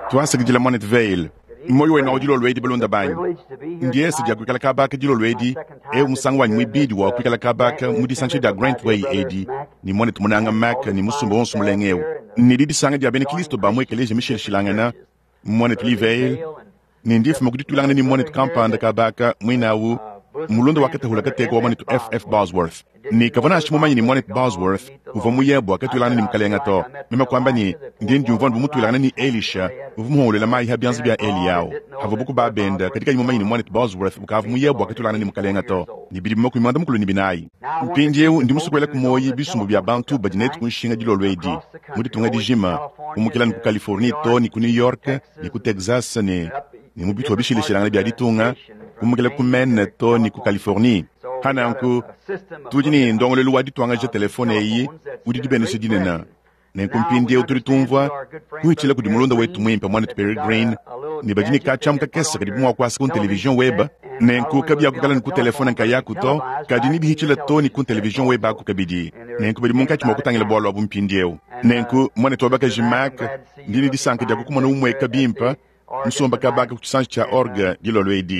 Tuasakidila Mwanetu Vayle. Muoyo wenu wa dilolo edi, balunda banyi. Ndiese dia kuikala kabaka dilolo edi, eu musangu wanyi muibidi wa kuikala kabaka mu disangisha dia Grantway edi, ne mwanetu munanga Mac ne musumba wonso mulenga eu. Ne didisanga dia bena Kristo ba mu ekeleziya mishilashilangana, mwanetu Lee Vayle, ne ndifuma ku dituilangana ne mwanetu kampanda kabaka muine au, mulunda wa katahula kateka wa mwanetu F. F. Bosworth. Ne kavua nansha mumanye ne mwanetu Bosworth uvua muye bua katuilangana ne mukalenga to. Meme kuamba ne, ndi ndiumvua bu mutuilangana ne Elisha uvua muhongoluela mayi ha bianza bia Eliya avua buku ba benda, kadi kayi mumanye ne mwanetu Bosworth ukavua muye bua katuilangana ne mukalenga to, ne bidimu 44. Mpindieu ndi musue kuela ku muoyi bisumbu bia bantu badi netu ku nshinga dilolo edi mu ditunga dijima, kumukila ne ku Californie to ne ku New York ne ku Texas ne ne mu bitupa bishilashilangane bia ditunga, kumukila ku Maine to ne ku Californie. Pa nanku, tudi ne ndongoluelu wa dituangaja telefone eyi udi dibenesha dinene. Nenku mpindieu tudi tumvua kuhitshila kudi mulunda wetu muimpe muanetu Pearry Green, ne badi ne katshiamu kakese kadibu mua kuasa ku television weba. Nenku kabiakuikala ne ku telefone nkayaku to, kadi nebihitshile to ne ku television weba aku kabidi. Nenku badi munkatshi mua kutangila bualu abu mpindieu. Nenku muanetu wa bakaji Mac, ndi ne disanka dia kukumona umueka bimpe musomba kabaka ku tshisanji tshia orgue dilolo edi,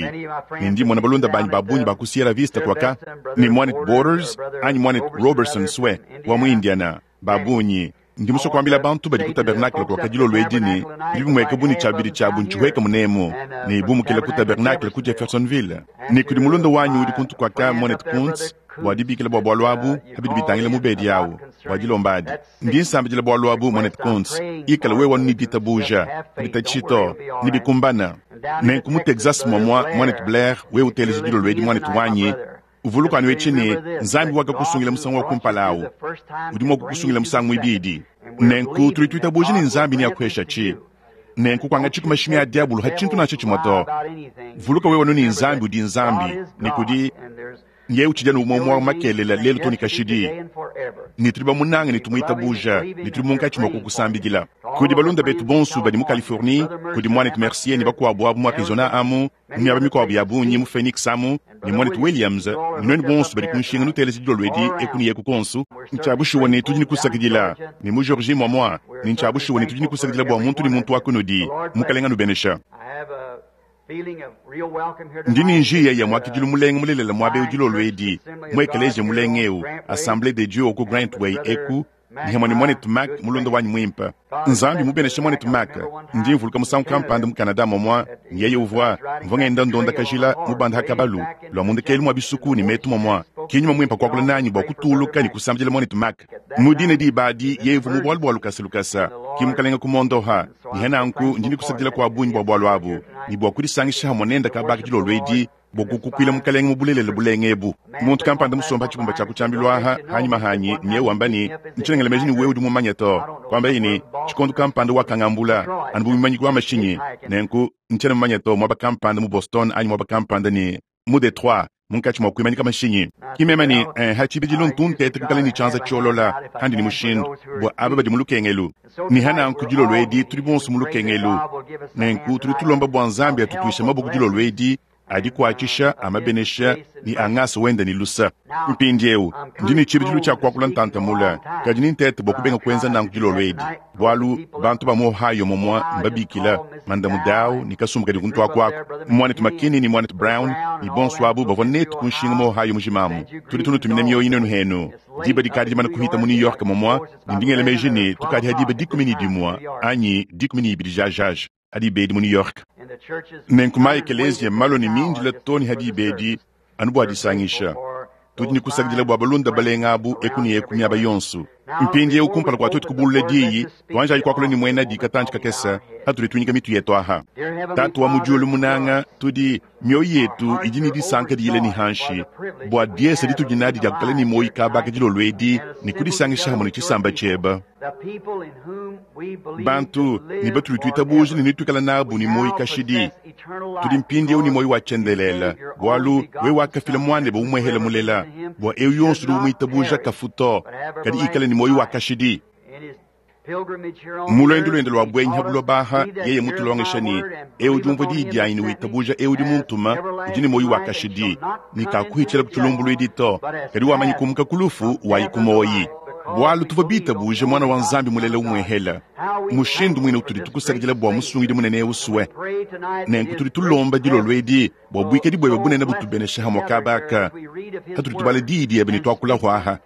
ne ndi mmona balunda banyi ba bungi ba ku Sierra Vista kuaka, ne muanetu Borders anyi muanetu Roberson Swe wa mu Indiana, ba bungi. Ndi musue kuambila bantu badi ku tabernacle kuaka dilolo edi ne, bidi bimueka bu ne tshiabidi tshiabu ntshihueka munemu, ne bumukila ku tabernacle ku Jeffersonville. Ne kudi mulunda wanyi udi kuntu kuaka, muanetu Kuntz, bua dibikila bua bualu abu pa bidi bitangila mubedi awu, bua dilomba adi. Ndi nsambidila bualu abu, muanetu Kuntz. Ikala wewe anu ne ditabuja, kuditatshishi to, nebikumbana. Nenku mu Texas muamua, muanetu Blair, wewe uteleja dilolo edi, muanetu wanyi, uvuluka anu etshi ne, Nzambi wakakusungila musangu wa kumpala awu, udi mua kukusungila musangu muibidi. Nenku tudi tuitabuja ne Nzambi neakuheshatshi. Nenku kuangatshiku mashimi a diabolo ha tshintu nansha tshimue to. Vuluka wewe anu ne Nzambi udi Nzambi, ne kudi Yeye utshidi anu umue umue makelela, lelu too ne kashidi, ne tudi bamunange ne tumuitabuja, ne tudi munkatshi mua kukusambidila. Kudi balunda betu bonso badi mu Californie, kudi muanetu Mercier ne bakuabu abu mu Arizona amu, mu miaba mikuabu ya bungi, mu Phoenix amu, ne muanetu Williams, ne nuenu bonso badi ku nshinga nuteleja dilolo edi eku ne eku kuonso. Ntshia bushuwa ne tudi ne kusakidila, ne mu Georgie muamua, ne ntshia bushuwa ne tudi ne kusakidila bua muntu ne muntu wa kunudi. Mukalenga anubenesha. Ndi ne njiya ya muakidilu mulenga mulelela muaba eu dilolo edi, mu ekeleziya mulenga eu, Assemblee de Dieu wa ku Grantway eku, ne hamue ne muanetu Mac, mulunda wanyi muimpe. Nzambi mubeneshe muanetu Mac. Ndi mvuluka musangu kampanda mu Canada muamua, ne yeye uvua, mvua ngenda ndonda kajila, mubanda ha kabalu, lua mu ndekelu mua bisuku ne metu muamua. Ki nyuma muimpe kuakula nanyi bua kutuluka ne kusambidila muanetu Mac. Mu dine diba adi, yeye uvua mu bualu bua lukasa lukasa, ki Mukalenga kumondoha. Ne nanku ndi ne kusakidila kua bungi bua bualu abu, ne bua kudisangisha hamue nende kabaka dilolo edi, bua kukukuila Mukalenge mu bulelela bulenga ebu. Muntu kampanda musomba ha tshibumba tshia ku tshiambilu aha hanyima hanyi, ne yeye wamba ne, Ntshiena ngela meji ne wewe udi mumanye to. Kuambaye ne, Tshikondo kampanda wakangambula, anu bu muimanyiki wa mashinyi. Nenku, ntshiena mumanye to, muaba kampanda mu Boston anyi muaba kampanda ne mu Detroit, munkatshi mua kuimanyika mashinyi. Ki meme ne, eh, ha tshibidilu ntu nteta kuikala ne tshianza tshiolola handi ne mushindu, bua aba badi mu lukengelu. Ne ha nanku dilolo edi tudi bonso mu lukengelu. Nenku tudi tulomba bua Nzambi atutuishe maboko dilolo edi, a dikuatshisha, a mabenesha, ne a ngasa wende ne lusa. Mpindieu, ndi ne tshibidilu tshia kuakula ntanta mule, kadi nintete bua kubenga kuenza nanku dilolo edi, bualu bantu ba mu Ohio mumua mbabikila Mandamu Dow ne kasumbu kadi kuntu aku aku, Muanetu McKinney ne Muanetu Brown ne bonso abu bavua netu ku nshinga mu Ohio mujima amu. Tudi tunutumina mioyo nuenu henu. Diba dikadi dimane kuhita mu New York mumua, ne ndi ngela meji ne tukadi ha diba 11 anyi 12 jajaja ha diba edi mu New York. Nenku ma ekeleziya mmalue ne mindila too ne ha diba edi anu bua disangisha. Tudi ne kusakidila bua balunda balenga abu eku ne eku miaba yonso. Mpindieu kumpala kua tuetu kubulula diyi, tuanjayi kuakula ne muena di katantshi kakese patudi tuinyika mitu yetu aha. Tatu wa mu diulu munanga, tudi, mioyo yetu idi ne disanka diyila ne hanshi bua diesa ditudi nadi dia kukala ne muoyo kabaka dilolo edi ne kudisangisha hamue ne tshisamba tshieba. Bantu ne batudi tuitabuja ne netuikala nabu ne muoyo kashidi. Tudi mpindieu ne muoyo wa tshiendelele, bualu wewe wakafila Muanebe umuehele mulela, bua eu yonso udi umuitabuja kafu to, kadi ikale ne muoyo wa kashidi. Mu luendu luende lua buenyi ha buloba aha, yeye mutulongesha ne, Eu udi umvua diyi dianyi ne witabuja eu udi muntuma, udi ne muoyo wa kashidi, ne kakuhitshila ku tshilumbuluidi to, kadi wamanyi kumuka ku lufu wayi ku muoyi. Bualu tuvua bitabuje Muana wa Nzambi mulela umuehela, mushindu muine utudi tukusakidila bua Musungidi munene eu sue. Nenku tudi tulomba dilolo edi bua buikadi buebe bunene butubeneshe hamue kaba aka, hatudi tubala Diyi diebe ne tuakula huaha.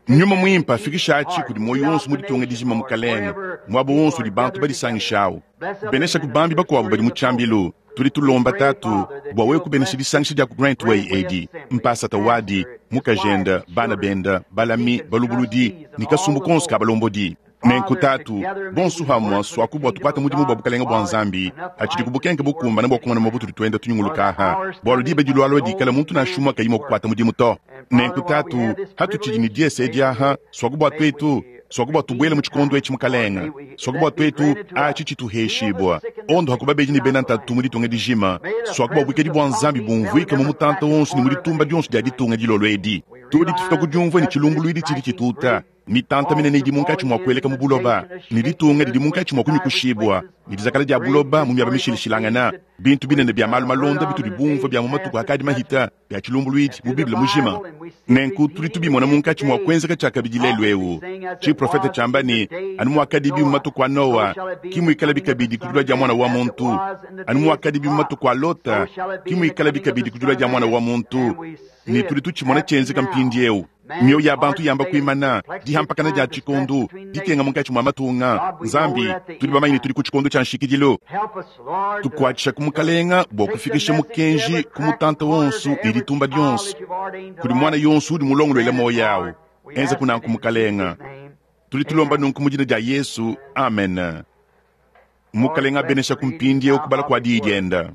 Nyuma Muimpe afikishe atshi kudi muoyo wonso mu ditunga dijima, Mukalenge, muaba wonso udi bantu badisangishawu. Benesha ku bambi bakuabu badi mu tshiambilu. Tudi tulomba, Tatu, bua wewe kubenesha disangisha dia ku Grantway edi, mpasata wadi, mukajende, bana bende, balami, balubuludi, ne kasumbu konso ka balombodi. Nenku, Tatu, bonso hamue suaku bua tukuate mudimu bua Bukalenge bua Nzambi, hatshidi ku bukenke bukumbane bua kumona muaba utudi tuenda tunyunguluka aha, bualu diba dilualua dikala muntu nansha umue kayi mua kukuata mudimu to. Nenku, Tatu, hatutshidi ne diese edi aha, suaku bua tuetu, suaku bua tubuele mu tshikondo etshi, Mukalenge, suaku bua tuetu atshi tshituheshibua, ondo hakubabedi ne bena ntatu mu ditunga dijima, suaku bua buikadi bua Nzambi bumvuike mu mutanta wonso ne mu ditumba dionso dia ditunga dilolo edi. Tudi tufika ku diumvua ne tshilumbuluidi tshidi tshituta, mitanta minene idi munkatshi mua kueleka mu buloba, ne ditunga didi munkatshi mua kunyukushibua, ne dizakala dia buloba mu miaba mishilashilangana, bintu binene bia malu malonda bitudi bumvua bia mu matuku akadi mahita bia tshilumbuluidi mu Bible mujima. Nenku tudi tubimona munkatshi mua kuenzeka tshiakabidi lelu eu. Tshiprofete tshiamba ne, anu muakadibi mu matuku a Noa, ki muikalabi kabidi ku dilua dia Muana wa muntu, anu muakadibi mu matuku a Lota, ki muikalabi kabidi ku dilua dia Muana wa muntu. Ne tudi tutshimona tshienzeka mpindieu. Mioyo ya bantu yamba kuimana, dihampakana dia tshikondo, dikenga munkatshi mua matunga. Nzambi, tudi bamanye ne tudi ku tshikondo tshia nshikidilu. Tukuatshisha ku Mukalenga bua kufikisha mukenji ku mutanta wonso ne ditumba dionso, kudi muana yonso udi mulongoluele muoyo awu. Enza kunanku, Mukalenga. Tudi tulomba nunku mu dina dia Yesu. Amen. Mukalenga abenesha ku mpindieu kubala kua diyi dienda.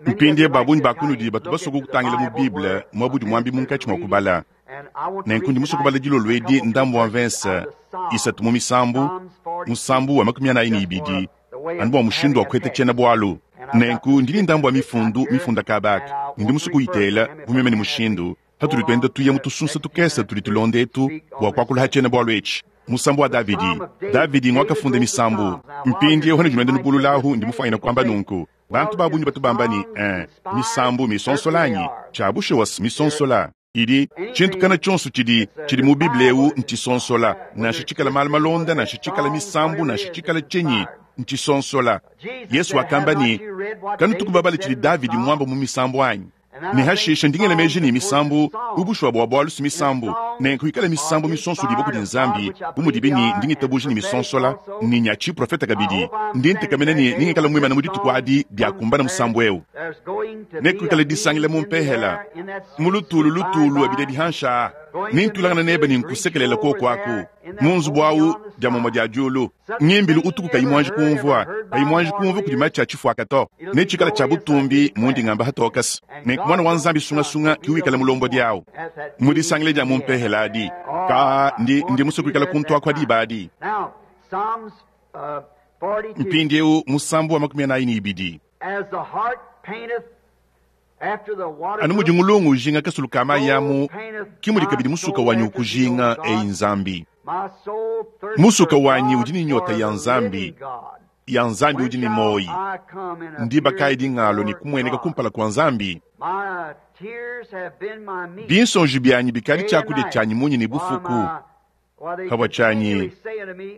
Mpindieu ba bungi ba kunudi batu basue kutangila mu Bible muaba udi muambi munkatshi mua kubala. Nenku ndi musue kubala dilolo edi ndambu wa mvese isatu mu Misambu, musambu wa 42, anu bua mushindu wa kuheta tshiena-bualu. Nenku ndi ne ndambu wa mifundu mifunda kaba aka, ne ndi musue kuyitela bu meme ne mushindu, hatudi tuenda tuya mu tusunsa tukese tudi tulonda etu bua kuakula ha tshiena-bualu etshi. Musambu wa Davidi. Davidi nguakafunda misambu. Mpindieu hanudi nuenda nubululahu, ndi mufuanyine kuamba nunku. Bantu ba bungi batu bamba ne, misambu misonsola anyi? Tshia bushuwa misonsola. Idi tshintu kana tshionso tshidi tshidi mu Bible eu ntshisonsola, nansha tshikala malu malonda, nansha tshikala misambu, nansha tshikala tshinyi, ntshisonsola. Yesu wakamba ne, kanutuku babale tshidi Davidi muamba mu misambu anyi? Ne hashishe ndi ngela meji ne misambu ubushuwa bua bualu si misambu, nenku ikala misambu misonsolibue kudi Nzambi, bu mudibi ne ndi ngitabuja ne misonsola ne nya tshiprofete kabidi. Ndi ntekemena ne ningikala muimana mu dituku adi diakumbana musambu eu. Nekuikale disangila mu mpehela, mu lutulu lutulu abidi dihansha, nintulangana nebe ne nkusekelela kuoku aku mu nzubu au dia mumue dia diulu. Ngimbilu utuku kayi muanji kumvua, kayi muanji kumvua kudi matshi a tshifuaka to. Netshikale tshia butumbi mundi ngamba hatokasa. Nenku Muana wa Nzambi sungasunga ki wikala mulombodi awu mu disangila dia mu mpehela adi. Ka ndi ndi musue kuikala kuntu aku diba adi. Mpindieu musambu wa 42. Anu mudi ngulungu ujinga kasulu ka mayi amu, ki mudi kabidi musuka wanyi ukujinga, eyi Nzambi. Musuka wanyi udi ne nyota ya Nzambi, ya Nzambi udi ne muoyi. Ndiba kayi dingalo ne kumueneka kumpala kua Nzambi? Binsonji bianyi bikadi tshiakudia tshianyi munyi ne bufuku, pavua tshianyi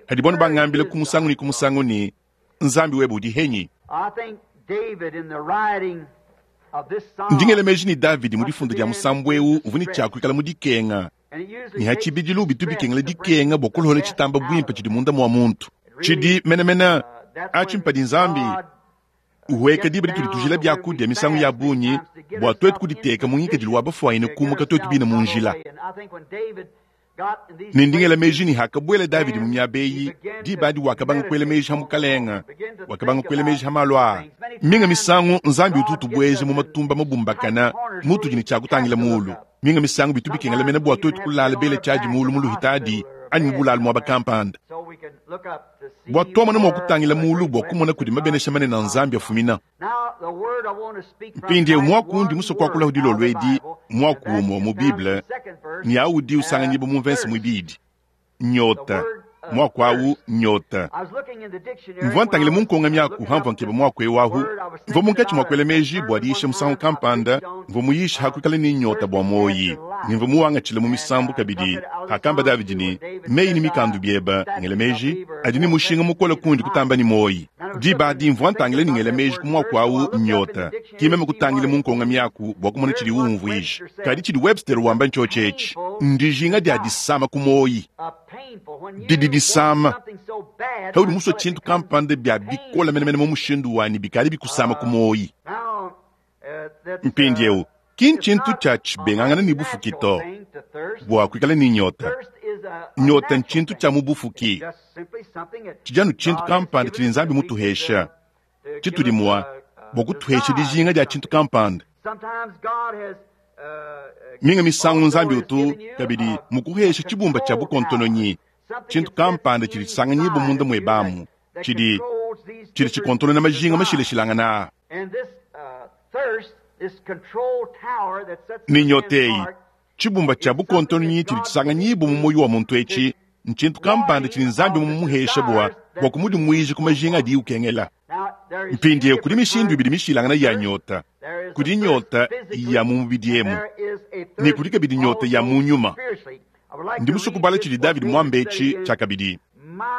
hadi bonu bangambila ku musangu ne ku musangu ne, Nzambi webe udi henyi? Ndi ngela meji ne Davidi mu difunda dia musambu eu uvua ne tshiakuikala mu dikenga, ne ha tshibidilu bitu bikengela dikenga bua kulohola tshitamba buimpe tshidi munda mua muntu. Tshidi menemene atshi mpadi Nzambi uhueka diba ditudi tujila biakudia misangu ya bungi bua tuetu kuditeka mu ngikadilu wa bafuanyine kumuka tuetu bine mu njila. Ne ndi ngela meji ne hakabuela Davidi mu miaba eyi, diba adi wakabanga kuela meji ha Mukalenga, wakabanga kuela meji ha malu aa. Minga misangu Nzambi utu utubueja mu matumba mabumbakana mutudi ne tshia kutangila mulu. Minga misangu bitu bikengela mena bua tuetu kulala bele tshiadi mulu mu luhitadi anyi mu bulalu muaba kampanda bua tuamona mua kutangila mulu bua kumona kudi mabenesha manene a Nzambi afumina. Mpindieu muaku undi musue kuakula dilolo edi muaku umue mu Bible ne audi usanganyibua mu mvese muibidi, nyota. Muaku awu nnyota. Mvua ntangila mu nkonga-miaku pamvua nkeba muaku eu ahu. Mvua munkatshi mua kuela meji bua diyisha musangu kampanda, mvua muyishe ha kuikala ne nyota bua muoyi, ne mvua muwangatshile mu misambu kabidi, hakamba Davidi ne, Meyi ne mikandu biebe, ngela meji, adi ne mushinga mukole kundi kutamba ne muoyi. Diba adi mvua ntangila ne ngela meji ku muaku au nyota, ki meme kutangila mu nkonga-miaku bua kumona tshidiwu umvuija. Kadi tshidi Webster wamba ntshiotshi etshi, Ndijinga dia disama ku muoyi. Didi disama. Paudi musue tshintu kampanda bia bikole menemene mu mushindu wa ne bikadi bikusama ku muoyi. Mpindieu, ki ntshintu tshia tshibengangana ne bufuki to bua kuikala ne nyota. Nyota ntshintu tshia mu bufuki. Tshidi anu tshintu kampanda tshidi Nzambi mutuhesha, tshitudi mua bua kutuhesha dijinga dia tshintu kampanda. Minga misangu Nzambi utu kabidi mukuhesha tshibumba tshia bukontononyi, tshintu kampanda tshidi tshisanganyibua munda muebe amu, tshidi tshidi tshikontonona majinga mashilashilangane aa. Ne nyota eyi, tshibumba tshia bukontononyi tshidi tshisanganyibua mu muoyo wa muntu etshi, ntshintu kampanda tshidi Nzambi mumuhesha bua bua kumudimuija ku majinga adiye ukengela. Mpindieu kudi mishindu ibidi mishilangane ya nyota. Kudi nyota ya mu mubidi emu, ne kudi kabidi nyota ya mu nyuma. Ndi musue kubala tshidi Davidi muambe etshi tshiakabidi,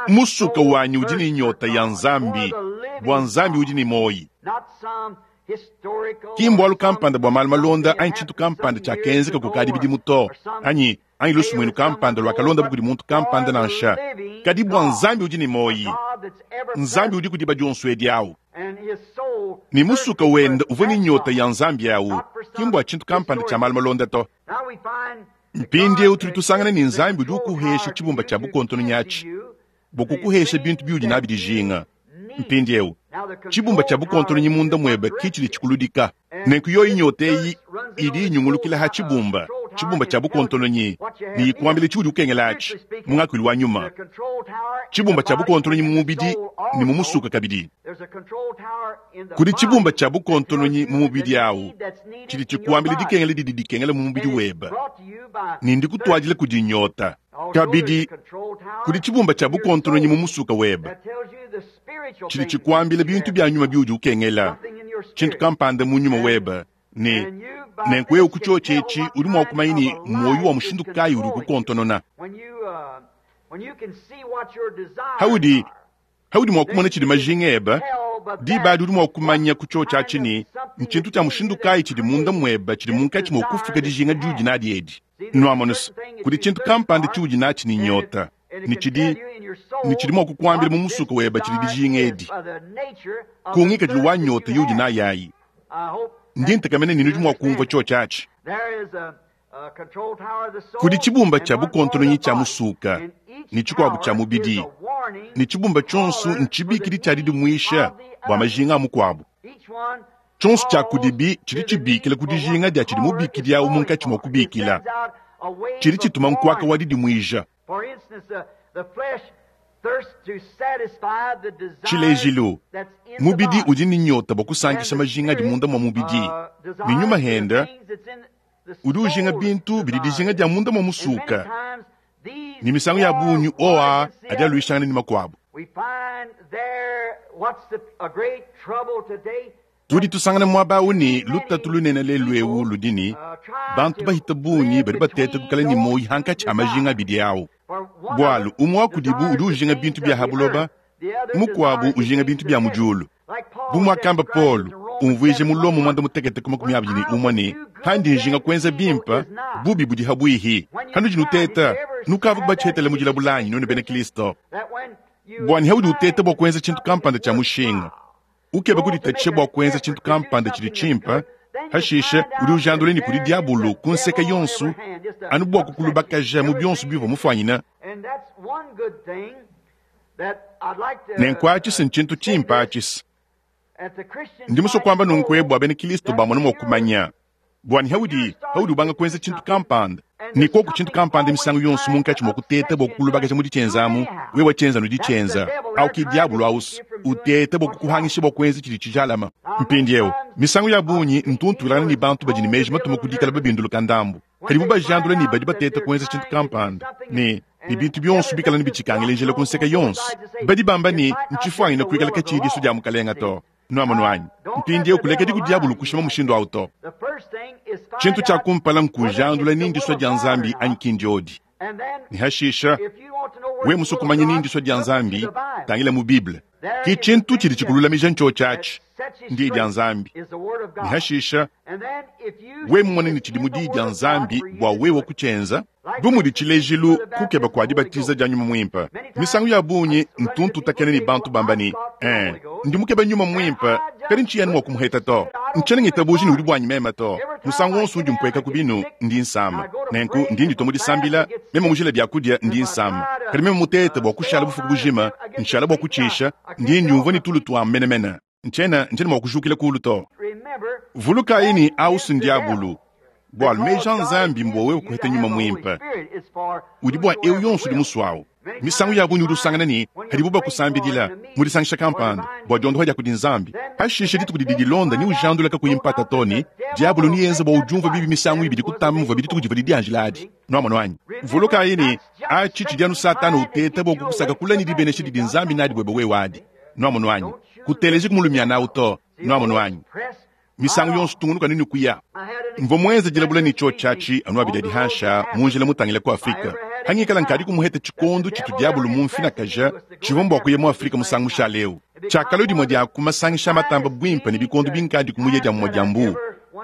Musuka wanyi udi ne nyota ya Nzambi, bua Nzambi udi ne muoyi. Ki mbualu kampanda bua malu malonda anyi tshintu kampanda tshiakenzeka kukadi bidimu to, anyi anyi lusumuinu kampanda luakalondabu kudi muntu kampanda nansha, kadi bua Nzambi udi ne muoyi, Nzambi udiku diba dionso edi awu. Ne musuka wende uvua ne nyota ya Nzambi awu, ki mbua tshintu kampanda tshia malu malonda to. Mpindieu tudi tusangana ne Nzambi udi ukuhesha tshibumba tshia bukontononyi atshi bua kukuhesha bintu biudi nabi dijinga. Mpindieu, tshibumba tshia bukontononyi munda muebe ke tshidi tshikuludika. Nenku yoyi nyota eyi idi inyungulukila ha tshibumba, tshibumba tshia bukontononyi, ne ikuambila tshiudi ukengela atshi, mu ngakuilu wa nyuma. Tshibumba tshia bukontononyi mu mubidi ne mu musuka kabidi. Kudi tshibumba tshia bukontononyi mu mubidi awu tshidi tshikuambila dikengela didi dikengela mu mubidi webe, ne ndikutuadila kudi nyota. Kabidi, kudi tshibumba tshia bukontononyi mu musuka webe tshidi tshikuambila bintu bia nyuma biudi ukengela, tshintu kampanda mu nyuma webe, ne nenku wewe ku tshiotshi etshi udi mua kumanya ne muoyo wa mushindu kayi udi ukukontonona. Haudi haudi mua kumona tshidi majinga ebe, diba adi udi mua kumanya ku tshiotshi atshi ne ntshintu tshia mushindu kayi tshidi munda muebe tshidi munkatshi mua kufuka dijinga diudi nadi edi. Nuamonu se, kudi tshintu kampanda tshiudi natshi ne nyota, ne tshidi ne tshidi mua kukuambila mu musuka webe tshidi dijinga edi, ku ngikadilu wa nyota iudi nayi ayi. Ndi ntekemena ne nudi mua kumvua tshiotshi atshi. Kudi tshibumba tshia bukontononyi tshia musuka ne tshikuabu tshia mubidi, ne tshibumba tshionso ntshibikidi tshia didimuisha bua majinga a mukuabu. Tshionso tshia kudibi tshidi tshibikila ku dijinga dia tshidi mubikidi au munkatshi mua kubikila. Tshidi tshituma nkuaka wa didimuija. Tshilejilu, mubidi udi ne nyota bua kusankisha majinga adi munda mua mubidi, ne nyuma henda udi ujinga bintu bidi dijinga dia munda mua musuka, ne misangu ya bungi oa adi aluishangana ne makuabu. Tudi tusangana muaba au ne lutatu lunene lelu'eu ludi ne, bantu bahita bungi badi bateta kuikala ne muoyo hankatshi ha majinga abidi au. Bualu umue wa kudibu udi ujinga bintu bia ha buloba, mukuabu ujinga bintu bia mu diulu. Bu muakamba Paulo umvuije mu Lomo 61 ne, Pandi njinga kuenza bimpe, bubi budi habuihi. Hanudi nuteta, nukavua kubatshietela mu dilabula anyi, nuenu bena Kristo? Bua ne haudi uteta bua kuenza tshintu kampanda tshia mushinga, ukeba kuditatshisha bua kuenza tshintu kampanda tshidi tshimpe, hashishe udi ujandula ne kudi diabolo ku nseke yonso anu bua kukulubakaja mu bionso biuvua mufuanyine. Nenku atshi si ntshintu tshimpe atshi si. Ndi musue kuamba nunku bua bena Kristo bamone mua kumanya bua ne haudi haudi ubanga kuenza tshintu kampanda ne koku tshintu kampanda misangu yonso munkatshi mua kuteta bua kukulubakaja mu ditshienzamu, wewe tshienza nu ditshienza au ki diabolo ausu uteta bua kukuhangisha bua kuenza tshidi tshijalama. Mpindieu misangu ya bungi ntu ntuilangana ne bantu badi ne meji matuma ku dikala babinduluka ndambu, kadibu bajandula ne badi bateta kuenza tshintu kampanda ne. Ne bintu bionso bikala ne bitshikangile njila ku nseke yonso. Badi bamba ne, Ntshifuanyine kuikala katshiyi disua dia Mukalenga to. Nwamonu anyi? Mpindiewu kulekedi ku diabulu kushima mushindu awu to. Tshintu tshia kumpala nkujandula ni ndisua dia Nzambi anyi ki ndiodi. Ne hashisha, wewe musue kumanya ni ndisua dia Nzambi, tangila mu Bible. Ki tshintu tshidi tshikululamija ntshiotshi atshi, Ndiyi dia Nzambi. Ne hashisha, wewe mumone ne tshidi mu Diyi dia Nzambi bua wewe kutshienza, bu mudi tshilejilu kukeba kua dibatiza dia Nyuma Muimpe. Misangu ya bungi ntu ntutakena ne bantu bamba ne, Ee, ndi mukebe Nyuma Muimpe, kadi ntshiyi anu mua kumuheta to. Ntshiena ngitabuja ne udi buanyi meme to. Musangu wonso undi mpueka ku binu, ndi nsama. Nenku ndi nditua mu disambila, meme mujila biakudia, ndi nsama. Kadi meme mutete bua kushala bufuku bujima, nshala bua kutshisha, ndi ndiumvua ne tulu tua menemene. Ntshiena, ntshiena mua kujukila kulu to. Vulukayi ne, au si ndiabulu. Bualu meji a Nzambi mbua wewe kuheta Nyuma Muimpe, udi bua eu yonso udi musuawu. Misangu ya bungi udi usangana ne, padibu bakusambidila mu disangisha kampanda bua diondoha dia kudi Nzambi, pashishe dituku didi dilonda neujandula kakuyi mpata to ne, diabolo neyenze bua udiumvue bibi misangu ibidi kutamba muvua dituku divua didianjila adi. Nuamonu anyi? Vulukayi ne, atshi tshidi anu Satana uteta bua kukusaka kule ne dibenesha didi Nzambi nadi buebe wewe adi. Nuamonu anyi? Kuteleji ku mulumiana au to. Nuamonu anyi? Misangu yonso tungunuka ne kuya. Mvua muenze dilabula ne tshiotshi atshi anu abidi adi hansha mu njila mutangile ku Afrike. Hangikala nkadi kumuheta tshikondo tshitu diabolo mumfinakaja, tshivua mbua kuya mu Afrike musangu mushale eu. Tshiakalua dimue dia ku masangisha matamba buimpe ne bikondo binkadi kumuya dia mumue dia mbuu.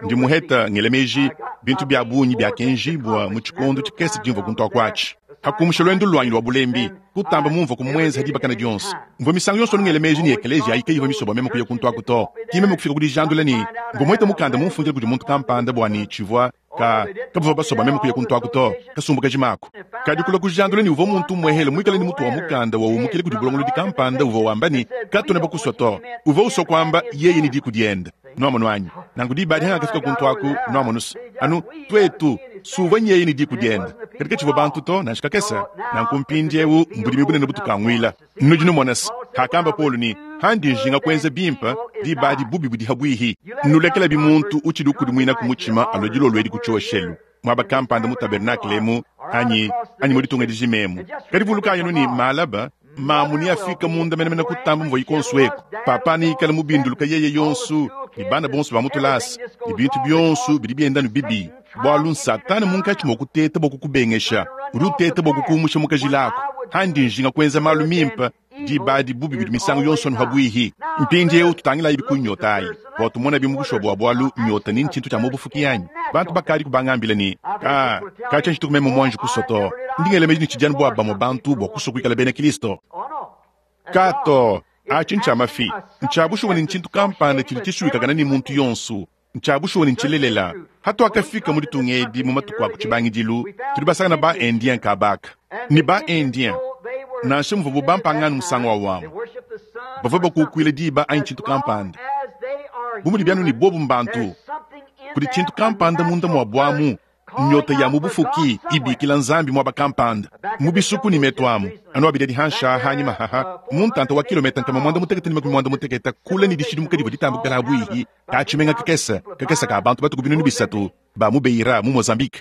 Ndi muheta, ngela meji, bintu bia bungi biakenjibua mu tshikondo tshikese tshimvua kuntu aku atshi. Ha kumusha luendu luanyi lua bulembi, kutamba mumvua kumuenza ha dibakana dionso. Mvua misangu yonso anu ngela meji ne ekeleziya ayi kayivua misue bua meme kuya kuntu aku to. Ki meme kufika ku dijandula ne, mvua muhete mukanda mumfundila kudi muntu kampanda bua ne tshivua ka, kabavua basue bua meme kuya kuntu aku to. Kasumbu kajima aku. Kadi kulua kujandula ne uvua muntu umuehele muikale ne mutu wa mukanda wa umukile kudi bulongolodi kampanda uvua wamba ne, Katuena bakusua to. Uvua usua kuamba yeye ne diku diende. Nuamonu anyi? Nanku diba adi hangakafika kuntu aku, nuamonu's, anu tuetu, suvua nyeye ne diku diende, kadi katshivua bantu to, nansha kakese. Nanku mpindiewu mbudimi bunene butukanguila. Nudi numona's, hakamba Paulo ne, Handi njinga kuenza bimpe, diba adi bubi budi habuihi. Nulekelabi muntu utshidi ukudimuinaku mutshima alue dilolo edi ku tshioshelu, muaba kampanda mu tabernakle emu, anyi, anyi mu ditunga dijima emu. Kadi vulukayi anu ne, malaba, mamu neafike munda menemene kutamba muvua yikonso eku. Papa neikale mubinduluka yeye yonso, ne bana bonso ba mu tulasa, ne bintu bionso bidi bienda anu bibi, bualu n'Satana munkatshi mua kuteta bua kukubengesha. Udi uteta bua kukumusha mu kajila aku. Handi njinga kuenza malu mimpe, diba adi bubi budi misangu yonso anu habuihi. Mpindieu tutangilayibi ku nyota ayi, bua tumonabi mu bushuwa bua bualu nyota ni ntshintu tshia mu bufuki anyi? Bantu bakadi kubangambila ne, Ka, katshia ntshituku meme muanji kusua to. Ndi ngela meji ne tshidi anu bua bamue bantu bua kusua kuikala bena Kristo. Ka to, atshi ntshia mafi. Ntshia bushuwa ne ntshintu kampanda tshidi tshisuikakana ne muntu yonso. Ntshia bushuwa ne ntshilelela. Hatuakafika mu ditunga edi mu matuku a ku tshibangidilu, tudi basangana ba-Indien kabaka. Ne ba-Indien, nansha muvuabu bampangano musangu wa wamu, bavua bakukuila diba anyi tshintu kampanda. Bu mudi bianu ne bobu mbantu, kudi tshintu kampanda munda muabu amu Nyota ya mu bufuki ibikila Nzambi muaba kampanda mu bisuku ne metu amu anu abidi adi hanshi aha hanyima haha mu ntanta wa kilometa 118 kule ne dishidimuka divua ditambukila ha buihi ka tshimenga kakese kakese ka bantu batuku 300 ba mu Beira mu Mozambique.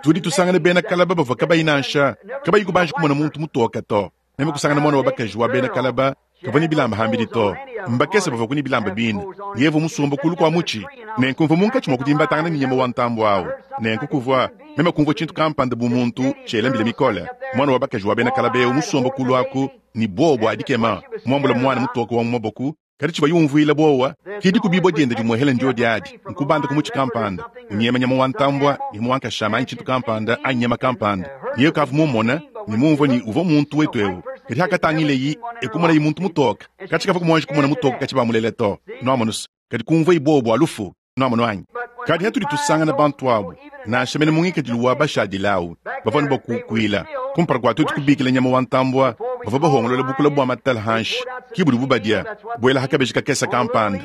Tudi tusangana bena kalaba bavua kabayi nansha kabayi kubanji kumona muntu mutoke to. Meme kusangana muana wa bakaji wa bena kalaba kavua ne bilamba hambidi to. Mbakese bavua ne bilamba bine. Yevu musomba kulu kua mutshi. Nenku mvua munkatshi mua kudimbatangana ne nyama wa ntambue au. Nenku kuvua, meme kumvua tshintu kampanda bu muntu tshiela mbila mikole. Muana wa bakaji wa bena kalaba eu musomba kulu aku ne buowa bua dikema, muambule muana mutoke wa mu maboko. Kadi tshivua yumvuila buowa ke dikubibua diende dimuehela ndiodi adi, nkubanda ku mutshi kampanda, unyema nyama wa ntambua, nyama wa nkashama anyi tshintu kampanda anyi nyama kampanda. Yeye kavua mumone ne mumvue ne uvua muntu wetu eu. Kadi hakatangileyi, e kumonayi muntu mutoke. Katshi kavua muanji kumona mutoke katshi bamulela to. Nuamonu's, kadi kumvuayi buowa bua lufu. Nuamonu anyi? Kadi hatudi tusangana bantu abu, nansha mene mu ngikadilu wa bashadile au, bavua ne bua kukuila kumpala kua tuetu kubikila nyama wa ntambua. Bavua bahongolola bukula bua matala hanshi, ki budibu badia, buela ha kabeji kakese kampanda,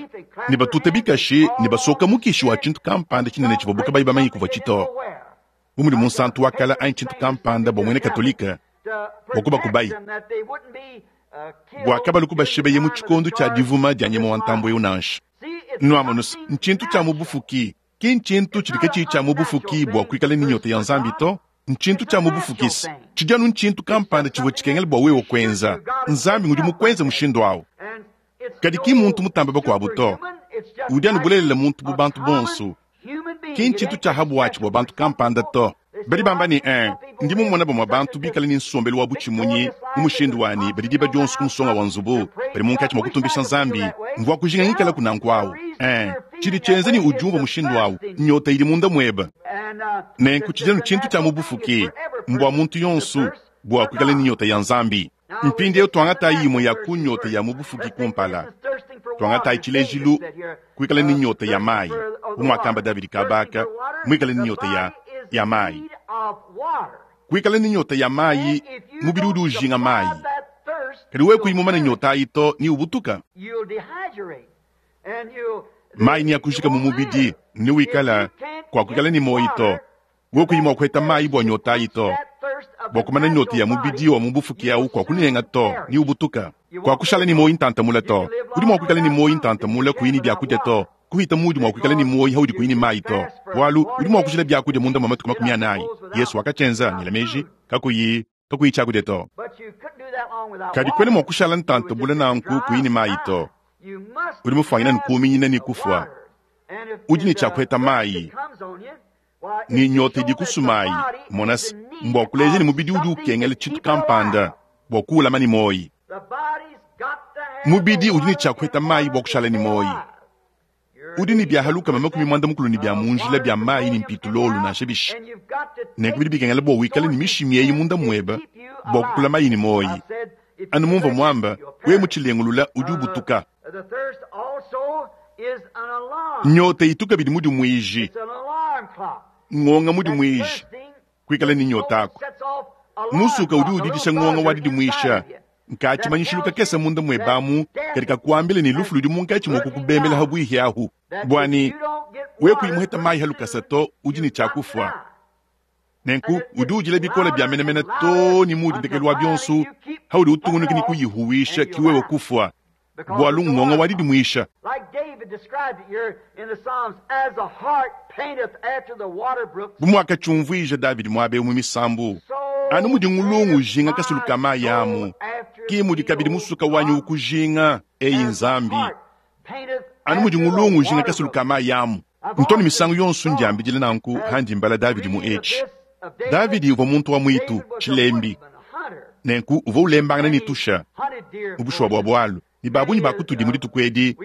ne batuta bikashi ne basoka mukishi wa tshintu kampanda tshinene tshivuabu kabayi bamanye kuvua tshito, bu mudi munsantu wa kala anyi tshintu kampanda bua muena Katolike bua kubakubayi bua kabalu kubashebeye mu tshikondo tshia divuma dia nyama wa ntambue eu nansha. Nuamonu's, ntshintu tshia mu bufuki, ki ntshintu tshidi katshiyi tshia mu bufuki bua kuikala ne nyota ya Nzambi to. Ntshintu tshia mu bufuki. Tshidi anu ntshintu kampanda tshivua tshikengela bua wewe kuenza. Nzambi ngudi mukuenze mushindu au. Kadi ki mmuntu mutambe bakuabu to. Udi anu bulelela muntu bu bantu bonso. Ki ntshintu tshia ha buatshi bua bantu kampanda to. Badi bamba ne, Ee, ndi mumone bamue bantu bikale ne nsombelu wa butshimunyi mu mushindu wa ne, badi diba dionso ku musonga wa nzubu, badi munkatshi mua kutumbisha Nzambi. Mvua kujinga ngikalaku nanku au. Ee, tshidi tshienza ne udiumvua mushindu au nnyota idi munda muebe. Nenku tshidi anu tshintu tshia mu bufuki, mbua muntu yonso bua kuikala ne nyota ya Nzambi. Mpindieu tuangatayi imue ya ku nyota ya mu bufuki kumpala. Tuangatayi tshilejilu, kuikala ne nyota ya mayi, bu muakamba Davidi kabaka, muikale ne nyota ya, ya mayi. Kuikala ne nyota ya mayi, mubidi udi ujinga mayi. Kadi wewe kuyi mumane nyota ayi to, ne ubutuka. Mayi neakujika mu mubidi, ne wikala kuakuikala ne muoyo to. Wewe kuyi mua kuheta mayi bua nyota ayi to, bua kumana nyota ya mubidi wa mu bufuki au kuakunenga to, ne ubutuka. Kuakushala ne muoyo ntanta mule to. Udi mua kuikala ne muoyo ntanta mule kuyi ne biakudia to, kuhita muudi mua kuikala ne muoyo haudi kuyi ne mayi to, bualu udi mua kujila biakudia munda mua matuku 40. Yesu wakatshienza, ngela meji, kakuyi kakuyi tshiakudia to. Kadi kuena mua kushala ntanta mule nanku kuyi ne mayi to. Udi mufuanyine ne kuuminyina ne kufua. Udi ne tshia kuheta mayi ne nyota idi kusumayi. Mona se, mbua kuleja ne mubidi udi ukengela tshintu kampanda bua kuwulama ne muoyo. Mubidi udi ne tshia kuheta mayi bua kushala ne muoyo. Udi ne biaha 130 ne bia mu njila bia mayi ne mpitulolu nansha bishi. Nenku bidi bikengela bua wikale ne mishimi eyi munda muebe bua kukulamayi ne muoyo. Anu mumvua muamba, wewe mutshilengulula udi ubutuka. Nyota itu kabidi mudimuiji, ngonga mudimuiji, kuikala ne nyota aku. Musuka udi udidisha ngonga wa didimuisha, nka tshimanyishilu kakese munda muebe amu kadi kakuambila ne lufu ludi munkatshi mua kukubembela ha buihi ahu. Bua ne wewe kuyi muheta mayi ha lukasa to, udi ne tshia kufua. Nenku udi udila bikole bia menemene to ne muudi ndekelu wa bionso haudi utungunuka ne kuyihuwisha ki wewe kufua, bualu ngonga wa didimuisha. Bu muakatshiumvuija Davidi muaba eu mu misambu, anu mudi ngulungu ujinga kasulu ka mayi amu, ki mudi kabidi musuka wanyi ukujinga, eyi Nzambi. Anu mudi ngulungu ujinga kasulu ka mayi amu. Ntu ne misangu yonso ndiambidila nanku handi mbala Davidi mu etshi. Davidi uvua muntu wa muitu, tshilembi. Nenku uvua ulembangana ne tusha mu bushuwa bua bualu, ne ba bungi ba kutudi mu dituku edi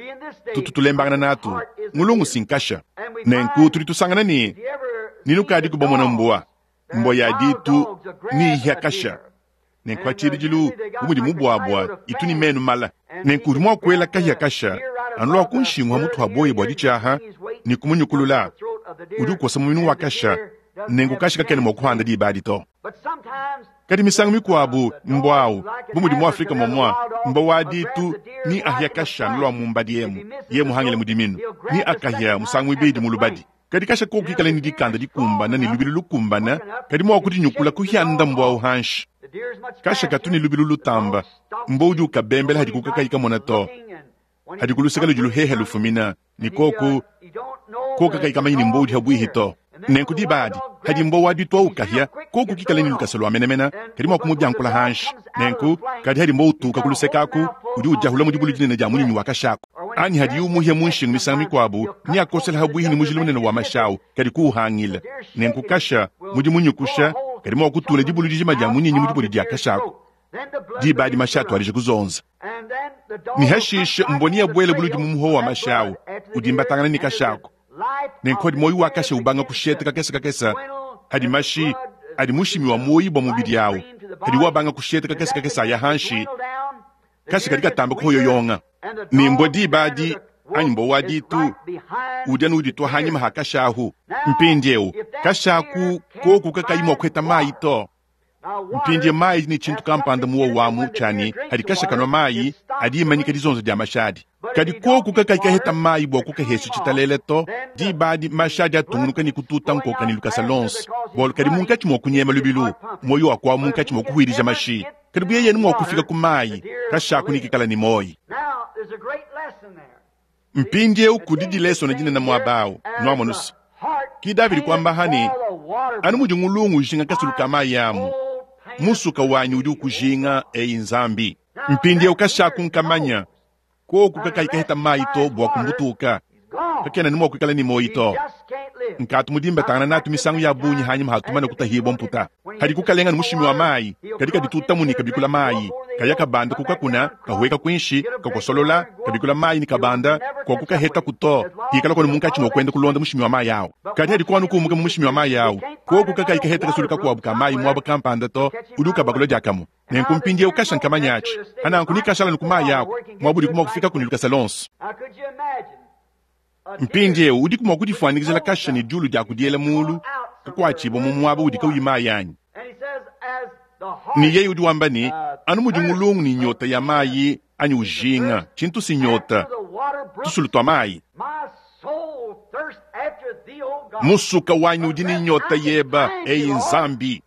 tutu tulembangana natu, ngulungu si nkasha. Nenku tudi tusangana ne, ne nukadiku bamona mbua, mbua ya ditu ne ihia kasha. Nenku pa tshibidilu, bu mudi mubuabua itu ne menu mala, nenku udi mua kuela kahia kasha anu lua ku nshingu ha mutu ha boya bua ditshiaha ne kumunyukulula. Udi ukosa muminu wa kasha, nenku kasha kakena mua kuhanda diba adi to. Kadi misangu mikuabu mbua au, bu mudi mu Afrika muamua, mbua wa ditu ni ahia kasha anu lua mumbadi emu, ye muhangile mu diminu, ni akahia musangu muibidi mu lubadi. Kadi kasha koku kikale ne dikanda dikumbana ne lubilu lukumbana, kadi mua kudinyukula kuhianda mbua au hanshi. Kasha katu ne lubilu lutamba, mbua udi ukabembela hadi kukakayi kamona to. Hadi ku luseke ludi luhehe lufumina, ne koku koku kakayi kamanyi ne mbua udi habuihi to. Nenku diba adi, hadi mbua wa ditu au kahia, koku kikale ne lukasa lua menemene, kadi mua kumubiankula hanshi. Nenku, kadi hadi mbua utuka ku luseke aku, udi udiahula mu dibulu dinene dia munyinyi wa kashaku. Anyi hadiye umuhia mu nshingu misangu mikuabu, neakosele habuihi ne mujila munene wa mashi au, kadi kuuhangila. Nenku kasha, mudi munyukusha, kadi mua kutula dibulu dijima dia munyinyi mu dibodi dia kashaku. Diba adi mashi atuadija kuzonza. Ne hashishe mbua neabuele buludi mu muhowo wa mashi au, udi mbatangana ne kashaku. Nenku hadi muoyo wa kasha ubanga kusheta kakese kakese, hadi mashi adi mushimi wa muoyo bua mubidi au, hadi wabanga kusheta kakese kakese aya hanshi, kasha kadi katamba kuhoyoyonga. Ne mbua diba adi, anyi mbua wa ditu, udi anu uditua hanyima ha kasha ahu. Mpindieu kasha aku koku kakayi mua kuheta mayi to. Mpindie mayi ne tshintu kampanda muowo amu tshia ne hadi kasha kanua mayi adi imanyika dizonzo dia mashi adi. Kadi koku kakayi kaheta mayi bua kukahesha tshitalele to, diba adi mashi adi atungunuka ne kututa nkoka ne lukasa lonso, bualu kadi munkatshi mua kunyema lubilu, muoyo wakuawu munkatshi mua kuhuidija mashi. Kadi bu yeye mua kufika ku mayi, kasha aku ne kikala ne muoyo. Mpindieu kudi dilesona dinene muaba au, nuamonu se, ki Davidi kuamba ha ne, Anu mudi ngulungu ujinga kasulu ka mayi amu, musuka wanyi udi ukujinga, eyi Nzambi. Mpindieu kashaku nkamanya, koku kakayi kaheta mayi to bua kumbutuka, kakena ne mua kuikala ne muoyi to. Nkatu mudimbatangana natu misangu ya bungi hanyima hatumana kutahibua mputa. Hadi kukalenga ne mushimi wa mayi, kadi kaditutamu ne kabikula mayi, kaya kabanda kukakuna, kahueka kuinshi, kakosolola, kabikula mayi ne kabanda, kua kukahetaku to, hikala konu munkatshi mua kuenda kulonda mushimi wa mayi awu. Kadi hadi kuanu kuumuka mu mushimi wa mayi awu, koku kakayi kaheta kasulu kakuabu ka mayi muaba kampanda to, udi ukabakula diakamue. Nenku mpindieu kasha nkamanya atshi, ananku ni kashala ku mayi aku, muaba udiku mua kufikaku ne lukasa lonso. Mpindieu udiku mua kudifuanyikijila kasha ne diulu dia kudiela muulu kakuatshibua mu muaba udi kauyi mayi anyi? Ne yeye udi wamba ne, anu mudi ngulungu ne nyota ya mayi anyi ujinga tshintu si nyota, tusulu tua mayi. Musuka wanyi udi ne nyota yeba, eyi Nzambi.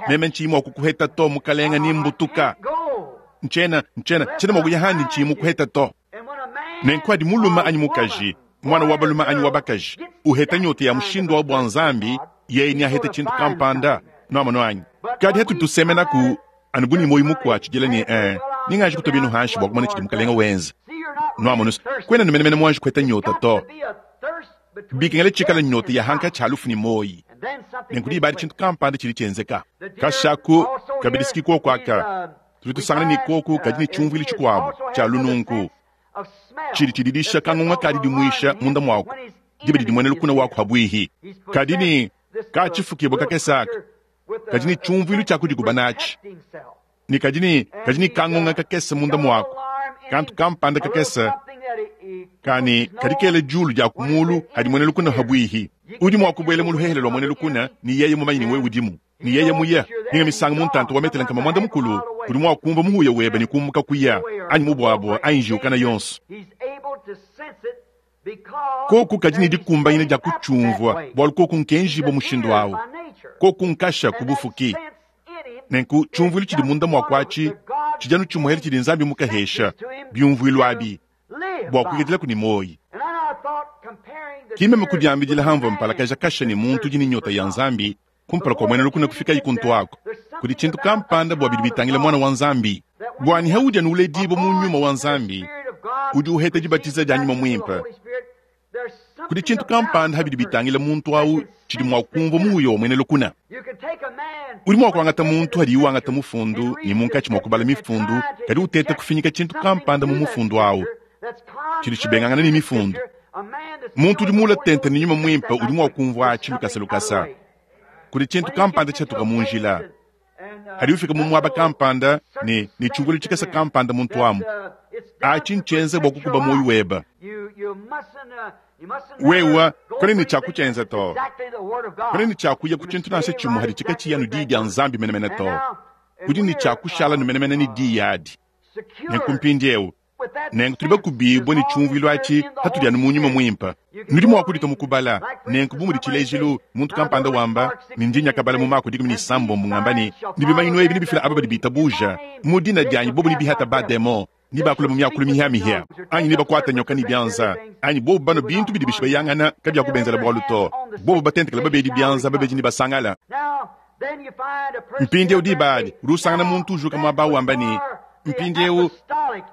Meme ntshiyi mua kukuheta to, mukalenga, ni mbutuka. Ntshiena, ntshiena, ntshiena mua kuya handi ntshiyi mukuheta to. Nenku adi mulume anyi mukaji, mwana wa balume anyi wa bakaji, uheta nyota ya mushindu wa bua Nzambi, yeye neahete tshintu kampanda, nuamonu anyi. Kadi hatu tusemenaku anu bu ne muoyo mukuatshidila ne, ninganji kutua binu hanshi bua kumona tshidi mukalenga wenza. Nuamonu, kuena numenemene muanji kuheta nyota to. Bikengela tshikala nyota ya hankatshi ha lufu ne muoyi. Nenku diba adi tshintu kampanda tshidi tshienzeka. Kashaku kabidi siki koku aka, tudi tusangana ne koku kadi ne tshiumvuilu tshikuabu tshia lununku tshidi tshididisha kangunga ka didimuisha munda muaku diba didi muena lukuna waku habuihi. Kadi ne ka tshifukibua kakese aka kadi ne tshiumvuilu tshia kudikuba natshi, ne kadi ne kadi ne kangunga kakese munda muaku, kantu kampanda kakese kani kadi kela diulu dia kumulu hadi muena lukuna habuihi. Udi mua kubuela mu luhehele lua muena lukuna ne yeye mumanye ne wewe udimu, ne yeye muye ninga misangu mu ntanta wa metele nkama mwanda mukulu, udi mua kumva muhuya webe ne kumuka kuya anyi mubuabua anyi njiukana yonso. Koku kadi ne dikumbanyina dia kutshiumvua, bualu koku nkenjibua mushindu awu, koku nkasha ku bufuki. Nenku tshiumvuilu tshidi munda mua kuatshi tshidi anu tshimuhele tshidi Nzambi mukahesha biumvuilu abi bua kuikadilaku ne muoyi. Ki meme kudiambidila hamvua mpalakaja kasha ne muntu udi ne nyota ya Nzambi kumpala kua muena lukuna kufikayi kuntu ako. Kudi tshintu kampanda bua bidi bitangila mwana wa Nzambi. Bua ni haudi anu uledibua mu nyuma wa Nzambi, udi uheta dibatiza dia nyuma muimpe. Kudi tshintu kampanda habidi bitangila muntu awu tshidi mua kumvua muhuya wa muena lukuna. Udi mua kuangata muntu hadi wangata mufundu ne munkatshi mua kubala mifundu, kadi uteta kufinyika tshintu kampanda mu mufundu awu tshidi tshibengangana ne mifundu. Muntu udi mula tente ne nyuma muimpe udi mua kumvua atshi lukasa lukasa. Kudi tshintu kampanda tshiatuka mu njila hadi ufika mu muaba kampanda ne ne tshiumvuilu tshikese kampanda muntu amu atshi ntshienze bua kukuba muoyo webe. Wewe kwena ne tshiakutshienza to, kwena ne tshiakuya ku tshintu nansha tshimue hadi tshikatshiya nu diyi dia Nzambi menemene to. Udi ne tshiakushala nu menemene ne diyi adi. Nenku mpindieu nenku tudi bakubibue ne tshiumvuilu atshi hatudi anu mu nyuma muimpe. Nudi mua kuditua mu kubala nenku bu mudi tshilejilu muntu kampanda wamba ne ndi nyakabala mu Mako 16 ngamba ne ne bimanyinu ebi nebifila aba badi bitabuja mu dina dianyi, bobu nebihata bademon, nebakula mu miakulu mihiamihia, anyi nebakuata nyoka ne bianza, anyi bobu banua bintu bidi bishibayangana kabiakubenzela bualu to, bobu batentekela babedi bianza, babedi ne basangala. Mpindieu diba adi udi usangana muntu ujuka muaba wamba ne mpindieu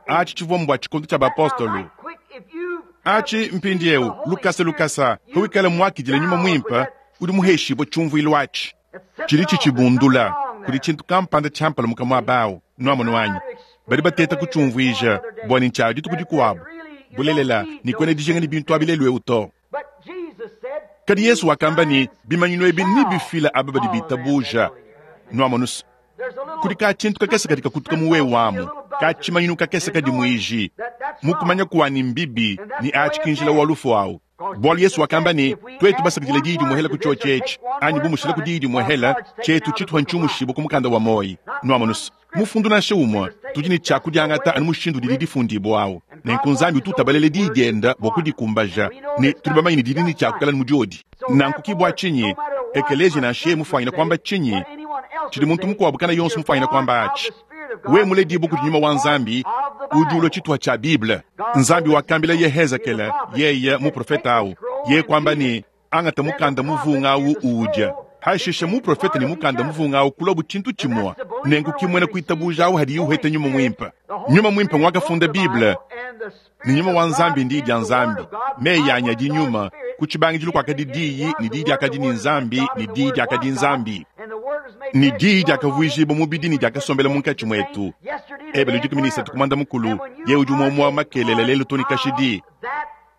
atshi tshivua mbua tshikondo tshia bapostolo. Atshi mpindieu lukasa lukasa hawikala muakidile nyuma muimpe udi muheshibue tshiumvuilu atshi tshidi tshitshibundula kudi tshintu kampanda tshiampala muka muaba awu. Nuamonu anyi? Badi bateta kutshiumvuija bua ne ntshia dituku dikuabu. Bulelela ne kuena dijinga ne bintu abi lelu eu to. Kadi Yesu wakamba ne bimanyinu ebi nebifila aba badi bitabuja. Nuamonu, kudi ka tshintu kakese kadi kakutuka mu wewe amu, ka tshimanyinu kakese kadi muiji mukumanya kuani mbibi ni atshi kinjila wa lufu awu. Bualu Yesu wakamba ne tuetu basakidile diyi dimuhela ku tshiotshi etshi, anyi bumushila ku diyi dimuhela tshietu tshituha ntshiumushibu ku mukanda wa moyi. Nuamonu, mufundu nansha umue tudi ne tshiakudiangata anu mushindu didi difundibua awu. Nenku Nzambi utu utabalela diyi dienda bua kudikumbaja, ne tudi bamanye ne didi ne tshiakukala mu diodi. Nanku ki bua tshinyi ekeleziya nansha yeye mufuanyina kuamba tshinyi tshidi muntu mukuabu kana yonso mufuanyina kuamba atshi, we muledibue kudi nyuma wa Nzambi udi ulua tshituha tshia Bible. Nzambi wakambila Yehezekele yeye muprofeta awu, yeye kuamba ne angata mukanda muvunga awu uwudia. Hashishe muprofete ne mukanda muvunga awu kuluabu tshintu tshimue. Nenku ki muena kuitabuja awu hadiye uheta Nyuma Muimpe. Nyuma Muimpe nguakafunda Bible, ne Nyuma wa Nzambi n'Diyi dia Nzambi. Meyi anyi adi nyuma. Ku tshibangidilu kuakadi Diyi, ne Diyi diakadi ne Nzambi, ne Diyi diakadi Nzambi. Ne Diyi diakavuijibua mubidi ne diakasombela munkatshi muetu. Ebelu 13 ku muanda mukulu, Yeye udi umue umue makelela, lelu too ne kashidi.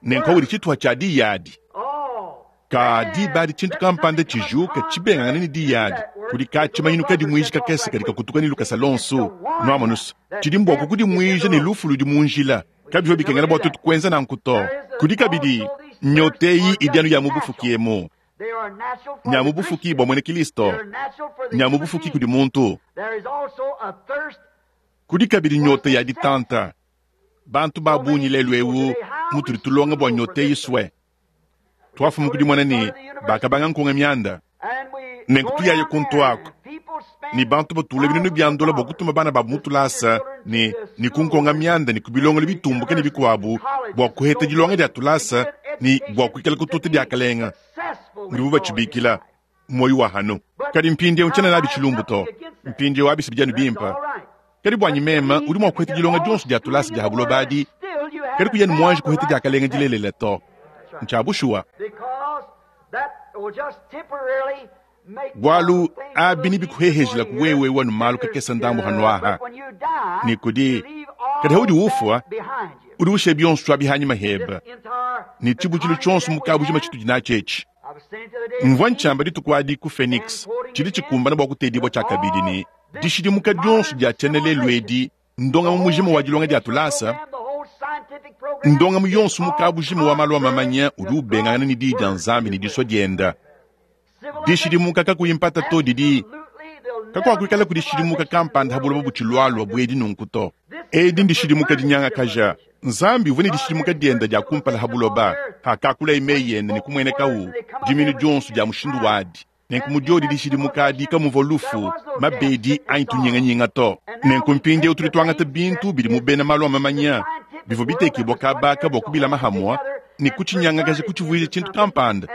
Nenku udi tshituha tshia Diyi adi. Ka diba adi tshintu kampanda tshijuka tshibengangane ne diyi adi, kudi ka tshimanyinu kadimuiji kakese kadi kakutuka ne lukasa luonso. Nuamonus, tshidi mbua kukudimuija ne lufu ludi mu njila. Kabivua bikengela bua tuetu kuenza nanku to. Kudi kabidi nyota eyi idi anu ya mu bufuki emu, nya mu bufuki bua muena Kilisto, nya mu bufuki kudi muntu. Kudi kabidi nyota ya ditanta. Bantu ba bungi lelu eu mutudi tulonga bua nyota eyi sue. Tuafuma ku dimona ne, bakabanga nkonga mianda. Nenku tuyaye kuntu aku, ne bantu batula binunu bia ndola bua kutuma bana babu mu tulasa ne, ne ku nkonga mianda ne ku bilongelo bitumbuke ne bikuabu bua kuheta dilonga dia tulasa ne bua kuikala kututa diakalenga, mudibu batshibikila, muoyo wa hanu. Kadi mpindieu ntshiena nabi tshilumbu to. Mpindieu abi si bidi anu bimpe. Kadi buanyi meme, udi mua kuheta dilonga dionso dia tulasa dia ha buloba adi, kadi kuya ne muanji kuheta diakalenga dilelela to. Ntshia bushuwa. Bualu abi nebikuhehejilaku wewe wanu malu kakese ndambu hanuaha ne kudi, kadi haudi ufua, udi ushiya bionso abi hanyima hebe, ne tshibutshilu tshionso mu kabujima tshitudi natshi etshi. Mvua ntshiamba dituku adi ku Phoenix, tshidi tshikumbana bua kutedibua tshiakabidi ne dishidimuka dionso dia tshiena lelu edi, ndongamu mujima wa dilonga dia tulasa, ndongamu yonso mu kabujima wa malu a mamanya udi ubengangana ne Diyi dia Nzambi ne disua dienda. Dishidimuka kakuyi mpata to didi kakuakuikala kudishidimuka kampanda ha buloba butshilualua bu edi nunku to. Edi ndishidimuka dinyangakaja. Nzambi uvua ne dishidimuka diende dia kumpala ha buloba, hakakulaye meyi ende ne kumuenekawu diminu dionso dia mushindu wadi. Nenku mu diodi dishidimuka adi kamuvua lufu, mabedi anyi tunyinganyinga to. Nenku mpindieu tudi tuangata bintu bidi mu bena malu a mamanya bivua bitekibua kaba aka bua kubilama hamua ne kutshinyangakaja kutshivuija tshintu kampanda,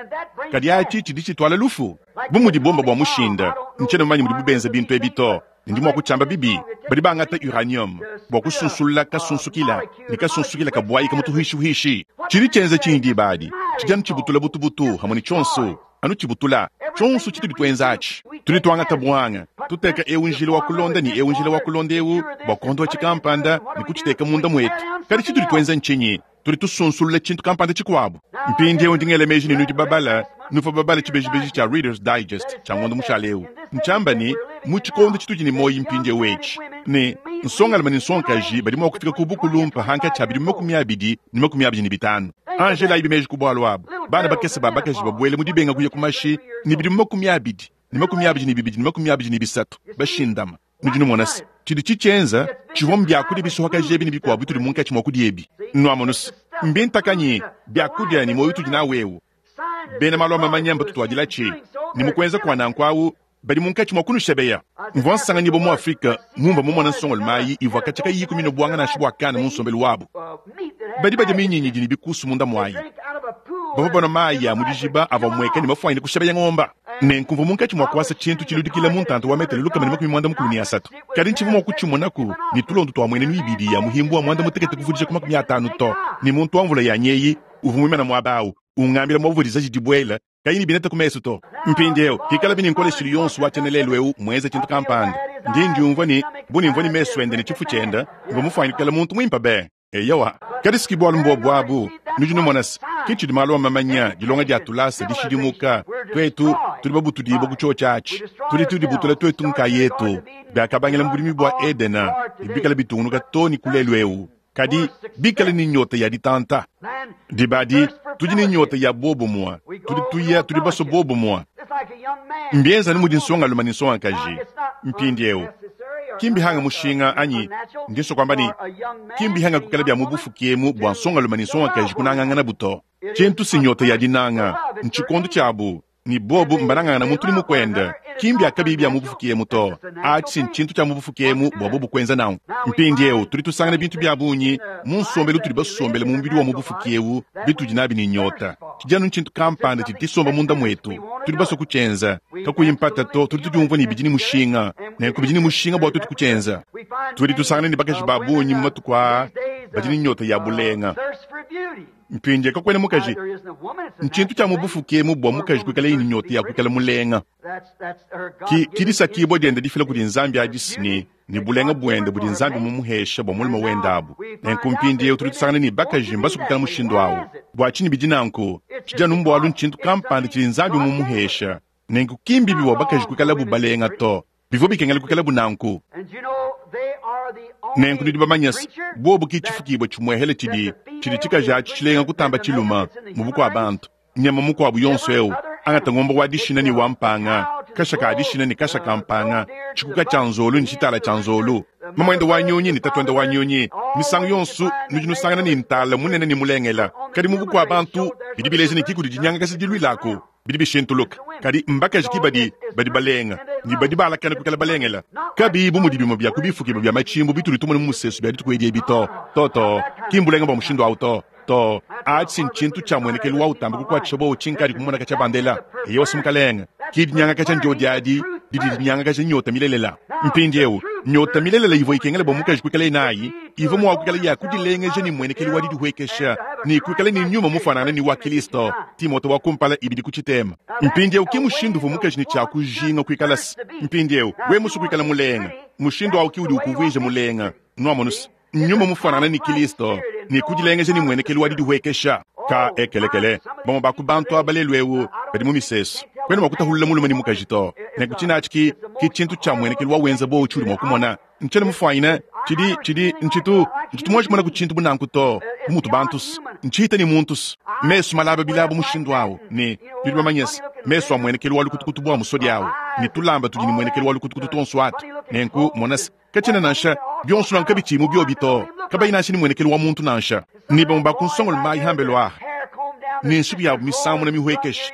kadi atshi tshidi tshituala lufu. Bu mudi bomba bua mushinda, ntshiena mumanye mudibu benza bintu ebi to, ne ndi mua kutshiamba bibi. Badi bangata uranium bua kusunsulula kasunsukila, ne kasunsukila kabuayika mu tuhuishihuishi. Tshidi tshienza tshinyi diba adi? Tshidi anu tshibutula butubutu hamue ne tshionso, anu tshibutula tshionso tshitudi tuenza atshi. Tudi tuangata buanga, tuteka eu njila wa kulonda ne eu njila wa kulonda eu bua kuondoa tshikampanda ne kutshiteka munda muetu. Kadi tshitudi tuenza ntshinyi? Tudi tusunsulula tshintu kampanda tshikuabu. Mpindieu ndi ngela meji ne nudi babala, nuvua babala tshibejibeji tshia Reader's Digest tshia ngondo mushale eu. Ntshiamba ne, mu tshikondo tshitudi ne muoyo mpindieu etshi, ne nsongalume ne nsongakaji badi mua kufika ku bukulumpe hankatshi ha bidimu 25 ne 25. Anjelayibi meji ku bualu abu. Bana bakese ba bakaji babuele mu dibenga kuya ku mashi ne bidimu 20 ne 22 ne 23 bashindama. Nudi numona se, tshidi tshitshienza tshivua mbiakudia bisuhakaja ebi ne bikuabu bitudi munkatshi mua kudia ebi. Nuamonu se, mbintakanyi biakudia ne muoyo utudi nawu eu. Bena malu a mamanya mbatutuadilatshi, ne mu kuenza kua nanku au badi munkatshi mua kunushebeya. Mvua nsanganyibua mu Afrike mumvua mumona nsongolume ayi ivua katshia kayiyi minue buanga nansha bua kana mu nsombelu wabu. Badi badia minyinyi idi ne bikusu munda muayi. Bavua banua mayi a mu dijiba avua amueka ne mafuanyine kushebeya ngomba. Nenku mvua munkatshi mua kuasa tshintu tshiludikila mu ntanta wa metele 133. Kadi ntshivua mua kutshimunaku ne tulondo tua muenenu ibidi ya muhimbu wa 18 kuvudija ku 50 to. Ne muntu wa mvula yanyi eyi uvua muimane muaba au ungambila muavua dizaji dibuela kayi ne bineta ku mesu to. Mpindieu, pikalabi ne nkoleshilu yonso wa tshiena lelu eu muenze tshintu kampanda, ndi ndiumvua ne, bu ne mvua ne mesu ende ne tshifu tshiende, mvua mufuanyine kuikala muntu muimpe be. Eyowa, kadi si bualu mbuobu abu. Nudi numona se, ke tshidi malu a mamanya, dilonga dia tulasa, dishidimuka. Tuetu tudi babutudibue ku tshiotshi atshi. Tudi tudibutula tuetu nkayetu. Biakabangila mu budimi bua Edena ne bikale bitungunuka too ne ku lelu eu. Kadi bikale ne nyota ya ditanta. Diba adi tudi ne nyota ya buobumue. Tudi tuya, tudi basue buobumue. Mbienza anu mudi nsongalume ne nsongakaji mpindieu. Ki mbihanga mushinga anyi ndi nsua kuamba ne, ki mbihanga kuikala bia mu bufuki emu bua nsongalume ne nsongakaji kunanganganabu to. Tshintu si nyota ya dinanga, ntshikondo tshiabu. Ne bobu mbanangangana muntu ne mukuende. Ki mbia kabiyi bia mu bufuki emu to. Atshi ntshintu tshia mu bufuki emu bua bobu kuenza nanku. Mpindieu tudi tusangana bintu bia bungi mu nsombelu utudi basombele mu mubidi wa mu bufuki eu bitudi nabi ne nyota. Tshidi anu ntshintu kampanda tshidi tshisomba munda muetu. Tudi basue kutshienza. Kakuyi mpata to, tudi tudiumvua ne bidi ne mushinga. Nenku bidi ne mushinga bua tuetu kutshienza. Tudi tusangana ne bakaji ba bungi mu matuku aa badi ne nyota ya bulenga. Mpindieu kakuena mukaji. Ntshintu tshia mu bufuki emu bua mukaji kuikalaye ne nyota ya kuikala mulenga. Ki, ki disakibua diende difila kudi Nzambi adi ne, ne bulenga buende budi Nzambi mumuhesha bua mulume wende abu. Nenku mpindieu tudi tusangana ne bakaji mbasue kuikala mushindu au. Bua tshinyi bidi nanku? Tshidi anu mbualu ntshintu kampanda tshidi Nzambi mumuhesha. Nenku ki mbibi bua bakaji kuikalabu balenga to. Bivua bikengela kuikalabu nanku. Nenku nudi bamanye se, buobu ki tshifukibua tshimuehele tshidi, tshidi tshikaji atshi tshilenga kutamba tshilume mu bukua-bantu. Nyama mukuabu yonso eu, angata ngombe wa dishina ne wa mpanga, kasha ka dishina ne kasha ka mpanga, tshikuka tshia nzolu ne tshitala tshia nzolu, mamuende wa nyunyi ne tatuende wa nyunyi, misangu yonso nudi nusangana ne ntala munene ne mulengele. Kadi mu bukua-bantu, bidi bileja ne ki kudi dinyangakaja diluilaku. Bidi bishintuluka. Kadi mbakaji ki badi, badi balenga, ne badi baalakana kuikala balengela. Kabiyi bu mudi bimue bia ku bifukibua bia matshimbu bitudi tumona mu musesu bia dituku edi ebi to. To, to. Ki mbulenga bua mushindu au to. To. Atshi ntshintu tshia muenekelu wa utamba kukuatshisha buowa tshinkadi kumona katshia bandela. Eyowa, Mukalenge. Ki dinyangakaja ndiodi adi didi dinyangakaja nyota milelela. Mpindieu, nyota milelela ivua ikengela bua mukaji kuikalaye nayi ivua mua kuikala ya kudilengeja ne mmuenekelu wa didihuekesha ne kuikala ne nyuma mufuanangane ne wa Kristo. Timote wa kumpala ibidi ku tshitema. Mpindieu ke mushindu uvua mukaji ne tshia kujinga kuikala. Mpindieu wewe musue kuikala mulenga, mushindu au ke udi ukuvuija mulenga. Nuamonu se, nyuma mufuanangane ne Kristo ne kudilengeja ne mmuenekelu wa didihuekesha. Ka ekelekele, bamue ba ku bantu aba lelu eu badi mu misesu, kuena mua kutahulula mulume ne mukaji to. Nenku tshine atshi ki, ki tshintu tshia mmuenekelu wa wenza buowa tshiudi mua kumona. Ntshiena mufuanyine tshidi, tshidi, ntshitu, ntshitu muanji kumonaku tshintu bu nanku to, bu mutu bantu se, ntshihita ne muntu se, mesu malaba bilaba mushindu au, ne, nudi bamanye se, mesu a muenekelu wa lukutukutu bua musodi au, ne tulamba tudi ne muenekelu wa lukutukutu tuonso atu. Nenku, mona se, katshiena nansha, bionso nanku kabitshiyi mu biobi to, kabayi nansha ne muenekelu wa muntu nansha. Ne bamue ba ku nsongolo mayi hambelu aha, ne nsuki yabu misamuna mihuekesha,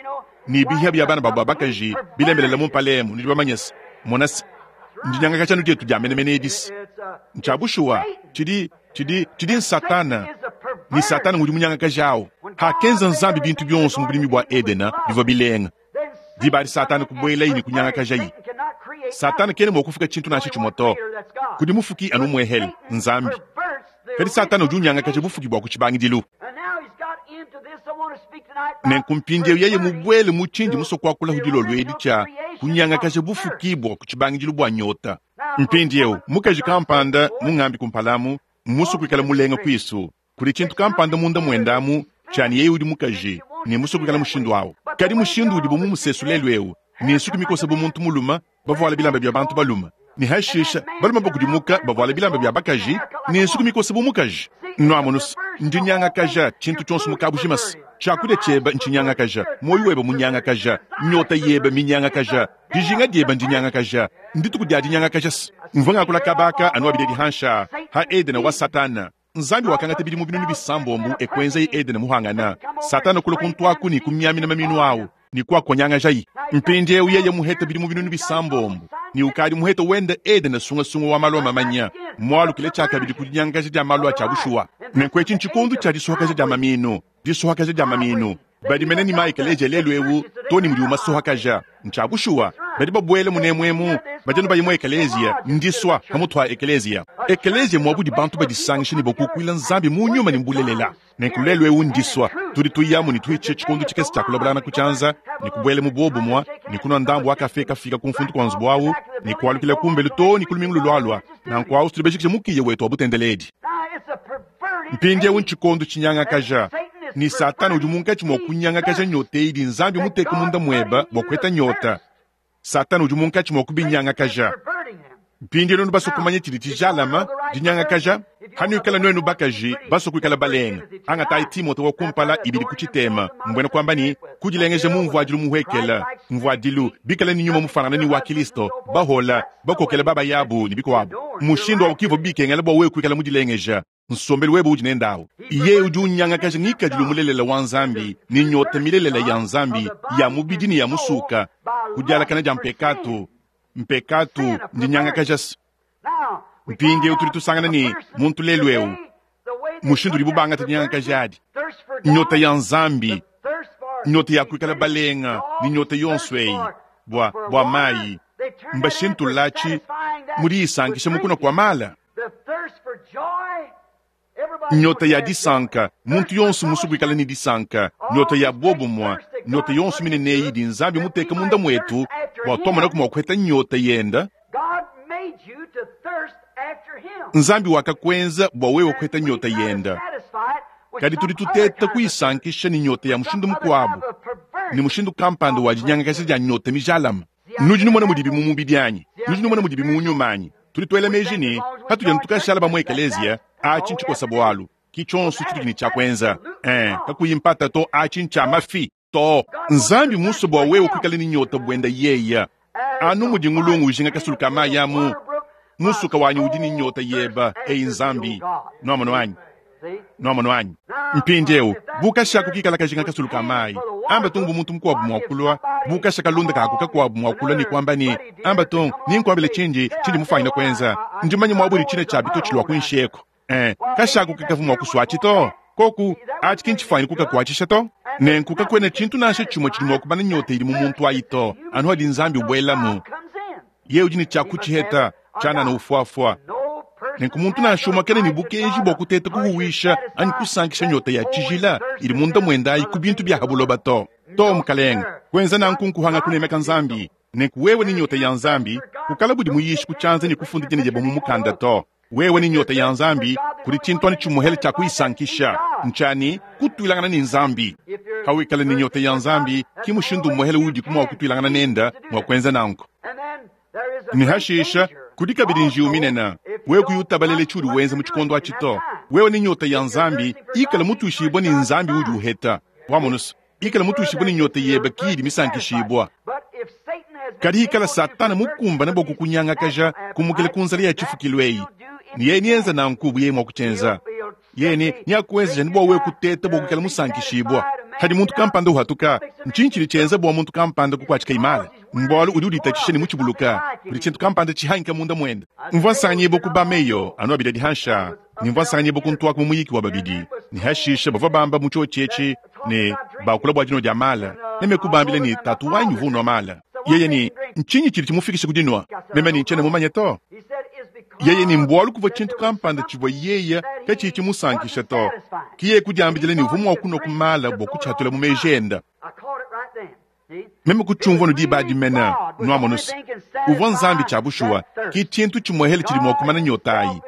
ne bihia bia bana babu ba bakaji bilembelela mu mpala emu, nudi bamanye se, mona se, ndinyangakaja anu dietu dia menemene edi se, ntshia bushuwa, tshidi, tshidi, tshidi n'Satana, ne Satana ngudi munyangakaja awu. Hakenza Nzambi bintu bionso mu budimi bua Edena bivua bilenga, diba adi Satana kubuelaye ne kunyangakajaye. Satana kena mua kufuka tshintu nansha tshimue to. Kudi mufuki anu umuehele, Nzambi. Kadi Satana udi unyangakaja bufuki bua ku tshibangidilu. Nenku mpindieu yeye mubuele mu tshindi musue kuakula dilolo edi tshia kunyangakaja bufuki bua ku tshibangidilu bua nyota. Mpindieu mukaji kampanda mungambi kumpala amu mmusue kuikala mulenga kuisu. Kudi tshintu kampanda munda muende amu tshia ne yeye udi mukaji ne musue kuikala mushindu au. Kadi mushindu udibu mu musesu lelu eu ne nsuki mikosa bu muntu mulume, bavuala bilamba bia bantu balume, ne hashisha balume bakudimuka bavuala bilamba bia bakaji ne nsuki mikosa bu mukaji. Nuamonu se, ndinyangakaja tshintu tshionso mu kabujima se, tshiakudia tshiebe ntshinyangakaja, muoyo webe munyangakaja, nyota yebe minyangakaja, dijinga diebe ndinyangakaja. Ndituku dia dinyangakaja se. Mvua ngakula kaba aka anu abidi adi hansha ha Edena wa Satana. Nzambi wakangata bidimu binunu bisambombo e kuenzaye Edene muhangana. Satana kulua kuntuaku ne kumiamina maminu au ne kuakonyangajaye. Mpindieu yeye muhete bidimu binunu bisambombo ne ukadi muhete wende Edene sungasunga wa malu a mamanya, mualukile tshiakabidi ku dinyangakaja dia malu a tshia bushuwa. Nenku etshi ntshikondo tshia disuhakaja dia maminu, disuhakaja dia maminu. Badi mene ne maekeleziya lelu eu to ne mudiwu masuhakaja. Ntshia bushuwa, badi babuela munemu emu, badi anu baya mu ekeleziya, ndisua pamutu pa ekeleziya. Ekeleziya muaba udi bantu badisangisha ne bakukuila Nzambi mu nyuma ne mu bulelela. Nenku lelu eu ndisua, tudi tuyamu ne tuhitshisha tshikondo tshikese tshia kulabulangana ku tshianza, ne kubuela mu buobumue, ne kunua ndambu wa kafe kafika ku mfundu kua nzubu au, ne kualukila kumbelu too ne ku lumingu lulualua. Nanku au tudi bajikije mukiya wetu wa butendeledi. Mpindieu ntshikondo tshinyangakaja, ne Satana udi munkatshi mua kunyangakaja nyota eyi idi Nzambi muteke munda muebe bua kupeta nyota. Satana udi munkatshi mua kubinyangakaja. Mpindieu nudi basue kumanya tshidi tshijalame, dinyangakaja? Hanuikala nuenu bakaji basue kuikala balenga, angatayi Timote wa kumpala ibidi ku tshitema, mbuena kuamba ne, kudilengeja mu mvuadilu muhuekela, mvuadilu bikale ne nyuma mufanangane ne wa Kilisto, bahola, bakokela babayabu ne bikuabu. Mushindu wabu kivua bikengela bua wewe kuikala mudilengeja. Nsombelu webe udi nende awu. Yeye udi unyangakaja ngikadilu mulelela wa Nzambi ne nyota milelela ya Nzambi ya mubidi ne ya musuka ku dialakana dia mpekatu. Mpekatu ndinyangakaja. Mpindieu tudi tusangana ne, muntu lelu eu, mushindu udibu bangata dinyangakaja adi, nyota ya Nzambi, nyota ya kuikala balenga ne nyota yonso eyi bua, bua mayi, mbashintululatshi mu diyisankisha mu kunua kua mala. Nyota ya disanka, muntu yonso musue kuikala ne disanka, nyota ya buobumue, nyota yonso minene eyi idi Nzambi muteke munda muetu bua tuamonaku mua kuheta nyota yenda. Nzambi wakakuenza bua wewe kuheta nyota yenda, kadi tudi tuteta kuyisankisha ne nyota ya mushindu mukuabu, ne mushindu kampanda wa dinyangakaja dia nyota mijalame. Nudi numona mudibi mu mubidi anyi? Nudi numona mudibi mu nyuma anyi? Tudi tuela meji ne, patudi anu tukashala ba mu ekeleziya, atshi ntshikosa bualu, ki tshionso tshitudi ne tshia kuenza. Ee, kakuyi mpata to, atshi ntshia mafi to. Nzambi mmusue bua wewe kuikala ne nyota buenda yeya. Anu mudi ngulungu ujinga kasulu ka mayi amu, musuka wanyi udi ne nyota yeba, eyi Nzambi. Nuamonu anyi? Nuamonu anyi? Mpindieu, bu kashaku kikala kajinga kasulu ka mayi, amba tung bu muntu mukuabu mua kulua, bu kasha kalunda kaku kakuabu mua kulua ne kuamba ne, amba tung, ninkuambile tshindi, tshindi mufuanyine kuenza. Ndi mumanye muaba udi tshina tshia bitotshi lua kuinshi eku. Eh, kashaku kakavua mua kusuatshi to. Koku, atshi ki ntshifuanyine kukakuatshisha to. Nenku kakuena tshintu nansha tshimue tshidi mua kumana nyota idi mu muntu ayi to, anu hadi Nzambi ubuelamu. Yeye udi ne tshia kutshiheta, tshianana ufuafua. Nenku muntu nansha umue kena ne bukenji bua kuteta kuhuwisha anyi kusankisha nyota ya tshijila idi munda muende ayi ku bintu bia ha buloba to. To, mukalenge, kuenza nanku nkuhanga kunemeka Nzambi. Nenku wewe ne nyota ya Nzambi, kukala budi muyishi ku tshianza ne kufunda dina diebe mu mukanda to. Wewe ne nyota ya Nzambi, kudi tshintu anu tshimuhele tshia kuyisankisha, ntshiani kutuilangana ne Nzambi. Hawikala ne nyota ya Nzambi, ki mushindu umuhele udiku mua kutuilangana nende mua kuenza nanku. Ne hashisha, kudi kabidi njiwu minene. Wewe kuyi utabalele tshiudi wenza mu tshikondo atshi to. Wewe ne nyota ya Nzambi, ikala mutuishibue ne Nzambi udi uheta. Wamonusa, ikala mutuishibue ne nyota yebe ki idi misankishibua. Kadi ikala Satana mukumbane bua kukunyangakaja, kumukila ku nzala ya tshifukilu eyi, ne yeye neenze nanku bu yeye mua kutshienza. Yeye ne neakuenzeja ne bua wewe kuteta bua kuikala musankishibua. Hadi muntu kampanda uhatuka, ntshinyi tshidi tshienza bua muntu kampanda kukuatshika imala? Mbualu udi uditatshisha ne mutshibuluka, kudi tshintu kampanda tshihangika munda muende. Mvua nsanganyibua ku ba-meyo anu abidi adi hansha, ne mvua nsanganyibua ku ntuaku mu muyiki wa babidi, ne hashisha bavua bamba mu tshiotshi etshi ne bakula bua dinua dia mala. Meme kubambila ne, Tatu wanyi uvua unua mala. Yeye ne, Ntshinyi tshidi tshimufikisha ku dinua? Meme ne, Ntshiena mumanye to. Yeye ne, Mbualu kuvua tshintu kampanda tshivua yeye katshiyi tshimusankisha to. Ke yeye kudiambidila ne uvua mua kunua ku mala bua kutshihatula mu meji ende. Meme kutshiumvua nu diba adi mene, nuamonus. Uvua Nzambi tshia bushuwa, ki tshintu tshimuehele tshidi mua kumana nyota ayi.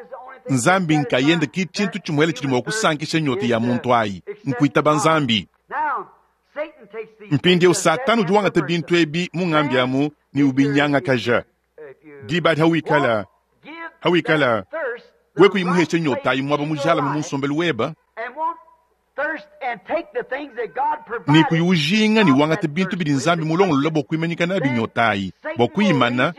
Nzambi nkayende ki tshintu tshimuehele tshidi mua kusankisha nyota ya muntu ayi, nkuitaba Nzambi. Mpindieu Satana udi wangata bintu ebi mu ngambi amu ne ubinyangakaja. Diba adi hawikala, hawikala we kuyi muheshe nyota ayi muaba mujalame mu nsombelu weba, ne kuyi ujinga ne wangata bintu bidi Nzambi mulongolola bua kuimanyika nabi nyota ayi, bua kuyimana,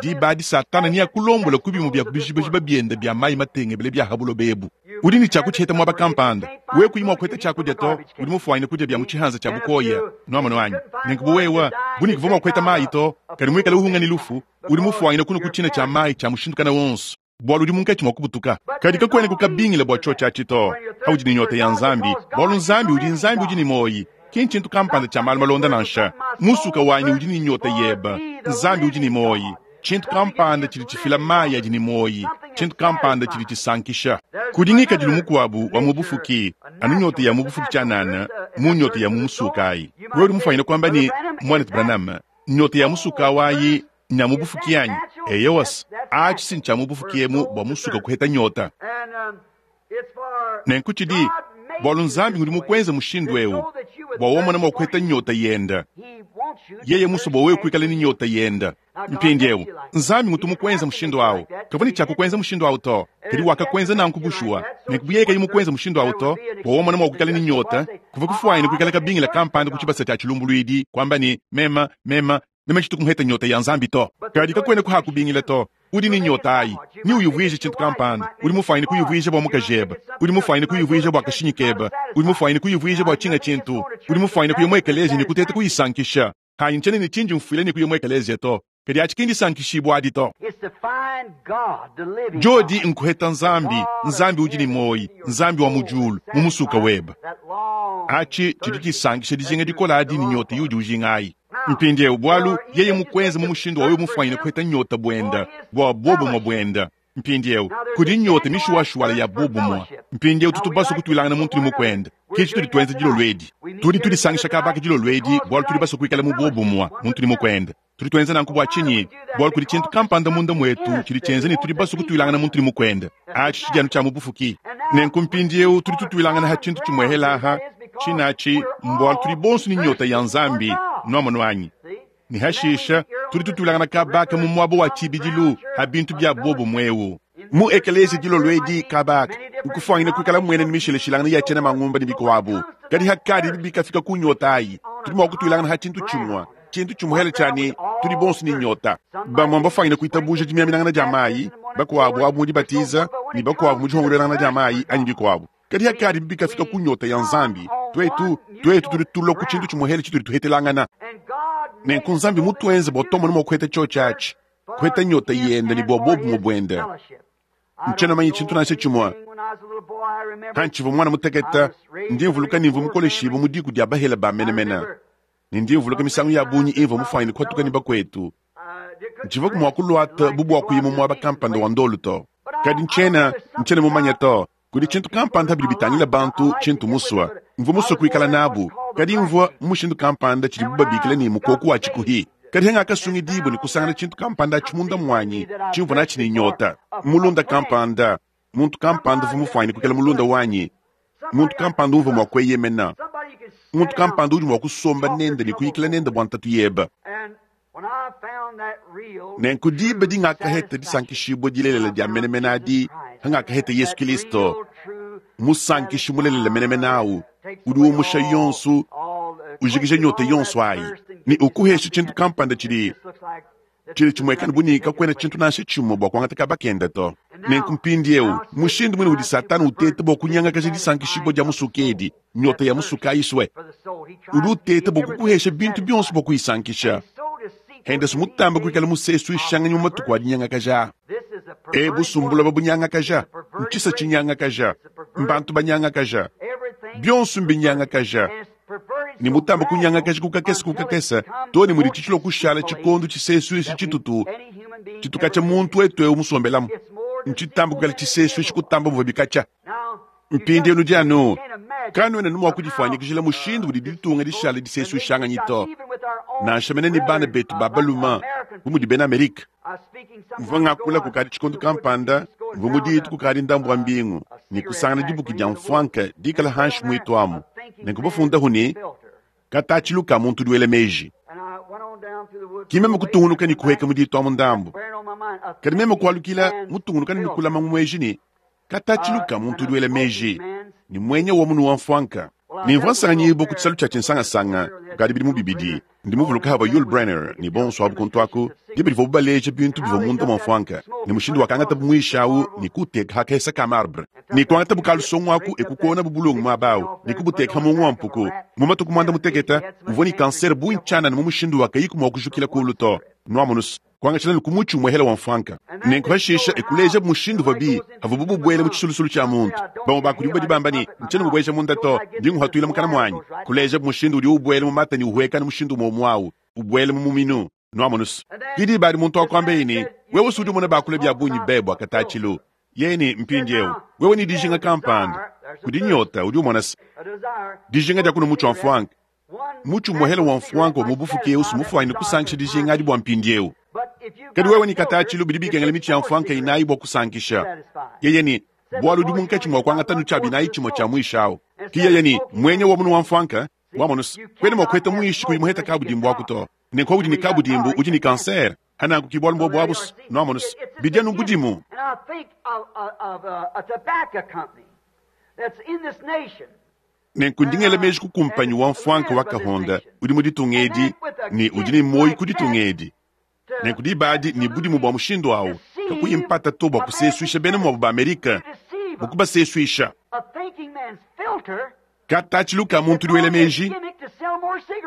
diba adi Satana neakulombola ku bimue bia ku bijibajiba biende bia mayi matengebele bia ha buloba ebu. Udi ne tshia kutshiheta muaba kampanda. Wewe kuyi mua kuheta tshiakudia to, udi mufuanyine kudia bia mu tshihanza tshia bukoya. Nuamonu anyi? Nenku bu wewe, bu ne kuvua mua kuheta mayi to, kadi muikale uhunga ne lufu, udi mufuanyine kunua ku tshina tshia mayi tshia mushindu kana wonso, bualu udi munkatshi mua kubutuka. Kadi kakuena kukabingila bua tshiotshi atshi to, paudi ne nyota ya Nzambi, bualu Nzambi udi Nzambi udi ne muoyi, ki ntshintu kampanda tshia malu malonda nansha. Musuka wanyi udi ne nyota yeba, Nzambi udi ne muoyi. Tshintu kampanda tshidi tshifila mayi adi ne muoyi, tshintu kampanda tshidi tshisankisha. Kudi ngikadilu mukuabu wa mu bufuki, anu nyota ya mu bufuki tshianana, mu nyota ya mu musuka ayi. Wewe udi mufuanyine kuamba ne, Muanetu Branham, nyota ya musuka awu ayi nya mu bufuki anyi? Eyowa, atshi si ntshia mu bufuki emu bua musuka kuheta nyota. Nenku tshidi bualu Nzambi ngudi mukuenze mushindu eu bua womona mua kuheta nyota yenda. Yeye musue bua wewe kuikala ne nyota yenda. Mpindieu, Nzambi ngutu mukwenza mushindu awu. Kavua ne tshia kukwenza mushindu awu to, kadi wakakwenza nanku bushuwa. Nenku bu yeye kayi mukwenza mushindu awu to, bua wamona mua kuikala ne nyota, kuvua kufuanyine kuikala kabingila kampanda ku tshibasa tshia tshilumbuluidi, kuamba ne, Mema, mema, meme tshitu kumuheta nyota ya Nzambi to. Kadi kakuena kuhakubingila to. Udi ne nyota ayi, ne uyuvuije tshintu kampanda. Udi mufuanyine kuyuvuija bua mukajebe. Udi mufuanyine kuyuvuija bua kashinyi kebe. Udi mufuanyine kuyuvuija bua tshinga tshintu. Udi mufuanyine kuya mu ekeleziya ne kuteta kuyisankisha. Hanyi ntshiena ne tshindi mfuila ne kuya mu ekeleziya to. Kadi atshi ki ndisankishibua adi to. Diodi nkuheta Nzambi, Nzambi udi ne muoyi, Nzambi wa mu diulu, mu musuka webe. Atshi tshidi tshisankisha dijinga dikole adi ne nyota iudi ujinga ayi. Mpindieu, bualu yeye mukuenze mu mushindu wa wewe mufuanyine kuheta nyota buenda, bua buobumue buenda. Mpindieu, kudi nyota mishuwashuwala ya buobumue. Mpindieu tutu basue kutuilangana muntu ne mukuende. Ke tshitudi tuenza dilolo edi. Tudi tudisangisha kaba aka dilolo edi bualu tudi basue kuikala mu buobumue muntu ne mukuende. Tudi tuenza nanku bua tshinyi? Bualu kudi tshintu kampanda munda muetu tshidi tshienza ne tudi basue kutuilangana muntu ne mukuende. Atshi tshidi anu tshia mu bufuki. Nenku mpindieu tudi tutuilangana ha tshintu tshimuehela aha, tshina atshi mbualu tudi bonso ne nyota ya Nzambi. Nuamonu anyi? Ne hashisha tudi tutuilangana kaba aka mu muaba wa tshibidilu ha bintu bia buobumue eu. Mu ekeleziya dilolo edi kaba aka, nkufuangine kuikala muena ne mishilashilangana ya tshiena mangumba ne bikuabu. Kadi hakadi bikafika ku nyota ayi, tudi mua kutuilangana ha tshintu tshimue, tshintu tshimuhele tshia ne tudi bonso ne nyota. Bamue mbafuangine kuitabuja dimiaminangana dia mayi, bakuabu abu mu dibatiza, ne bakuabu mu dihongoluelangana dia mayi anyi bikuabu. Kadi hakadi bikafika ku nyota ya Nzambi, tuetu, tuetu tudi tulua ku tshintu tshimuhele tshitudi tuhetelangana. Nenku Nzambi mutuenze bua tuamone mua kuheta tshiotshi atshi, kuheta nyota yende ne bua buobumue buende. Ntshiena manye tshintu nansha tshimue. Pantshivua muana mutekete, ndi mvuluka ne mvua mukoleshibue mu diku dia bahele ba menemene, ne ndi mvuluka misangu ya bungi imvua mufuanyine kuatuka ne bakuetu. Ntshivuaku mua kuluata bu bua kuya mu muaba kampanda wa ndolu to. Kadi ntshiena, ntshiena mumanye to. Kudi tshintu kampanda bidi bitangila bantu tshintu musue. Mvua musue kuikala nabu, kadi mvua mu mushindu kampanda tshidibu babikila ne mukoku wa tshikuhi. Kadi hangakasungidibua ne kusangana tshintu kampanda atshi munda muanyi tshimvua natshi ne nyota. Mulunda kampanda, muntu kampanda uvua mufuanyine kuikala mulunda wanyi, muntu kampanda umvua mua kueyemena, muntu kampanda udi mua kusomba nende ne kuyikila nende bua ntatu yebe. Nenku diba dingakaheta disankishibua dilelela dia menemene adi, hangakaheta Yesu Kilisto, musankishi mulelela menemene au, udi umusha yonso, ujikija nyota yonso ayi, ne ukuhesha tshintu kampanda tshidi tshidi tshimuekane bu ne kakuena tshintu nansha tshimue bua kuangata kaba kende to. Nenku mpindieu, mushindu muine udi Satana uteta bua kunyangakaja disankishibua dia musuke edi, nyota ya musuke ayisue, udi uteta bua kukuhesha bintu bionso bua kuyisankisha. Henderson mutamba kuikala musesuishanganyi mu matuku a dinyangakaja a. Ebu sumbula babunyangakaja, ntshisa tshinyangakaja, mbantu banyangakaja, bionso mbinyangakaja, ne mutamba kunyangakaja ku kakese ku kakese too ne mudi tshitshilua kushala tshikondo tshisesuishi tshitutu tshitukatshia muntu wetu eu musombelamu. Ntshitamba kuikala tshisesuishi kutamba muvua bikatshia. Mpindieu nudi anu kanuena mua kudifuanyikijila mushindu udi ditunga dishala disesuishanganyi to, nansha mene ne bana betu ba balume bu mudi bena Amerika. Mvua ngakula kukadi tshikondo kampanda, mvua mu ditu kukadi ndambu wa mbingu, ne kusangana dibuki dia mfuanka dikala hanshi muitu amu, nenku bafundahu ne, Katatshilu ka muntu udi wela meji. Ki meme kutungunuka ne kuheka mu ditu amu ndambu, kadi meme kualukila mutungunuka ne kulama mu meji ne, Katatshilu ka muntu udi wela meji, ne muenya wa munu wa mfuanka. Ne mvua nsanganyibua ku tshisalu tshia tshinsangasanga kukadi bidimu bibidi. Ndi muvuluka havua Yul Brynner ne bonso abu kuntu aku, diba divuabu baleja bintu bivua munda mua mfuanka, ne mushindu wakangatabu muishi au ne kuuteka ha kahesa ka marbre, ne kuangatabu kalusongo aku e kukonabu bulungu muaba au ne kubuteka ha muongo wa mpuku. Mu matuku muanda mutekete uvua ne kansere bungi tshianana mu mushindu wa kayiku mua kujukila kulu to. Nuamonus. Kuangatshila ne ku mutshi umuehela wa mfuanka. Nenku pashisha e kulejabu mushindu uvua bi avuabu bubuela mu tshisulusulu tshia muntu. Bamue ba kudibu badi bamba ne, Ntshiena ngubueja munda to, ndi nguhatuila mukana muanyi. Kulejabu mushindu udi ubuela mu mata ne uhueka ne mushindu umue umue au, ubuela mu muminu. Nuamonus. Ke diba adi muntu wakuambeye ne, Wewe si udi umona bakula bia bungi be bua katatshilu. Yeye ne, Mpindieu, wewe ne dijinga kampanda, kudi nyota, udi umona se, dijinga dia kunua mutshi wa mfuanka. Mutshi umuehele wa mfuanka wa mu bufuki eu sumufuanyine kusankisha dijinga adi bua mpindieu. Kadi wewe ne katatshilu bidi bikengela mitshi ya mfuanka inayi bua kusankisha. Yeye ne, bualu udi munkatshi mua kuangata nu tshia binayi tshimue tshia muishi au. Ki yeye ne, muenya wa munu wa mfuanka. Wamonu's, kwena mwa kuheta mwishi kuyi muheta kabudimbu aku to. Nenku udi ne kabudimbu udi ne cancer. Hananku ki bualu mbobu abu's. Nwamonu's, bidi anu budimu. Nenku ndi ngela meji ku kumpanyi wa mfwanka wa kahonda udi mu ditunga edi ne udi ne muoyi ku ditunga edi. Nenku diba adi ne budimu bua mushindu awu, kakuyi mpata to bua kusesuisha bena muabu ba Amerika, bua kubasesuisha. Katatshilu ka muntu udi wela meji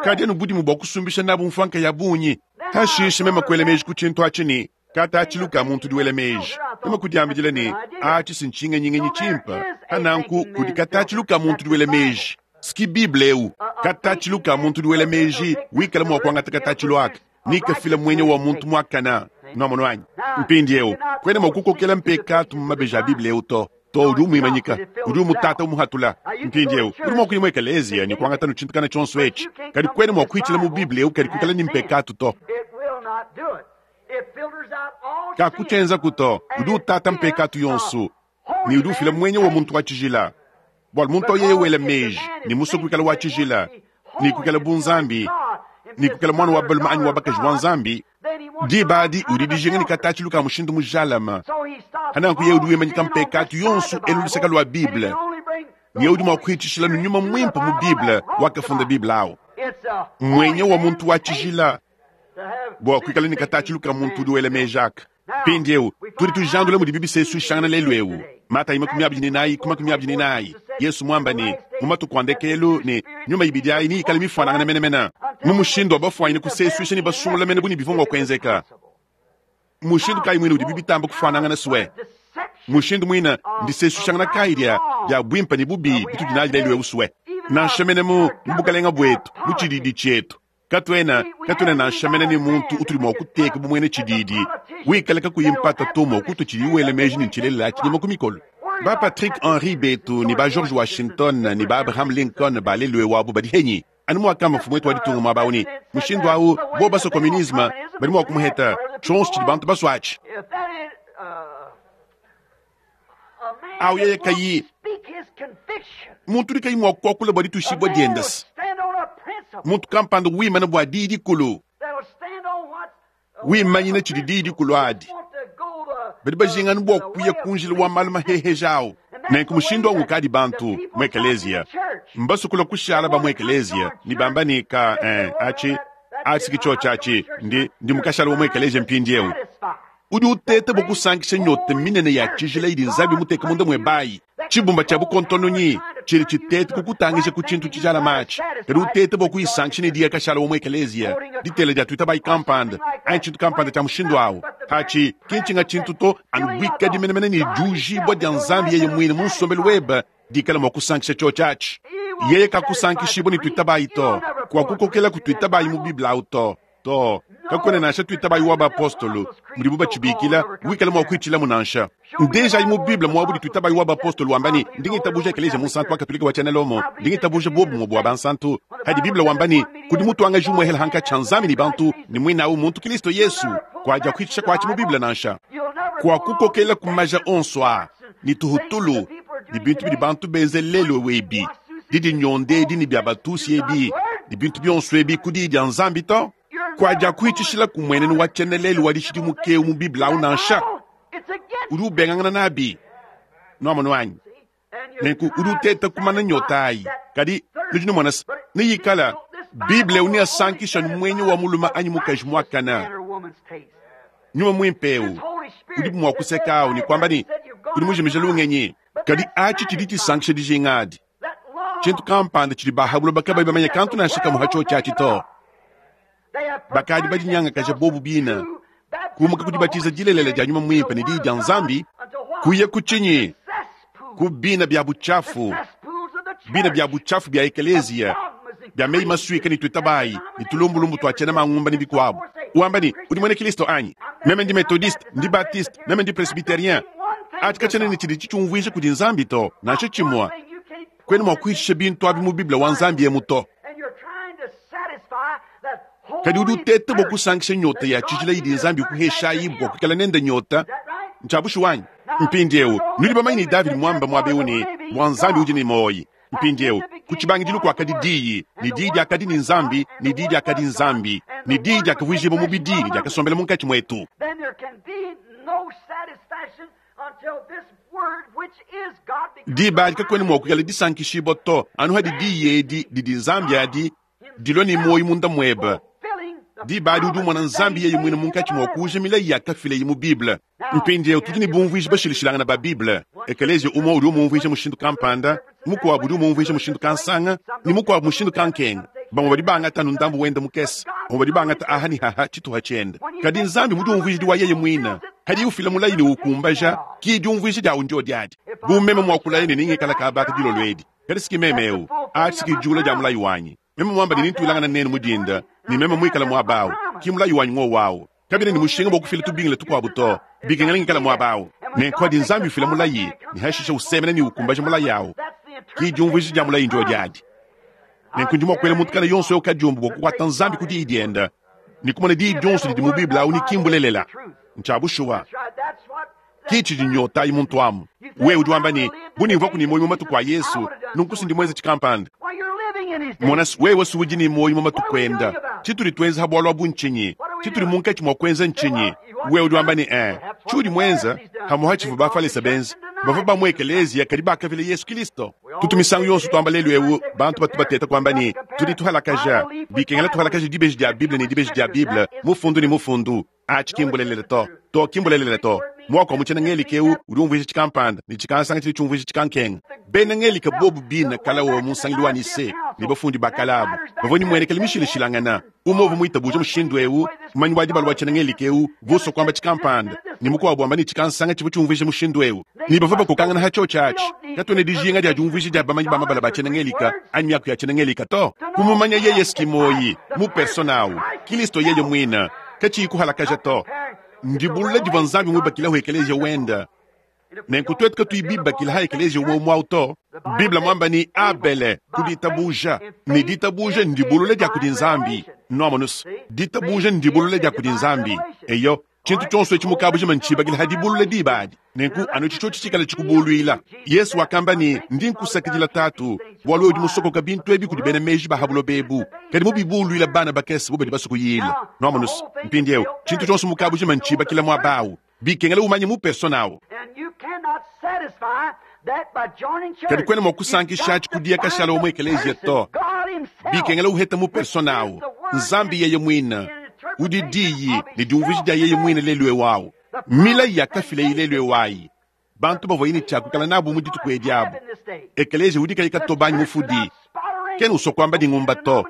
kadi anu budimu bua kusumbisha nabu mfwanka ya bungi. Pashishe meme kuela meji ku tshintu atshi ne, Katatshilu ka muntu udi wela meji. Meme kudiambidila ne, Atshi si ntshingenyingenyi tshimpe. Pa nanku kudi katatshilu ka muntu udi wela meji. S'ki Bible eu. Katatshilu ka muntu udi wela meji, wikala mua kuangata katatshilu aka ne kafila muenya wa muntu muakana. Nwamonu anyi? Mpindiewu, kuena mua kukokela mpekatu mu mabeji a Bible eu to. To, udi umuimanyika, udi umutata umuhatula. Mpindiewu, udi mua kuya mu ekeleziya ne kuangata nu tshintu kana tshionso etshi, kadi kuena mua kuitshila mu Bible eu kadi kuikala ne mpekatu to. Kakutshienzaku to. Udi utata mpekatu yonso ne udi ufila muenya wa muntu wa tshijila. Bualu muntu au yeye wela meji ne musue kuikala wa tshijila ne kuikala bu Nzambi ne kuikala muana wa balume anyi wa bakaji wa Nzambi, diba adi udi dijinga ne katatshilu ka mushindu mujalame. Hananku yeye udi wimanyika mpekatu yonso elu luseke lua Bible, ne udi mua kuhitshishila nu Nyuma Muimpe mu Bible wakafunda Bible au. Muenya wa muntu wa tshijila bua kuikala ne katatshilu ka muntu udi wela meji aka. Mpindieu tudi tujandula mudibi bisesuishangana lelu eu. Matayi 24 ku 24, Yesu muamba ne, mu matuku a ndekelu ne nyuma ibidi ayi neyikale mifuanangane menemene mu mushindu wa bafuanyine kusesuisha ne basungula mene bu ne bivua mua kuenzeka. Mushindu kayi muine udibi bitamba kufuanangana sue? Mushindu muine ndisesuishangana kayi dia dia buimpe ne bubi bitudi nadi lelu eu sue? Nansha mene mu mu bukalenga buetu, mu tshididi tshietu, Katuena, katuena nansha mene ne muntu utudi mua kuteka bu muena tshididi wikala kakuyi mpata to mua kutua tshidiye wela meji ne ntshilelela tshinyema ku mikolo. Ba Patrick Henry betu ne ba George Washington ne ba Abraham Lincoln ba lelu'eu abu badi henyi? Anu muakamba mfumu wetu wa ditunga muaba au ne, mushindu au bobu basua communisme badi mua kumuheta, tshionso tshidi bantu basua atshi. Au yeye kayi muntu udi kayi mua kuakula bua dituishibua diende, muntu kampanda wimana bua diyi dikulu, wimanyina tshidi diyi dikulu adi, badi bajinga anu bua kuya ku njila wa malu maheheja au. Nenku mushindu au ukadi bantu mu ekeleziya mbasue kulua kushala ba mu ekeleziya ne bamba ne, ka eh, atshi atshi ki tshiotshi atshi, ndi ndi mukashala wa mu ekeleziya mpindieu. Udi uteta bua kusankisha nyota minene ya tshijila idi Nzambi muteke munda muebayi. Tshibumba tshia bukontononyi tshidi tshiteta kukutangija ku tshintu tshijalame atshi, kadi uteta bua kuyisankisha ne diya kashala wa mu ekeleziya, ditela dia tuitabayi kampanda, anyi tshintu kampanda tshia mushindu au. Atshi ki ntshinga tshintu to, anu buikadi menemene ne diujibua dia Nzambi yeye muine mu nsombelu webe dikala mua kusankisha tshiotshi atshi. Yeye kakusankishibua ne tuitabayi to, kuakukokela ku tuitabayi mu Bible au to. To, kakuena nansha tuitabayi wa bapostolo mudibu batshibikila wikala mua kuitshilamu nansha. Ndejayi mu Bible muabu tuitabayi wa bapostolo wamba ne, ndi ngitabuja Ekeleziya Munsantu wa Katolika wa tshiena Lomo, ndi ngitabuja buobumue bua bansantu. Hadi Bible wamba ne, kudi mutuangaji umuehela hankatshi ha Nzambi ne bantu, ne muine au muntu Kilisto Yesu, kuadia kuitshisha kuatshi mu Bible nansha. Kuakukokela ku maja onso aa ne tuhutulu ne bintu bidi bantu benze lelu ebi, didinyonda edi ne bia batusi ebi ne bintu bionso ebi ku diyi dia Nzambi to. Kuadiakuhitshishila ku muenenu wa tshienelelu wa dishidimuka eu mu Bible au nansha. Udi ubengangana nabi. Nuamonu anyi? Nenku udi uteta kumana nyota ayi. Kadi nudi numona se, neyikala Bible eu neasankisha anu muenyi wa mulume anyi mukaji muakane. Nyuma muimpe eu udi mua kuseka au ne kuamba ne, udi mujimije lungenyi. Kadi atshi tshidi tshisankisha dijinga adi. Tshintu kampanda tshidi ba ha buloba kabayi bamanye kantu nansha kamue ha tshiotshi atshi to. Bakadi badinyangakaja bobu bine, kumuka ku dibatiza dilelela dia Nyuma Muimpe ne Diyi dia Nzambi, kuya ku tshinyi? Ku bina bia butshiafu, bina bia butshiafu bia ekeleziya, bia meyi masuika ne tuitabayi ne tulumbulumbu tua tshiena mangumba ne bikuabu. Wamba ne, udi muena Kristo anyi? Meme ndi Methodiste, ndi Baptiste, meme ndi Presbyterien. Atshi katshiena ne tshidi tshitshiumvuija kudi Nzambi to, nansha tshimue. Kuena mua kuhishisha bintu abi mu Bible wa Nzambi emu to. Kadi udi uteta bua kusankisha nyota ya tshijila idi Nzambi ukuheshayi bua kuikala nende nyota. Ntshia bushuwa anyi? Mpindieu nudi bamanye ne Davidi muamba muaba eu ne, bua Nzambi udi ne muoyi. Mpindieu Ku tshibangidilu kuakadi Diyi, ne Diyi diakadi ne Nzambi, ne Diyi diakadi Nzambi, ne Diyi diakavuijibua mubidi ne diakasombela munkatshi muetu. Diba adi kakuena mua kuikala disankishibua to, anu hadi Diyi edi didi Nzambi adi dilua ne muoyo munda muebe. Diba adi udi umona Nzambi yeye muine munkatshi mua kuuja milayi yakafileye mu Bible. Mpindieu tudi ne bumvuiji bashilashilangane ba Bible. Ekeleziya umue udi umumvuija mushindu kampanda, mukuabu udi umumvuija mushindu kansanga, ne mukuabu mushindu kankenga. Bamue badi bangata anu ndambu wende mukese, bamue badi bangata aha ne haha tshituha tshiende. Kadi Nzambi mudiumvuijidi wa yeye muine, hadiye ufila mulayi ne uwukumbaja, ki diumvuija diawu ndiodi adi. Bu meme mua kulaya ne nengikala kaba aka dilolo edi, kadi si ki meme eu, atshi si ki diula dia mulayi wanyi. Meme muamba ne nentuilangane nenu mu dinda, ne meme muikale muaba au, ki mulayi wanyi ngowu au. Kabiena ne mushinga bua kufila tubingila tukuabu to, bikengela ngikale muaba au. Nenku padi Nzambi ufila mulayi ne hashishe usemena ne ukumbaja mulayi au, ki diumvuija dia mulayi ndiodi adi. Nenku ndi mua kuela muntu kana yonso eu kadiombo bua kukuata Nzambi ku diyi diende ne kumona diyi dionso didi mu Bible au ne ki mbulelela. Ntshia bushuwa. Ki tshidi nyota ayi muntu amu. Wewe udi wamba ne, Bu nimvuaku ne muoyo mu matuku a Yesu, nunku si ndi muenze tshikampanda. Mona, wewe si udi ne muoyo mu matuku enda. Tshitudi tuenza ha bualu abu ntshinyi? Tshitudi munkatshi mua kuenza ntshinyi? Wewe udi wamba ne, eh, tshiudi muenza, hamuha tshivua Bafalese benza. Bavua ba mu ekeleziya kadi bakavila Yesu Kilisto. Tutu misangu yonso tuamba lelu eu, bantu batu bateta kuamba ne, tudi tuhalakaja. Bikengela tuhalakaje dibeji dia Bible ne dibeji dia Bible, mufundu ne mufundu. Atshi ki mbulelela to. To, ki mbulelela to. Muaku wa mu tshiena-Ngelika eu udi umvuija tshikampanda, ne tshikansanga tshidi tshiumvuija tshikankenga. Bena Ngelika bobu bine kale wa mu nsangilu wa Nicee ne bafundi ba kale abu bavua ne muenekelu mishilashilangane. Umue uvua muitabuje mushindu eu, mumanyi wa dibala wa tshiena-Ngelika eu uvua usua kuamba tshikampanda, ne mukuabu wamba ne, tshikansanga tshivua tshiumvuija mushindu eu. Ne bavua bakokangana ha tshiotshi atshi. Katuena dijinga dia diumvuija dia bamanyi ba mabala ba tshiena-Ngelika anyi miaku ya tshiena-Ngelika to. Kumumanya yeye skimoi mu persona au, Kilisto yeye muine, katshiyi kuhalakaja to. Ndibulula divua Nzambi muibakileho ekeleziya wende. Nenku tuetu katuyi bibakile ha ekeleziya umue umue au to. Bible muamba ne, Abele ku ditabuja, ne ditabuja ndibulula dia kudi Nzambi. Nuamonus, ditabuja ndibulula dia kudi Nzambi. Eyo, tshintu tshionso etshi mu kabujima ntshibakile ha dibulula diba adi. Nenku anu etshi tshiotshi tshikale tshikubuluila. Yesu wakamba ne, Ndi nkusakidila Tatu, bualu wewe udi musokoka bintu ebi kudi bena meji ba ha buloba ebu, kadi mubibuluila bana bakese bu badi basue kuyila. Nuamonus, mpindieu tshintu tshionso mu kabujima ntshibakila muaba au. Bikengela umanye mu persona au. Kadi kuena mua kusankishatshi kudia kashala wa mu ekeleziya to. Bikengela uheta mu persona au Nzambi yeye muine, udi Diyi ne diumvuija dia yeye muine lelu eu au. Milayi yakafilaye lelu eu ayi, bantu bavuaye ne tshia kuikala nabu mu dituku edi abu. Ekeleziya udi kayi katoba anyi mufudi kena usua kuamba ne ngumba to.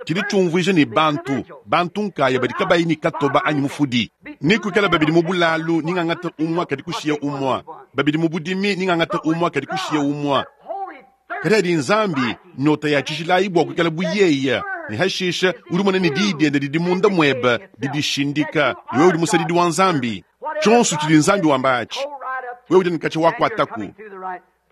Tshidi tshiumvuija ne bantu, bantu nkaya badi kabayi ne katoba anyi mufudi. Ne kuikala babidi mu bulalu, ni ngangata umua kadi kushiya umua, babidi mu budimi, ni ngangata umua kadi kushiya umua. Kadi adi Nzambi nyota ya tshijilayi bua kuikala bu yeye, ne hashisha udi umona ne diyi diende didi munda muebe didishindika ne wewe udi musadidi wa Nzambi. Tshionso tshidi Nzambi wamba atshi, wewe udi ne katshia wakuataku.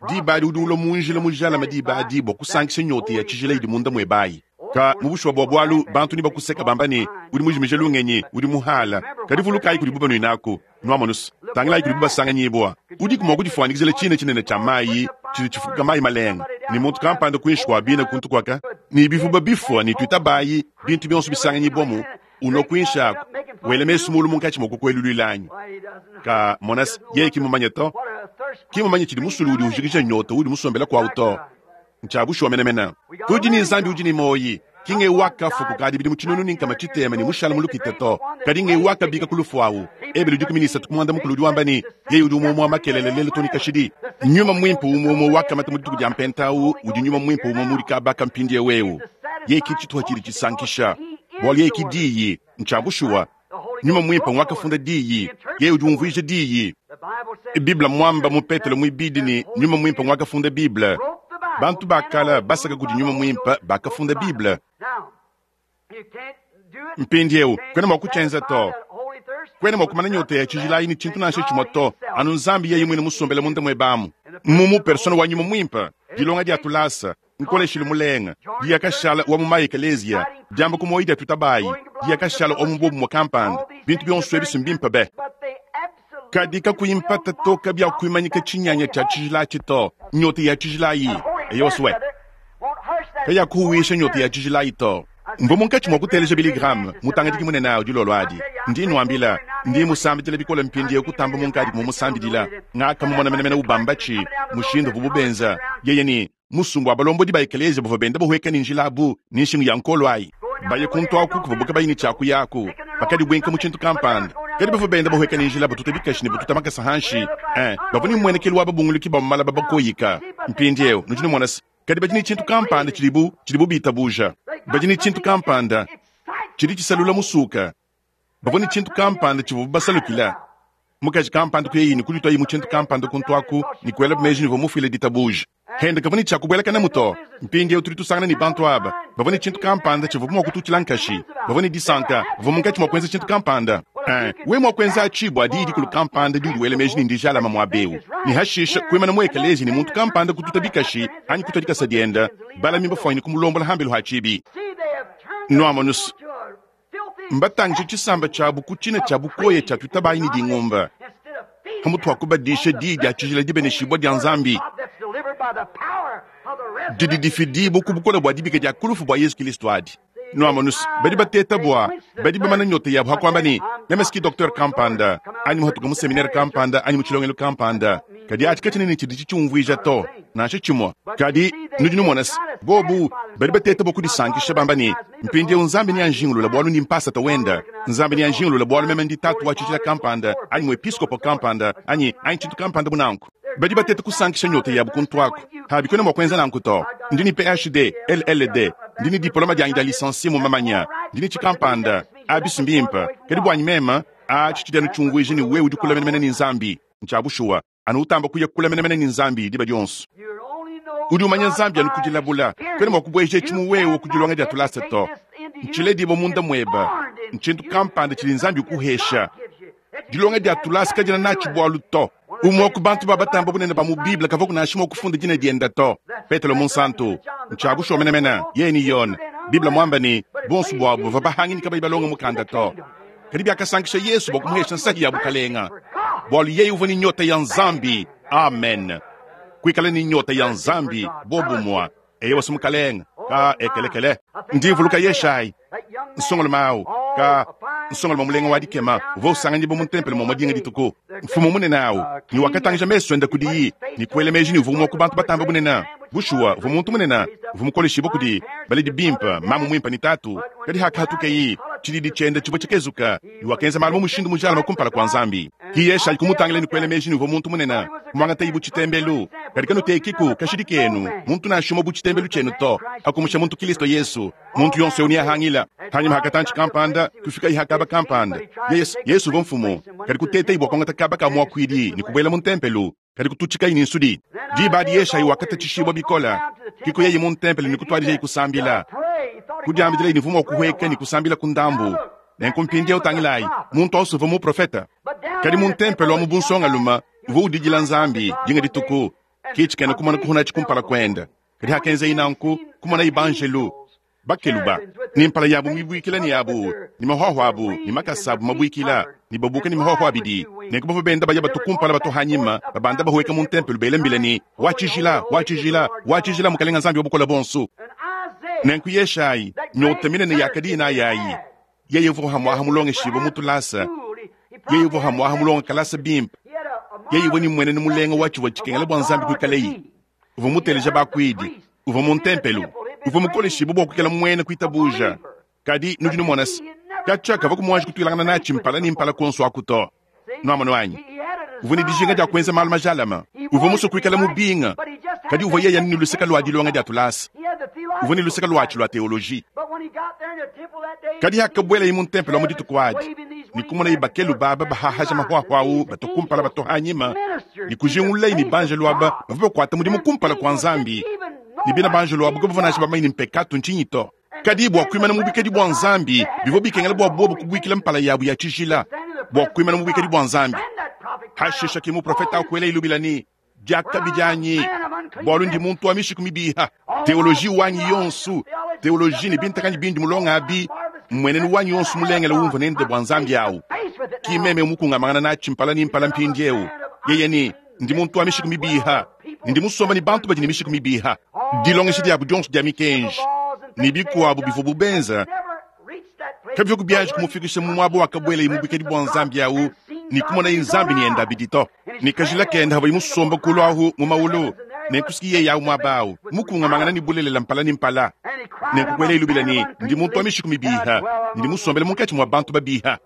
Diba adi udi ulua mu njila mujalame diba adi bua kusankisha nyota ya tshijila idi munda muebe ayi. Ka mu bushuwa bua bualu, bantu nebakuseka bamba ne, udi mujimije lungenyi, udi muhala. Kadi vulukayi kudibu banuinaku. Nuamonus, tangilayi kudibu basanganyibua. Udiku mua kudifuanyikijila tshina tshinene tshia mayi tshidi tshifuka mayi malenga, ne muntu kampanda kuinshi kua bina kuntu kuaka, ne bivuba bifua ne tuitabayi, bintu bionso bisanganyibuamu, unua kuinshi aku, wela mesu mulu munkatshi mua kukueluluila anyi? Ka, monas, yeye ki mumanye to. Ki mumanye tshidi musulu udi ujikija nyota udi musombela kuawu to. Ntshia bushuwa menemene. Tudi ne Nzambi udi ne muoyi, ki ng'eu wakafua kukadi bidimu 600 ne mushale mu lukita to, kadi ng'eu wakabika ku lufu awu. Ebelu 13 ku 10 udi wamba ne, Yeye udi umue umue wa makelela, lelu too ne kashidi. Nyuma Muimpe umue umue wakamata mu dituku dia Mpenta awu udi Nyuma Muimpe umue umue udi kaba ka mpindieu eu. Yeye ki tshituha tshidi tshisankisha, bualu yeye ki Diyi. Ntshia bushuwa. Nyuma Muimpe ng'wakafunda Diyi, yeye udi umvuija Diyi. Bible mmuamba mu Petelo muibidi ne, Nyuma Muimpe ng'wakafunda Bible. Bantu ba kale basaka kudi Nyuma Muimpe bakafunda Bible. Mpindieu kuena mua kutshienza to. Kuena mua kumana nyota ya tshijila ayi ne tshintu nansha tshimue to, anu Nzambi yeye muine musombele munda muebe amu. Mmu persona wa Nyuma Muimpe, dilonga dia tulasa, nkoleshilu mulenga, diya kashala wa mu ma-ekeleziya, diamba ku muoyo dia tutabayi, diya kashala wa mu buobumue kampanda, bintu bionso ebi si mbimpe be. Kadi kakuyi mpata to kabiakuimanyika tshinyanya tshia tshijila atshi to, nyota ya tshijila ayi. Eyowa, swe. Kayakuhuwisha nyota ya tshijila ayi to. Mvua munkatshi mua kuteleja Billy Graham, mutangadiki munene awu dilolo adi. Ndi nnuambila, ndi musambidila bikole mpindieu kutamba munkadi mumusambidila. Ngakamumona menemene ubamba tshi, mushindu uvubu benza, yeye ne musumba wa balombodi ba ekeleziya bavua benda bahueka ne njila abu ne nshingu ya nkolo ayi. Baye kuntu aku kuvuabu kabayi ne tshia kuyaku, bakadibuinka mu tshintu kampanda. Kadi bavua benda bahueka ne njila batuta bikashi ne batuta makasa hanshi. Eh, bavua ne mmuenekelu wa babunguluki ba mu malaba bakoyika. Mpindieu nudi numona se, kadi badi ne tshintu kampanda tshidibu, tshidibu bitabuja. Badi ne tshintu kampanda tshidi tshisalula musuka. Bavua ne tshintu kampanda tshivuabu basalukila. Mukaji kampanda kuyayi ne kudituayi mu tshintu kampanda kuntu aku ne kuela meji ne uvua mufuile ditabuja. Hende kavua ne tshia kubuelakanamu to. Mpindieu tudi tusangana ne bantu aba bavua ne tshintu kampanda tshivuabu mua kututshila nkashi. Bavua ne disanka, bavua munkatshi mua kuenza tshintu kampanda. Eh, wewe mua kuenza atshi bua diyi dikulu kampanda diudi wela meji ne ndijalama muaba eu, ne hashisha kuimana mu ekeleziya ne muntu kampanda kututa bikashi anyi kutua dikasa dienda, balami bafuanyine kumulombola hambelu ha tshibi. Nuamonus, mbatangije tshisamba tshiabu ku tshina tshia bukoya tshia tuitabayi ne dingumba, pamutu pa kubadisha diyi dia tshijila dibeneshibua dia Nzambi didi difidibua ku bukole bua dibika dia ku lufu bua Yezu Kilisto adi. Nuamonus, badi bateta bua badi bamana nyota yabu ha kuamba ne, meme ski docteur kampanda anyi muhatuka mu seminaire kampanda anyi mu tshilongelu kampanda, kadi atshi katshiena ne tshidi tshitshiumvuija to, nansha tshimue. Kadi nudi numona se, bobu badi bateta bua kudisankisha bamba ne, mpindieu Nzambi neanjingulule bualu ndi mpasata wenda, Nzambi neanjingulule bualu meme ndi tatu wa tshijila kampanda anyi muepiskopo kampanda anyi anyi tshintu kampanda bu nanku. Badi bateta kusankisha nyota yabu kuntu aku. Abi kuena mua kuenza nanku to. Ndi ne PhD, LLD, ndi ne diploma dianyi dia licencie mu mamanya, ndi ne tshikampanda. Abi si mbimpe. Kadi buanyi meme, atshi tshidi anu tshiumvuija ne wewe udi kule menemene ne Nzambi. Ntshia bushuwa. Anu utamba kuya kule menemene ne Nzambi diba dionso. Udi umanya Nzambi anu ku dilabula. Kuena mua kubueja etshi mu wewe ku dilonga dia tulasa to. Ntshiledibua munda muebe. Ntshintu kampanda tshidi Nzambi ukuhesha. Dilonga dia tulasa kadiena natshi bualu to. Umue wa ku bantu ba batamba bunene ba mu Bible kavuaku nansha mua kufunda dina diende to, Petelo Munsantu. Ntshia bushuwa menemene, yeye ne Yone. Bible muambe ne, bonso buabu bavua bahangi ne kabayi balonge mukanda to. Kadi biakasankisha Yesu bua kumuhesha nsahi ya bukalenga, bualu yeye uvua ne nyota ya Nzambi. Amen. Kuikala ne nyota ya Nzambi bobumua. Eyowa si mukalenga ka ekelekele. Ndi mvuluka Yeshayi, nsongalume awu, ka nsongalume mulenga wa dikema, uvua usanganyibua mu ntempelo mumue dinga dituku. Mfumu munene awu, ne wakatangija mesu ende kudiyi ne kuela meji ne uvua umue wa ku bantu batambe bunene. Bushuwa, uvua muntu munene, uvua mukoleshibue kudi baledi bimpe, mamu muimpe ne tatu. Kadi hakahatukeye, tshididi tshiende tshivua tshikezuka, ne wakenza malu mu mushindu mujalame kumpala kua Nzambi. Ke Yeshayi kumutangila ne kuela meji ne uvua muntu munene, kumuangataye bu tshitembelu. Kadi kanutekiku kashidi kenu muntu nansha umue bu tshitembelu tshienu to, hakumusha muntu Kilisto Yesu. Muntu yonso eu neahangila. Hanyima ha katantshi kampanda, kufikaye ha kaba kampanda. Yesu, Yesu uvua mfumu, kadi kutetaye bua kuangata kaba ka muakuidi ne kubuela mu ntempelo, kadi kututshikaye ne nsudi. Diba adi Yeshayi wakatatshishibua bikole, ke kuyaye mu ntempelo ne kutuadijaye kusambila. Kudiambidilaye ne uvua mua kuhueka ne kusambila ku ndambu. Nenku mpindieu tangilayi, muntu au uvua muprofete. Kadi mu ntempelo amu bu nsongalume, uvua udidila Nzambi dinga dituku, ke tshikena kumona kuhonatshi kumpala kuende. Kadi hakenzaye nanku, kumonaye banjelu, bakeluba, ne mpala yabu mibuikila ne abu, ne mahuahua abu ne makasa abu mabuikila, ne babuka ne mahuahua abidi. Nenku bavua benda baya batu kumpala batu hanyima, babanda bahueka mu ntempelo bela mbila ne, Wa tshijila, wa tshijila, wa tshijila, Mukalenga Nzambi wa Bukole Buonso. Nenku Yeshayi, nyota minene yakadiye nayi ayi, yeye uvua hamuaha mulongeshibue mu tulasa, yeye uvua hamuaha mulonga kalasa bimpe, yeye uvua ne mmuenenu mulenga wa tshivua tshikengela bua Nzambi kuikalaye. Uvua muteleja bakuidi, uvua mu ntempelo, uvua mukoleshibue bua kuikala muena kuitabuja. Kadi nudi numona se, katshia kavua kumuanji kutuilangana natshi mpala ne mpala kuonso aku to. Nuamonu anyi? Uvua ne dijinga dia kuenza malu majalame, uvua musue kuikala mubinga, kadi uvua yeye ne luseke lua dilonga dia tulasa, uvua ne luseke luatshi lua teoloji. Kadi hakabuelaye mu ntempelo mu dituku adi ne kumonaye bakeluba aba bahahaja mahuahua au batua kumpala batua hanyima, ne kujingululaye ne banjelu aba bavua bakuata mudimu kumpala kua Nzambi, ne bina banjelu abu kabavua nansha bamanye ne mpekatu ntshinyi to. Kadi bua kuimana mu buikadi bua Nzambi, bivua bikengela bua bobu kubuikila mpala yabu ya tshijila bua kuimana mu buikadi bua Nzambi. Hashisha ke muprofete akuela ilubila ne, Diakabi dianyi, bualu ndi muntu wa mishiku mibiha. Teoloji wanyi yonso, teoloji ne bintakanyi bindi mulonga abi, mmuenenu wanyi yonso mulengele umvua nende bua Nzambi awu, ki meme mukungamangana natshi mpala ne mpala mpindieu. Yeye ne, ndi muntu wa mishiku mibiha. ne ndi musomba ne bantu badi ne mishiku mibiha. Dilongesha diabu dionso dia mikenji ne bikuabu bivuabu benza kabivua kubianji kumufikisha mu muaba wakabuelaye mu buikadi bua Nzambi awu ne kumonaye Nzambi ne yende abidi to. Ne kajila kende havuaye musomba kulu ahu mu mawulu, nenku si yeye awu muaba awu, mukungamangana ne bulelela mpala ne mpala. Nenku kuelaye lubila ne, Ndi muntu wa mishiku mibiha, ne ndi musombele munkatshi mua bantu babiha.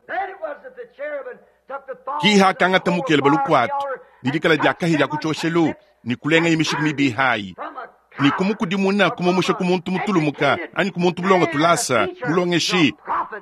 Ki hakangata mukele balukuatu ne dikala dia kahia dia ku tshioshelu, ne kulengaye mishiku mibiha ayi, ne kumukudimuna kumumusha ku muntu mutulumuka anyi ku muntu mulonga tulasa, mulongeshi,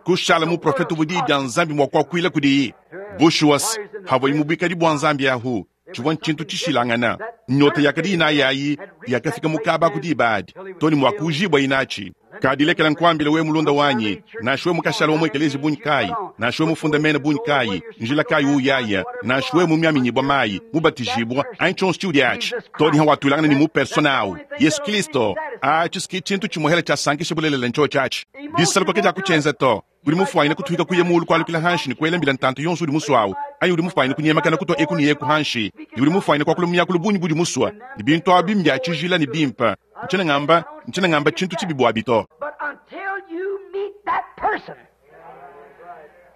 kushala muprofete uvua diyi dia Nzambi mua kuakuila kudiyi. Bushuwa, havuaye mu buikadi bua Nzambi ahu, tshivua ntshintu tshishilangana. Nyota yakadi inayi ayi yakafika mu kaba ku diba adi, to ne mua kuujibua inatshi. Kadi lekela nkuambile wewe mulunda wanyi, nansha wewe mukashala wa mu ekelezia bungi kayi, nansha wewe mufunda mena bungi kayi, njila kayi uyaya, nansha wewe mumiaminyibua mayi, mubatijibua, anyi tshionso tshiudi atshi, to ne hawatuilangana ne mu persona awu, Yesu Kilisto, atshi si tshintu tshimuehela tshiasankisha bulelela ntshiotshi atshi. Disaluka ke dia kutshienza to. Udi mufuanyine kutuhika kuya mulu kualukila hanshi ne kuela mbila ntantu yonso udi musua awu, anyi udi mufuanyine kunyemakana kutua eku ne eku hanshi, ne udi mufuanyine kuakula mu miakulu bungi budi musua, ne bintu abi mbia tshijila ne bimpe. Ntshiena ngamba, ntshiena ngamba tshintu tshibi buabi to. But until you meet that person,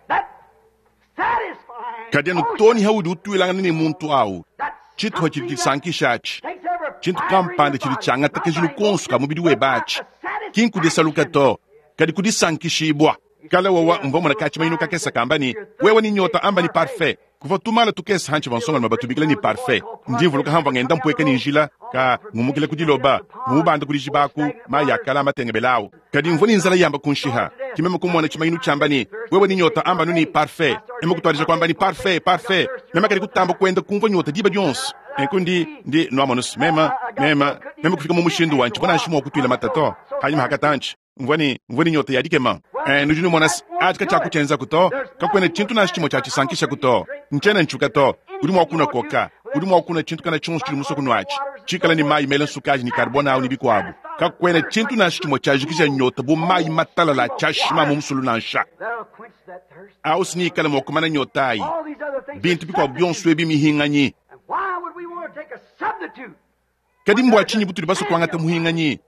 that satisfying Kadi anu too ne haudi utuilangana ne muntu awu, tshituha tshidi tshisankisha atshi, tshintu kampanda tshidi tshiangata kajilu konso ka mubidi webe atshi, ki nkudisaluka to, kadi kudisankishibua. Kale wawa mvua mona katshimanyinu kakese kamba ne, wewe ne nyota amba ne parfait. Kuvua tumala tukese hantshi bansongalume batubikila ne parfait. Ndi mvuluka hamvua ngenda mpueka ne njila, ka ngumukila ku diloba, ngumubanda ku dijiba aku, mayi akala matengebela awu. Kadi mvua ne nzala yamba kunshiha. Ke meme kumona tshimanyinu tshiamba ne, wewe ne nyota amba anu ne parfait. Meme kutuadija kuamba ne parfait, parfait. Meme kadi kutamba kuenda kumvua nyota diba dionso. Nenku ndi, ndi, nuamonu, meme, meme, meme kufika mu mushindu wa ntshivua nansha mua kutuila mata to. Panyima hakatantshi, mvua ne, mvua ne nyota ya dikema. Nudi numona se, atshi katshiakutshienzaku to. Kakuena tshintu nansha tshimue tshiatshisankishaku to. Ntshiena ntshiuka to. Udi mua kunua koka. Udi mua kunua tshintu kana tshionso tshidi musue kunuatshi, tshikala ne mayi mela nsukaji ne carbone awu ne bikuabu. Kakuena tshintu nansha tshimue tshiajikija nyota bu mayi matalala a tshiashima mu musulu nansha. Awu si neikale mua kumana nyota ayi. Bintu bikuabu bionso ebi mihinganyi. Kadi mbua tshinyi butudi basue kuangata muhinganyi?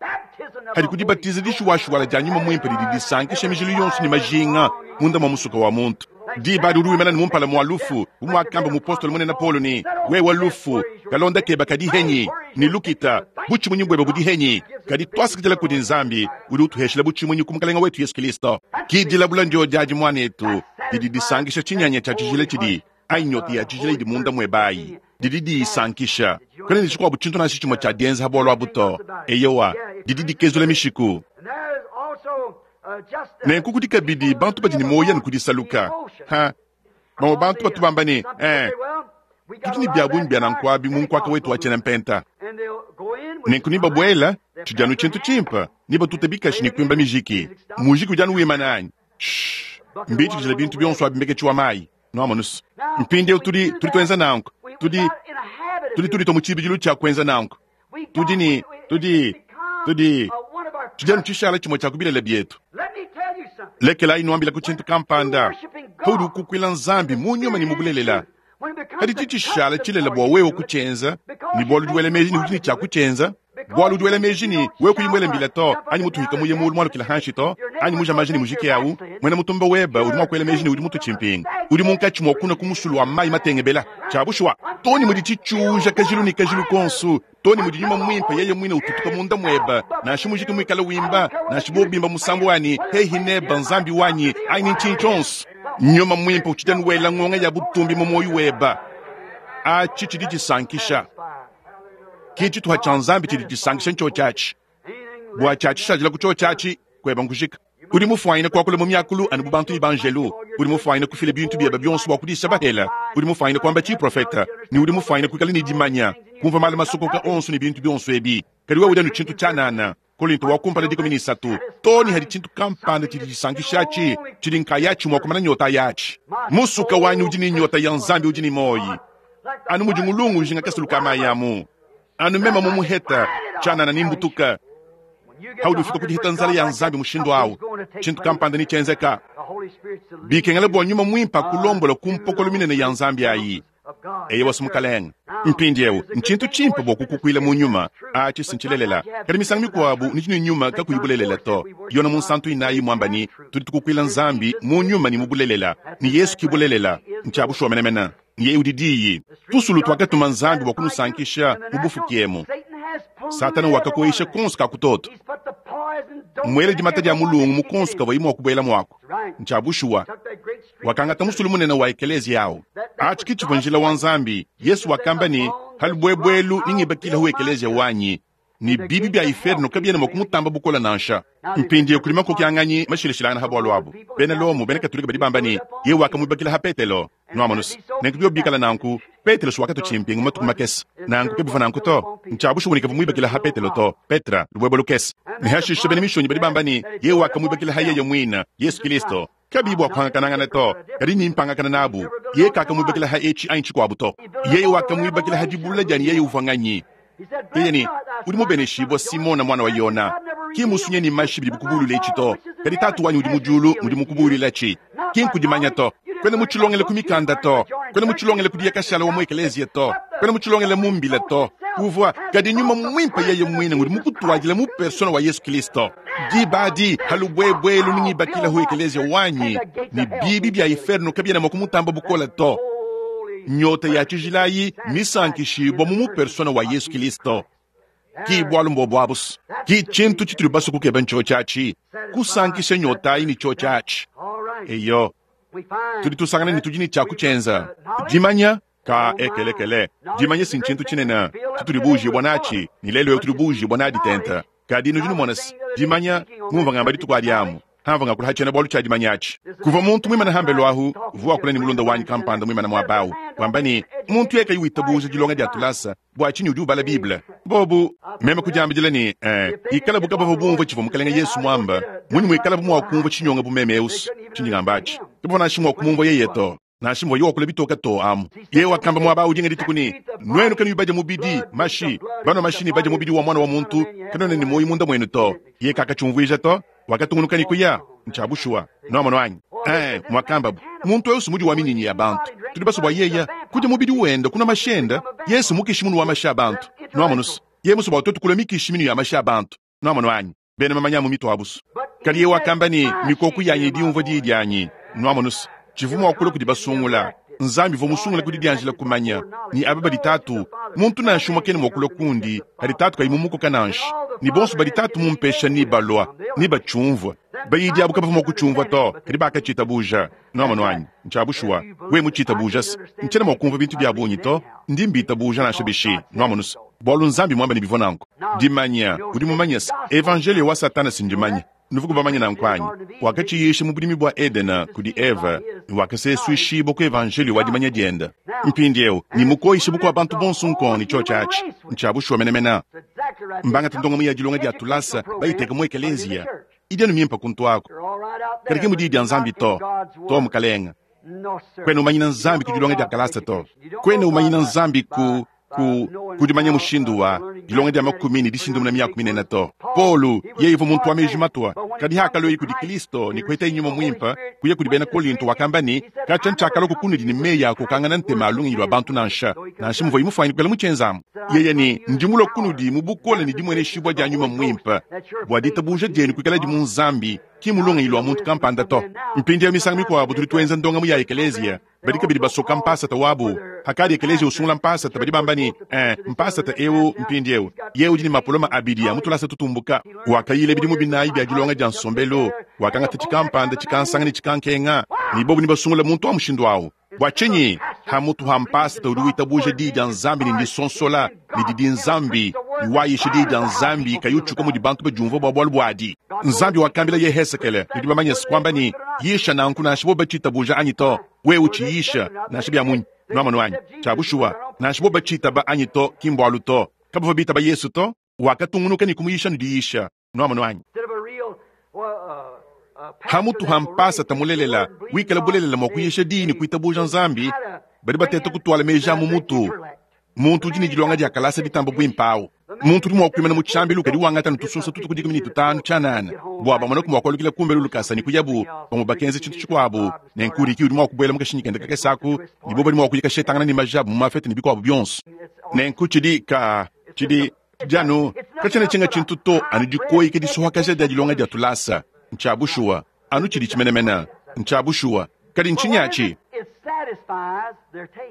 Hadi kudibatiza dishuwashuwala dia nyuma muimpe didi disankisha mijilu yonso ne majinga munda mua musuka wa muntu. Diba adi udi wimana ne mumpala mua lufu, bu muakamba mupostolo munene Paulo ne, wewe lufu, kalonda keba kadi henyi, ne lukita, butshimunyi buebe budi henyi. Kadi tuasakidila kudi Nzambi udi utuheshila butshimunyi ku Mukalenge wetu Yesu Kristo. Ki dilabula ndio diadi muanetu didi disankisha tshinyanya tshia tshijila tshidi anyi nyota ya tshijila idi munda muebe ayi didi diyisankisha. Kuena ne tshikuabu tshintu nansha tshimue tshia dienza ha bualu abu to. Eyowa, didi dikezula mishiku. Nenku kudi kabidi bantu badi ne muoyo anu ku disaluka. Ha, bamue bantu batu bamba ne, tudi ne bia bungi bia nanku abi mu nkuaka wetu wa tshiena mpenta. Nenku nebabuela, tshidi anu tshintu tshimpe, nebatute bikashi ne kuimba mijiki. Mujiki udi anu wimana anyi? Shh, mbitshikijila bintu bionso abi mbeketshi wa mayi. Nuamonu se, mpindieu tudi, tudi tuenza nanku. Tudi, tudi tuditua mu tshibidilu tshia kuenza nanku. Tudi ne, tudi, tudi, tudi anu tshishala tshimue tshia ku bilele bietu. Lekelayi nuambilaku tshintu kampanda. Paudi ukukuila Nzambi mu nyuma ne mu bulelela, kadi tshitshishala tshilela bua wewe kutshienza, ne bualu udi wela meji ne udi ne tshia kutshienza, bualu udi wela meji ne wewe kuyi muele mbila to, anyi mutuhika muye mulu mualukila hanshi to, anyi muja maji ne mujike awu, muena mutumba webe udi mua kuela meji ne udi mutu tshimpinga, udi munkatshi mua kuna ku musulu wa mayi matengebela. Tshia bushuwa, to ne mudi tshitshiuja kajilu ne kajilu konsu, to ne mudi nyuma muimpe yeye muine ututuka munda muebe, nansha mujike muikale wimba, nansha bo bimba musambu wanyi, hehi neba Nzambi wanyi, anyi ntshinyi tshionso. Nyuma muimpe utshidi anu wela ngonga ya butumbi mu muoyo webe. Atshi tshidi tshisankisha. Ki tshituha tshia Nzambi tshidi tshisankisha ntshiotshi atshi. Bua tshiatshishadila ku tshiotshi atshi, kueba nkujika. Udi mufuanyine kuakula mu miakulu anu bu bantu ne banjelu. Udi mufuanyine kufila bintu biebe bionso bua kudisha bahela. Udi mufuanyine kuamba tshiprofeta, ne udi mufuanyine kuikala ne dimanya, kumvua malu masokoka onso ne bintu bionso ebi. Kadi wewe udi anu tshintu tshianana. Kolinto wa kumpala 13, too ne hadi tshintu kampanda tshidi tshisankisha atshi, tshidi nkayatshi mua kumana nyota yatshi. Musuka wanyi udi ne nyota ya Nzambi udi ne muoyo, anu mudi ngulungu ujinga kasulu ka mayi amu. Anu meme mumuheta tshianana ne mbutuka. Haudi ufika ku diheta nzala ya Nzambi mushindu awu, tshintu kampanda ne tshienzeka. Bikengela bua nyuma muimpe akulombola ku mpokolo minene ya Nzambi ayi. Eyowa Mukalenge. Mpindieu, ntshintu tshimpe bua kukukuila mu nyuma. Atshi si ntshilelela. Kadi misangu mikuabu nudi ne nyuma kakuyi bulelela to. Yone Munsantu inayi muamba ne, tudi tukukuila Nzambi mu nyuma ne mu bulelela, ne Yesu ki bulelela. Ntshia bushuwa menemene. Yeye udi Diyi. Tusulu tuakatuma Nzambi bua kunusankisha mu bufuki emu. Satana wakakoyisha konso ka kutoto. Mmuele dimata dia mulungu mu konso kavuayi mua kubuela muaku. Ntshia bushuwa. Wakangata musulu munene wa ekeleziya au. Atshi ke tshivua njila wa Nzambi. Yesu wakamba ne, Ha lubuebuelu ningibakilahu ekeleziya wanyi, ne bibi bia iferno kabiena mua kumutamba bukole nansha. Mpindieu kudi makokianganyi mashilashilangane ha bualu abu. Bena Lomo, bena Katolike badi bamba ne, Yeye wakamuibakila ha Petelo. Nuamonuse, nenku biobi bikala nanku, Petelo si wakatua tshimpingu matuku makese. Nanku ke bivua nanku to. Ntshia bushuwa ne kavua muibakila ha Petelo to. Petra, lubuebue lukese. Ne hashishe bena Mishonyi badi bamba ne, Yeye wakamuibakila ha yeye muine, Yesu Kilisto. Kabiyi bua kuhangakanangana to, kadi ne mpangakana nabu. Yeye kakamuibakila ha etshi anyi tshikuabu to. Yeye wakamuibakila ha dibulula dia ne yeye uvua nganyi. Yeye ne, Udi mubeneshibua, Simona muana wa Yona. Ki musunye ne mashi bidi bikubulula etshi to, kadi Tatu wanyi udi mu diulu ngudi mukubuluilatshi. Ki nkudimanya to. Kuena mutshilongele ku mikanda to. Kuena mutshilongele ku diyakashala wa mu ekeleziya to. Kuena mutshilongele mu mbila to. Uvua, kadi Nyuma Muimpe yeye muine ngudi mukutuadila mu persona wa Yesu Kilisto. Diba adi, ha lubuebuelu nungibakilahu ekeleziya wanyi, ne bibi bia iferno kabiena mua kumutamba bukole to. Nyota ya tshijila ayi misankishibua mu mupersona wa Yesu Kilisto. Ki bualu mbobu abu. Ki tshintu tshitudi basue kukeba ntshiotshi atshi, kusankisha nyota ayi ne tshiotshi atshi. Eyo, tudi tusangana ne tudi ne tshia kutshienza. Dimanya ka ekelekele, dimanya si ntshintu tshinene tshitudi buujibua natshi, ne lelu eu tudi buujibua nadi tente. Kadi nudi numona se, dimanya, ngumvua ngamba dituku adi amu, hamvua ngakula ha tshiena-bualu tshia dimanya atshi. Kuvua muntu muimane hambelu ahu, uvua wakula ne mulunda wanyi kampanda muimane muaba au, wamba ne, muntu yeye kayi witabuja dilonga dia tulasa, bua tshinyi udi ubala Bible? Bobu, meme kudiambidila ne, eh, ikalabu kabavua bumvua tshivua Mukalenge Yesu muamba, munyi muikalabu mua kumvua tshinyonga bu meme eu? Tshindi ngamba atshi, kabavua nansha mua kumumvua yeye to. Nansha muvua wakula bitoke to amu. Yeye wakamba muaba au dinga dituku ne, Nuenu kanuyi badia mubidi, mashi, banua mashi ne badia mubidi wa Muana wa muntu, kanuena ne muoyo munda muenu to. Yeye kakatshiumvuija to, wakatungunuka ne kuya. Ntshia bushuwa. Nuamonu anyi? Ee, muakambabu, muntu eu mudi wa minyinyi ya bantu. Tudi basue bua yeye kudia mubidi wende, kunua mashi ende. Yesu mukishi munu wa mashi a bantu. Nuamonu se, yeye musue bua tuetu kulua mikishi minu ya mashi a bantu. Nuamonu anyi? Bena mamanya mu mitu abu. Kadi yeye wakamba ne, Mikoku yanyi idi yumvua diyi dianyi. Nuamonu se, tshivua mua kulua kudi basungula. Nzambi uvua musungula ku didianjila kumanya ne aba badi Tatu. Muntu nansha umue kena mua kulua kundi hadi Tatu kayi mumukoka nansha, ne bonso badi Tatu mumpesha nebalua, nebatshiumvue. Bayidi abu kabavua mua kutshiumvua to, kadi bakatshitabuja. Nuamonu anyi? Ntshia bushuwa. Wewe mutshitabuja se, ntshiena mua kumvua bintu bia bungi to, ndi mbitabuja nansha bishi. Nuamonu se, bualu Nzambi muambe ne bivua nanku. Dimanya, udi mumanye se, evanjeliyo wa Satana si ndimanya. Nuvuku bamanye nanku anyi? Wakatshiyisha mu budimi bua Edena kudi Eva, ne wakasesuishibua ku evanjeliyo wa dimanya diende. Mpindieu ne mukoyishe bukua bantu bonso nkong ne tshiotshi atshi. Ntshia bushuwa menemene. Mbangate ndongamu ya dilonga dia tulasa bayiteke mu ekeleziya. Idi anu mimpe kuntu aku, kadi ke mu Diyi dia Nzambi to. To, mukalenge. Kuena umanyina Nzambi ku dilonga dia kalasa to. Kuena umanyina Nzambi ku ku ku dimanya mushindu wa dilonga dia makumi ne dishindumuna miaku minene to. Paulo yeye uvua muntu wa meji matua, kadi hakalueye kudi Kristo ne kuhetaye Nyuma Muimpe, kuya kudi bena Kolinto wakamba ne, Katshia ntshiakalua kunudi ne meyi a kukokangana ntema a lungenyi lua bantu nansha, nansha muvuaye mufuanyine kuikala mutshienzamu. Yeye ne, Ndi mulue kunudi mu bukole ne dimueneshibua dia Nyuma Muimpe, bua ditabuja dienu kuikaladi mu Nzambi, ki mu lungenyi lua muntu kampanda to. Mpindieu misangu mikuabu tudi tuenza ndongamu ya ekeleziya. Badi kabidi basoka mpasata wabu. Hakadi ekeleziya usungula mpasata, badi bamba ne, Eh, mpasata eu mpindieu yeye udi ne mapoloma abidi a mu tulasa tutumbuka. Wakayila bidimu binayi bia dilonga dia nsombelu, wakangata tshikampanda, tshikansanga ne tshikankenga, ne bobu nebasungule muntu wa mushindu au. Bua tshinyi? Hamutu ha mpasata udi witabuja diyi dia Nzambi ne ndisonsola ne didi Nzambi, ne wayisha diyi dia Nzambi kayi utshuka mudi bantu badiumvua bua bualu buadi. Nzambi wakambila Yehezekele, nudi bamanye se, kuamba ne, Yisha nanku nansha bobu batshitabuja anyi to, wewe utshiyisha nansha bia munyi. Nuamonu anyi? Tshia bushuwa, nansha bobu batshitaba anyi to, ki mbualu to. Kabavua bitaba Yesu to, wakatungunuka ne kumuyisha ne diyisha. Nuamonu anyi? Hamutu ha mpasata mulelela wikala bulelela mua kuyisha diyi ne kuitabuja Nzambi, badi bateta kutuala meji a mu mutu. Muntu udi ne dilonga dia kalasa ditamba buimpe au. Muntu udi mua kuimana mu tshiambilu kadi wangata anu tusunsa tutue ku 15 tshianana bua bamoneku mua kualukila kumbelu lukasa ne kuyabu. Bamue bakenza tshintu tshikuabu, nenku Ricky udi mua kubuela mu kashinyi kende kakese aku, ne bobo badi mua kuya kashetangana ne maja abu mu mafete ne bikuabu bionso. Nenku tshidi ka, tshidi, tshidi anu, katshiena tshinga tshintu to, anu dikoyika disuhakaja dia dilonga dia tulasa. Ntshia bushuwa, anu tshiditshi menemene. Ntshia bushuwa. Kadi ntshinyi atshi?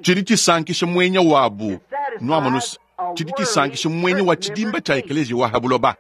Tshidi tshisankisha muenya wabu. Nuamonus, tshidi tshisankisha muenya wa tshidimba tshia ekeleziya wa ha buloba.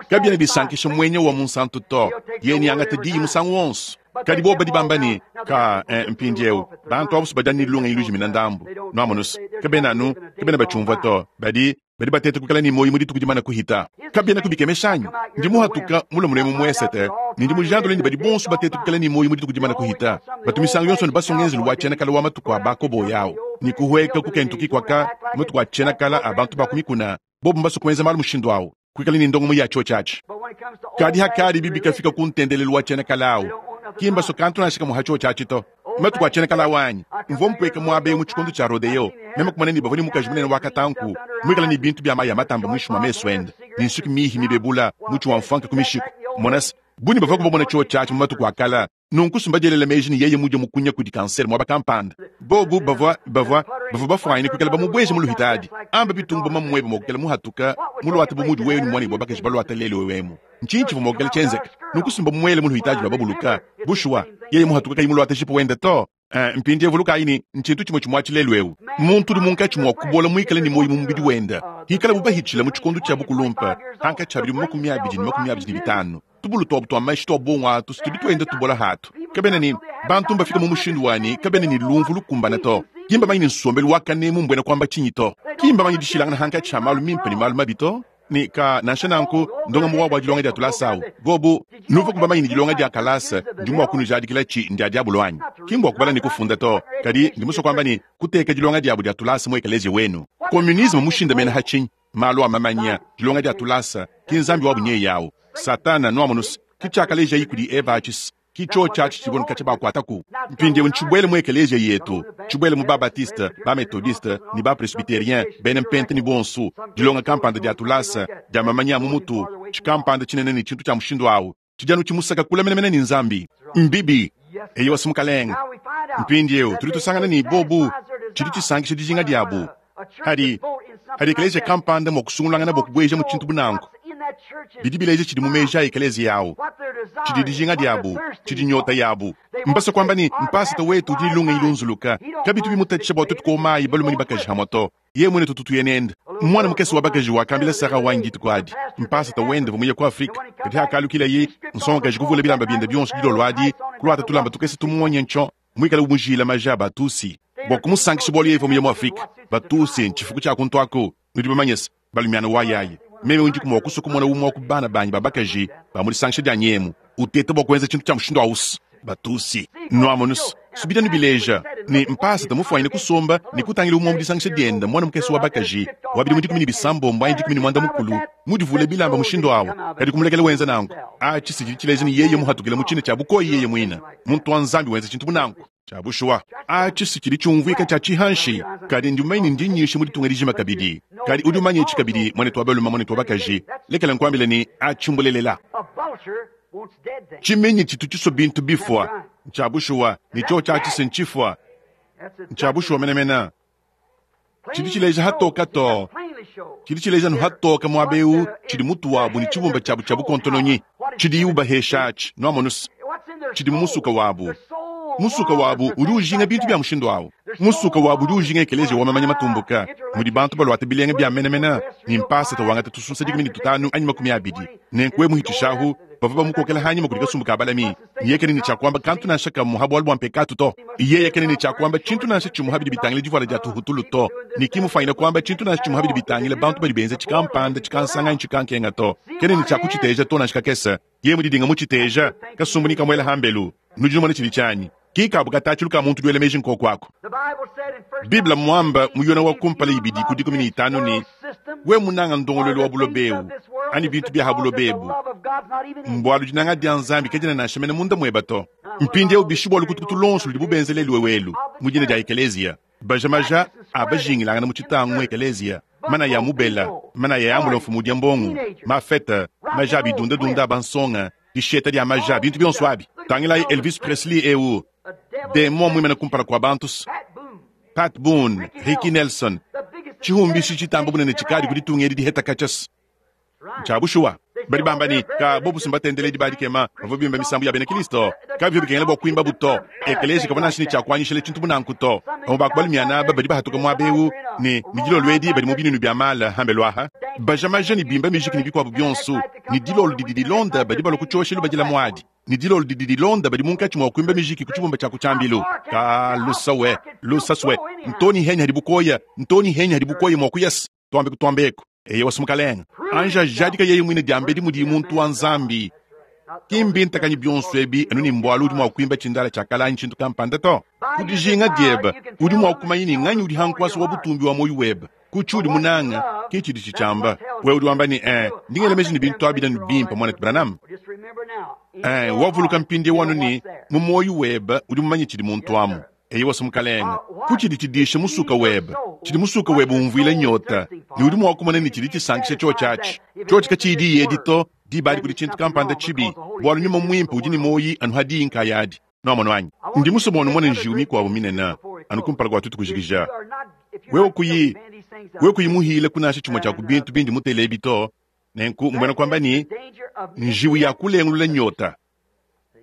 Kabiena bisankisha muenya wa munsantu to. Yeye neangate diyi musangu wonso. Kadi bobo badi bamba ne, Ka, eh, mpindiewu, bantu abu badi anu ne lungenyi lujimina ndambu. Nuamonus, kabena anu, kabena batshiumvua to. Badi, badi bateta kuikala ne muoyo mu dituku dimane kuhita. Kabienaku bikemesha anyi? Ndi muhatuka mulue mulemu mu esete, ne ndi mujandule ne badi bonso bateta kuikala ne muoyo mu dituku dimane kuhita. Batu misangu yonso ne basua ngenzelu wa tshiena kale wa matuku a bakoboyi au, ne kuhueka ku Kentucky kuaka matuku a tshiena kale a bantu ba ku mikuna. Bobo mbasue kuenza malu mushindu au, kuikala ne ndongamu ya tshiotshi atshi. Kadi hakadibi bikafika ku ntendelelu wa tshiena kale au, ki mbasue kantu nansha kamue ha tshiotshi atshi to. Matuku a tshiena kale au anyi, mvua mpueka muaba eu mu tshikondo tshia rodeo, meme kumona ne bavua ne mukaji munene wa katanku, muikale ne bintu bia mayi a matamba muinshi mua mesu ende, ne nsuki mihi mibebula, mutshi wa mfuanka ku mishiku. Mona se, bungi bavuaku bamona tshiotshi atshi mu matuku a kale. Nunku sumba dielela meji ne yeye mudie mukunya kudi kansere muaba kampanda. Bobu bavua, bavua, bavua bafuanyine kuikala bamubueje mu luhitadi. Amba bitungu bu mamuebe mua kuikala muhatuka muluate bu mudi wewe ne muanebe wa bakaji baluata lelu eu emu. Ntshinyi tshivua mua kuikala tshienzeka? Nunku sumba muele mu luhitadi lua babuluka. Bushuwa, yeye muhatuka kayi muluate jipu wende to. Eh, mpindieu vulukayi ne, ntshintu tshimue tshimue atshi lelu eu. Muntu udi munkatshi mua kubola muikale ne muoyo mu mubidi wende, hikalabu bahitshila mu tshikondo tshia bukulumpe, hankatshi ha bidimu 25 ne 25. Tubulu tuabu tua mashi tua buongo atu tudi tuenda tubola hatu. Kabena ne, bantu mbafike mu mushindu wa ne, kabena ne lumvu lukumbane to. Ki mbamanye ne nsombelu wa kanemu mbuena kuamba tshinyi to. Ki mbamanye dishilangana hankatshi ha malu mimpe ne malu mabi to. Ne ka, nansha nanku, ndongamu wabu wa dilonga dia tulasa au. Bobu, nuvuaku bamanye ne dilonga dia kalasa, ndi mua kunujadikilatshi, ndia diabolo anyi? Ki mbua kubala ne kufunda to, kadi ndi musue kuamba ne, kuteka dilonga diabu dia tulasa mu ekeleziya wenu. Communisme mmushindamene ha tshinyi? Malu a mamanya, dilonga dia tulasa, ki Nzambi wabu nyeye au. Satana, nuamonus, ki tshiakalejayi kudi Eva atshi, ki tshiotshi atshi tshivua nkatshia bakuataku. Mpindieu ntshibuele mu ekeleziya yetu, tshibuele mu ba-Batiste, ba-Methodiste, ne ba-Presbyterien, bena Mpente ne bonso, dilonga kampanda dia tulasa, dia mamanya a mu mutu, tshikampanda tshinene ne tshintu tshia mushindu au, tshidi anu tshimusaka kule menemene ne Nzambi. Mbibi. Eyowa, si Mukalenge. Mpindieu tudi tusangana ne, bobu, tshidi tshisankisha dijinga diabu. Hadi, hadi ekeleziya kampanda mua kusungulangana bua kubueja mu tshintu bu nanku, bidi bileja tshidi mu meji a ekeleziya au, tshidi dijinga diabu, tshidi nyota yabu. Mbasue kuamba ne, mpasata wetu udi ne lungenyi lunzuluka, kabitu bimutatshisha bua tuetu kuowa mayi balume ne bakaji hamue to. Yeye muine tutu tuya nende. Muana mukese wa bakaji wakambila Sarah wanyi dituku adi, mpasata wende uvua muye ku Afrike, kadi hakalukilaye, nsongakaji kuvula bilamba biende bionso dilolo adi, kuluata tulamba tukese tumuonye ntshio, muikale umujila maja a Batusi bua kumusankisha bualu yeye uvua muye mu Afrike. Batusi ntshifuku tshia kuntu aku, nudi bamanye se, balumiana wa yaya. Meme ndiku mua kusua kumona umue wa ku bana banyi ba bakaji ba mu disangisha dianyi emu uteta bua kuenza tshintu tshia mushindu au. Batusi, nuamonu se, bidi anu bileja ne, mpasata mufuanyine kusomba ne kutangila umue wa mu disangisha diende muana mukese wa bakaji wa bidimu 16 anyi 15 mudivule bilamba mushindu au, kadi kumulekela wenza nanku. Atshi si tshidi tshileja ne yeye muhatukile mu tshina tshia bukoyi yeye muine. Muntu wa Nzambi wenza tshintu bu nanku. Tshia bushuwa, atshi si tshidi tshiumvuika tshia tshihanshi, kadi ndi mumanye ne ndi nyisha mu ditunga dijima kabidi. Kadi udi umanye etshi kabidi, muanetu wa balume, muanetu wa bakaji, lekela nkuambile ne, atshi mbulelela. Tshimenyi tshitu tshisua bintu bifua. Ntshia bushuwa, ne tshiotshi atshi si ntshifua. Ntshia bushuwa menemene. Tshidi tshileja hatoka too. Tshidi tshileja anu hatoka muaba eu tshidi mutu wabu ne tshibumba tshiabu tshia bukontononyi tshidiyi ubahesha atshi. Nuamonu se, tshidi mu musuka wabu. Musuka wabu udi ujinga bintu bia mushindu au. Musuka wabu udi ujinga ekeleziya wa mamanya matumbuka mudi bantu baluata bilenga bia menemene ne mpasata wangata tusunsa 15 anyi 20. Nenku we muhitshishahu, bavua bamukokela hanyima kudi kasumbu ka balami. Yeye kena ne tshia kuamba kantu nansha kamue ha bualu bua mpekatu to. Yeye kena ne tshia kuamba tshintu nansha tshimue ha bidi bitangila divuala dia tuhutulu to, ne ki mufuanyine kuamba tshintu nansha tshimue ha bidi bitangila bantu badi benza tshikampanda tshikansanga anyi tshikankenga to. Kena ne tshia kutshiteja to nansha kakese. Yeye mudidinga mutshiteja, kasumbu ne kamuela hambelu. Nudi numona tshidi tshianyi ki kabu katatshilu ka muntu duela meji nkoku aku. Bible mmuamba mu Yona wa kumpala ibidi ku 15 ne, we munanga ndongoluelu wa buloba ebu anyi bintu bia ha buloba ebu, mbualu dinanga dia Nzambi kadiena nansha mene munda mueba to. Mpindieu bishi bua lukutukutu luonso ludibu benza lelu elu mu dina dia ekeleziya, baja maja a bajingilangana mu tshitangu mu ekeleziya. Manaya a mubela, manaya a ambula mfumu udia mbongo, mafete, maja a bidundadunda a bansonga, disheta dia maja, bintu bionso abi. Tangilayi Elvis Presley eu, demon muimane kumpala kua bantu. Pat Boone, Ricky Nelson, tshihumbishi tshitamba bunene tshikadi ku ditunga edi diheta katshia. Ntshia bushuwa. Badi bamba ne, Ka bobu si mbatendeledi ba dikema bavua bimba misambu ya bena Kristo. Kabivua bikengela bua kuimbabu to. Ekeleziya kavua nansha ne tshia kuanyishila tshintu bu nanku to. Bamue ba ku balumiana aba badi bahatuka muaba eu ne ne dilolo edi badi mu binunu bia mala ambelu aha, baja maja ne bimba mijiki ne bikuabu bionso, ne dilolo didi dilonda badi balua ku tshioshelu badila muadi, ne dilolo didi dilonda badi munkatshi mua kuimba mijiki ku tshibumba tshia ku tshiambilu. Ka lusa we, lusa swe, ntoni henyi hadi bukoya, ntoni henyi hadi bukoya mua kuyasa. Tuambe kutuambeku. Eyowa, si Mukalenge. Anji ajadika yeye muine diambedi mudiye muntu wa Nzambi. Ki mbintakanyi bionso ebi anu ne mbualu udi mua kuimba tshindala tshia kale anyi tshintu kampanda to. Ku dijinga diebe, udi mua kumanya ne nganyi udi ha nkuasa wa butumbi wa muoyo webe. Ku tshiudi munanga, ke tshidi tshitshiamba. Wewe udi wamba ne, Ee, ndi ngela meji ne bintu abi nanu bimpe, Muanetu Branham. Ee, wavuluka mpindieu anu ne, mu muoyo webe udi mumanye tshidi muntu amu. Eyowa, si Mukalenge. Ku tshidi tshidisha musuka webe, tshidi musuka webe umvuila nyota, ne udi mua kumona ne tshidi tshisankisha tshiotshi atshi. Tshiotshi katshiyi diyi edi to, diba adi kudi tshintu kampanda tshibi, bualu Nyuma Muimpe udi ne muoyi anu ha diyi nkayadi. Nuamonu anyi? Ndi musue bua numone njiwu mikuabu minene anu kumpala kua tuetu kujikija. Wewe kuyi, wewe kuyi muhile ku nansha tshimue tshia ku bintu bindi mutele ebi to, nenku mbuena kuamba ne, njiwu ya kulengulula nyota.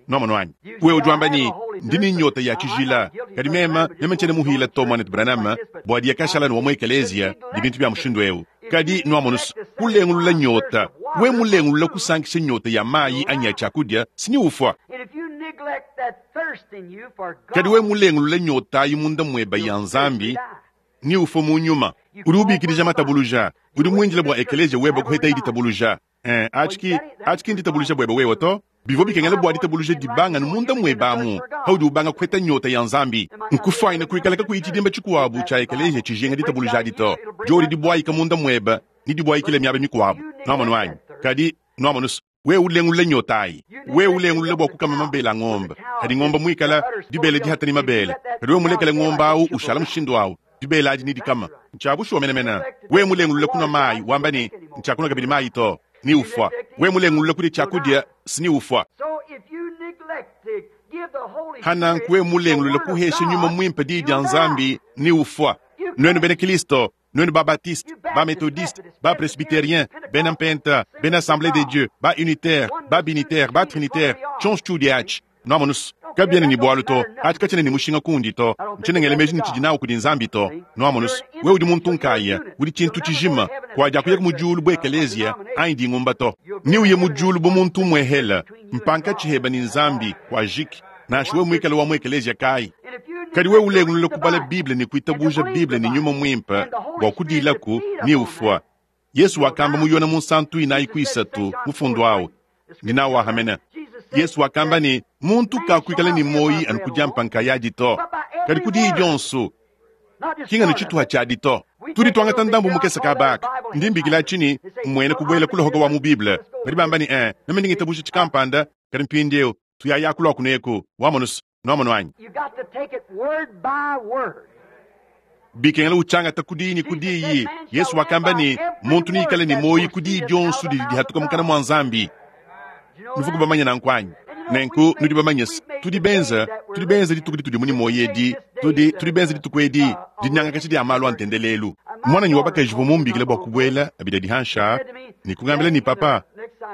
Nuamonu anyi? Wewe udi wamba ne, Ndi ne nyota ya tshijila, kadi meme, meme ntshiena muhile to, Muanetu Branham, bua diya kashala ne wa mu ekeleziya ne bintu bia mushindu ewu. Kadi, nuamonu's, kulengulula nyota, wewe mulengulula kusankisha nyota ya mayi anyi ya tshiakudia, si neufua. Kadi wewe mulengulula nyota ayi munda mueba ya Nzambi, neufue mu nyuma. Udi ubikidija matabuluja. Udi muindile bua ekeleziya weba kuhetaye ditabuluja. Eh, atshi ki, atshi ki nditabuluja buebe wewe to. Bivua bikengela bua ditabuluja dibanga anu munda muebe amu, paudi ubanga kupeta nyota ya Nzambi. Nkufuanyine kuikala kakuyi tshidimba tshikuabu tshia ekeleziya tshijinga ditabuluja adi to. Diodi dibuayika munda muebe, nedibuayikile miaba mikuabu. Nuamonu anyi? Kadi, nuamonu's, wewe ulengulula nyota ayi. Wewe ulengulula bua kukama mabele a ngombe, kadi ngombe muikale dibele dihata ne mabele. Kadi wewe mulekele ngombe au ushala mushindu au, dibele adi nedikama. Ntshia bushuwa menemene. Wewe mulengulule kunua mayi, wamba ne, Ntshiakunua kabidi mayi to, ne ufua. Wewe mulengulule kudia tshiakudia, si ne ufua. Pa nanku wewe mulengulule kuhesha Nyuma Muimpe Diyi dia Nzambi, ne ufua. Nuenu bena Kilisto, nuenu ba-Baptiste, ba-Methodiste, ba-Presbyterien, bena Mpenta, bena Assemblee de Dieu, ba-Unitaire, ba-Binitaire, ba-Trinitaire, tshionso tshiudi atshi, Nwamonu's, kabiena ne bualu to. Aci katshiena ne mushinga kundi to. Ntshiena ngela meji ne tshidi nawu kudi Nzambi to. Nwamonu's, wewe udi muntu nkaya, udi tshintu tshijima. Kuadiakuyaku mu diulu bu ekeleziya anyi dingumba to. Neuye mu diulu bu muntu umuehela, mpankatshi hebe ne Nzambi, kuajiki, nansha wewe muikale wa mu ekeleziya kayi. Kadi wewe ulengulula kubala Bible ne kuitabuja Bible ne Nyuma Muimpe bua kudilaku, neufua. Yesu wakamba mu Yona munsantu inayi ku isatu mufundu au ndi nawu ahamena. Yesu wakamba ne, muntu kakuikala ne muoyi anu ku diampa nkayadi to, kadi ku diyi dionso, ki nganu tshituha tshiadi to. Tudi tuangata ndambu mukese kaba aka, ndi mbikila atshi ne, mmuena kubuela ku luhoka wa mu Bible. Badi bamba ne, eh, meme ndi ngitabuja tshikampanda, kadi mpindieu tuyaya kulua kuneku, wamonu's. Nuamonu anyi? Bikengela utshiangata ku diyi ne ku diyi. Yesu wakamba ne, Muntu neikale ne muoyo ku diyi dionso didi dihatuka mukana mua Nzambi. Nuvuku bamanye nanku anyi? Nenku nudi bamanye se, tudi benza, tudi benza dituku ditudi mu ne muoyo edi, tudi, tudi benza dituku edi dinyangakaja dia malu a ntendelelu. Muananyi wa bakaji uvua mumbikile bua kubuela abidi adi hanshi aa ne kungambila ne, Papa,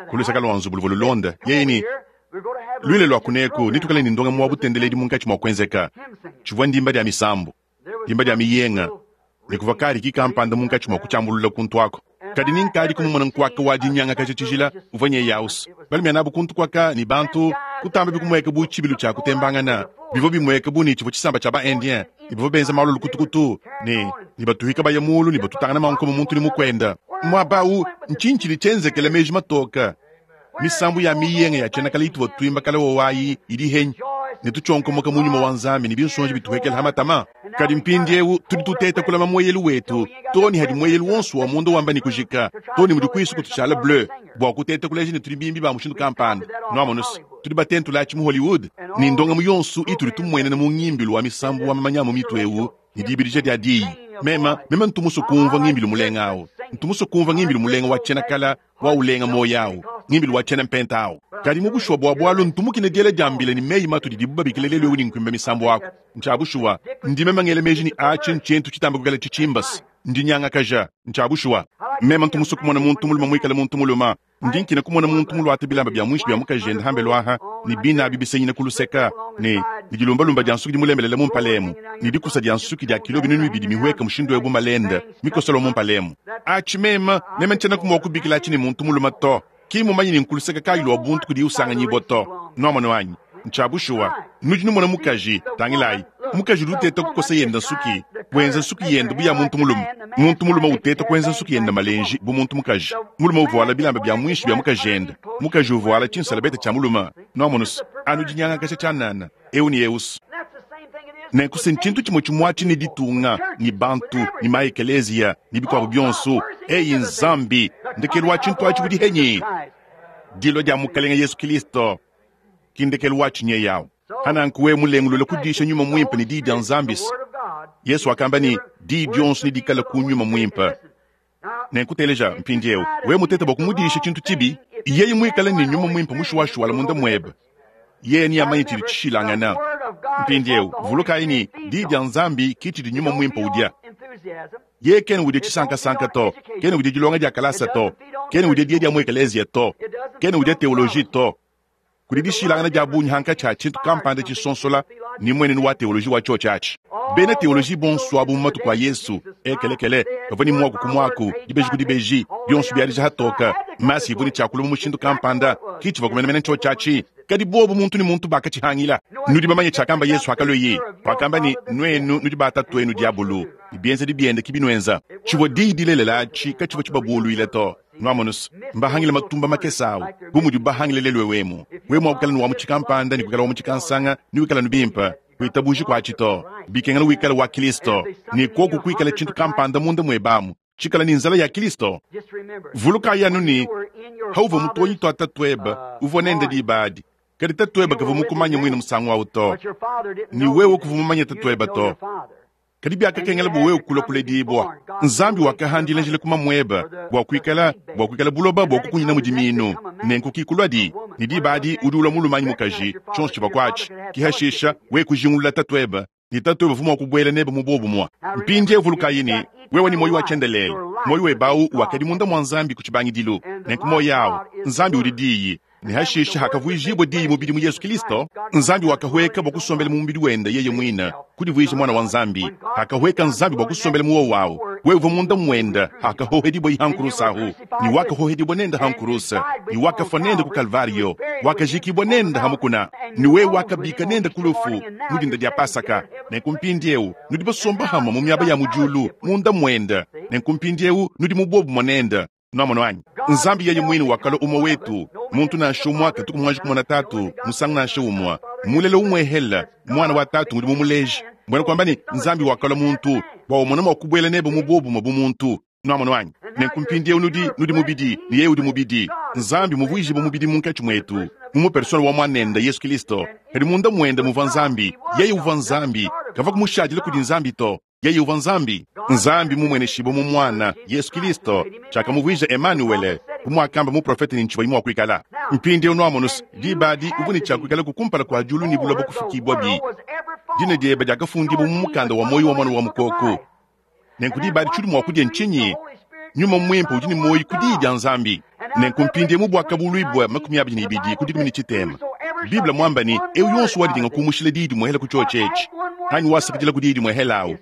ku luseke lua nzubu luvua lulonda, yeye ne, Luile lua kuneku netuikale ne ndongamu wa butendeledi munkatshi mua kuenzeka. Tshivua ndimba dia misambu, dimba dia miyenga, ne kuvua kariki kampanda munkatshi mua kutshiambulula kuntu aku. Kadi ni nkadi kumumona nkuaka wa dinyangakaja tshijila uvua nyeyausu balumia nabu kuntu kuaka ne bantu kutamba bikumueka bu tshibilu tshia kutembangana. Bivua bimueka bu ne tshivua tshisamba tshia ba-Indien ne bavua benza malu lukutukutu ne ne batuhika baya mulu ne batutangana mankomo muntu ne mukuenda. Muaba au, ntshinyi tshidi tshienzekela meji matoke? Misambu ya miyenga ya tshiena kale ituvua tuimba kale wowayi idi henyi ne tutshionkomoka mu nyuma wa Nzambi ne binsonji bituhekela ha matama. Kadi mpindieu tudi tuteta kulama mueyelu wetu too ne hadi mueyelu wonso wa munda wamba ne kujika, too ne mudi kuisu kutushala bleu bua kuteta kuleja ne tudi bimbi ba mushindu kampanda. Nuamonu's, tudi batentula atshi mu Hollywood ne ndongamu yonso itudi tumuenena mu ngimbilu wa misambu wa mamanya a mu mitu eu ne dibidija dia diyi. Mema, mema ntu musue kumvua ngimbilu mulenga awu. Ntu musue kumvua ngimbilu mulenga wa tshiena kala, wa ulenga muoyo awu, ngimbilu wa tshiena mpenta awu. Kadi mu bushuwa bua bualu ntu mukine diela dia mbila ne meyi matu didibu babikila lelu eu ne nkuimba misambu aku. Ntshia bushuwa, ndi mema ngela meji ne atshi ntshintu tshitamba kuikala tshitshimbase. Ndinyangakaja. Ntshia bushuwa. Mema ntu musue kumona muntu mulume muikale muntu mulume. Ndi nkina kumona muntu muluate bilamba bia muinshi bia mukajende hambelu aha, ne bina abi bisenyina ku luseka, ne, ne dilumbalumba dia nsuki dimulembelela mu mpala emu, ne dikusa dia nsuki dia kilo 2000 mihueka mushindu eu bu malende mikosola mu mpala emu. Atshi mema, mema ntshenaku mua kubikila atshi ne muntu mulume to. Ki mmumanye ne nkuluseka kayi lua buntu kudiye usanganyibua to. Nuamonu anyi? Ntshia bushuwa. Nudi numona mukaji, tangilayi, mukaji udi uteta kukosa yende nsuki, wenza nsuki yende bu ya muntu mulume. Muntu mulume uteta kuenza nsuki yende malenji bu muntu mukaji. Mulume uvuala bilamba bia muinshi bia mukajende, mukaji uvuala tshinsalabete tshia mulume. Nuamonu's, anu dinyangakaja tshianana, eu ne eu's. Nenku se ntshintu tshimue tshimuatshi ne ditunga, ne bantu, ne maekeleziya, ne bikuabu bionso. Eyi Nzambi, ndekelu wa tshintu atshi udi henyi? Dilua dia Mukalenge Yesu Kilisto ki ndekelu wa tshinyeyi awu. Hananku wewe mulengulule kudisha Nyuma Muimpe ne Diyi dia Nzambi. Yesu wakamba ne, Diyi dionso nedikale ku Nyuma Muimpe. Nenku teleja mpindieu, wewe mutete bua kumudisha tshintu tshibi, yeye muikale ne Nyuma Muimpe mushuwashuwala munda muebe, yeye neamanye tshidi tshishilangana. Mpindieu vulukayi ne, Diyi dia Nzambi ki tshidi Nyuma Muimpe udia. Yeye kena udia tshisankasanka to, kena udia dilonga dia kalasa to, kena udia diya dia mu ekeleziya to, kena udia teoloji to. Kudi dishilangana dia bungi hankatshi ha tshintu kampanda tshisonsola ne mmuenenu wa teoloji wa tshiotshi atshi. Bena teoloji bonso abu mu matuku a Yesu, ekelekele, bavua ne muaku ku muaku, dibeji ku dibeji, bionso biadija hatoka, masi ivua ne tshiakulu mu mushindu kampanda, ki tshivua kumenemene tshiotshi atshi. Kadi bobu muntu ne muntu bakatshihangila. Nudi bamanye tshiakamba Yesu hakalueye? Wakamba ne, Nuenu nudi ba tatuenu diabulu, ne bienzedi biende ki binuenza. Tshivua diyi dilelela atshi katshivua tshibabuluile to. Nuamonus, mbahangile matumba makese awu, bu mudibu bahangile lelu eu emu. Wewe mua kuikala ne wa mu tshikampanda ne kuikala wa mu tshikansanga, ne wikala anu bimpe. Kuitabuji kuatshi to. Bikengela wikale wa Kilisto, ne kuoku kuikale tshintu kampanda munda muebe amu, tshikale ne nzala ya Kilisto. Vulukayi anu ne, hauvua mutuonyi tua tatuebe, uvua nende diba adi. Kadi tatuebe kavua mukumanye muine musangu awu to, ne wewe kuvua mumanye tatuebe to. Kadi biakakengela bua wewe kulua kuledibua. Nzambi wakahandila njila ku mamuebe bua kuikala bua kuikala buloba bua kukunyina mu dimiinu. Nenku ki kuluadi, ne diba adi udi ulua mulume anyi mukaji, tshionso tshivua kuatshi. Ki hashisha wewe kujingulula tatuebe, ne tatuebe uvua mua kubuela nebe mu buobumue. Mpindieu vulukayi ne, wewe ne muoyo wa tshiendelele. Muoyo webe au wakadi munda mua Nzambi ku tshibangidilu. Nenku muoyo au, Nzambi udi Diyi. Ne hashishe hakavuijibua Diyi mubidi mu Yesu Kilisto, Nzambi wakahueka bua kusombela mu mubidi wende yeye muine, kudivuija Muana wa Nzambi. Hakahueka Nzambi bua kusombela mu wowo au, wewe uvua munda muende hakahohedibua ha nkuruse ahu, ne wakahohedibua nende ha nkuruse, ne wakafua nende ku Kalvario, wakajikibua nende ha mukuna, ne wewe wakabika nende ku lufu mu dinda dia Pasaka. Nenku mpindieu nudi basomba hamue mu miaba ya mu diulu munda muende. Nenku mpindieu nudi mu buobumue nende. Nuamonu anyi? Nzambi yeye muine wakalua umue wetu. Muntu nansha umue katuku muanji kumona Tatu musangu nansha umue. Mulela umuehele, Muana wa Tatu ngudi mumuleje. Mbuena kuamba ne, Nzambi wakalua muntu bua umone mua kubuela nebe mu buobumue bu muntu. Nuamonu anyi? Nenku mpindieu nudi, nudi mubidi, ne yeye udi mubidi. Nzambi muvuijibue mubidi munkatshi muetu, mu mupersona wa Muanende, Yesu Kilisto. Kadi munda muende muvua Nzambi. Yeye uvua Nzambi. Kavua kumushadile kudi Nzambi to. Yeye uvua Nzambi. Nzambi mumueneshibue mu Muana, Yesu Kilisto, tshiakamuvuija Emanuwele, bu muakamba muprofete ne ntshivua mua kuikala. Mpindieu nuamonus, diba adi uvua ne tshia kuikalaku kumpala kua diulu ne buloba kufukibuabi. Dina diebe diakafundibua mu mukanda wa muoyo wa Muana wa Mukoko. Nenku diba adi tshiudi mua kudia ntshinyi? Nyuma Muimpe udi ne muoyo ku Diyi dia Nzambi. Nenku mpindieu mu Buakabuluibua 22 ku 13, Bible muamba ne, eu yonso wadidinga kumushila diyi dimuehela ku tshiotshi etshi, anyi wasakidila ku diyi dimuehela awu,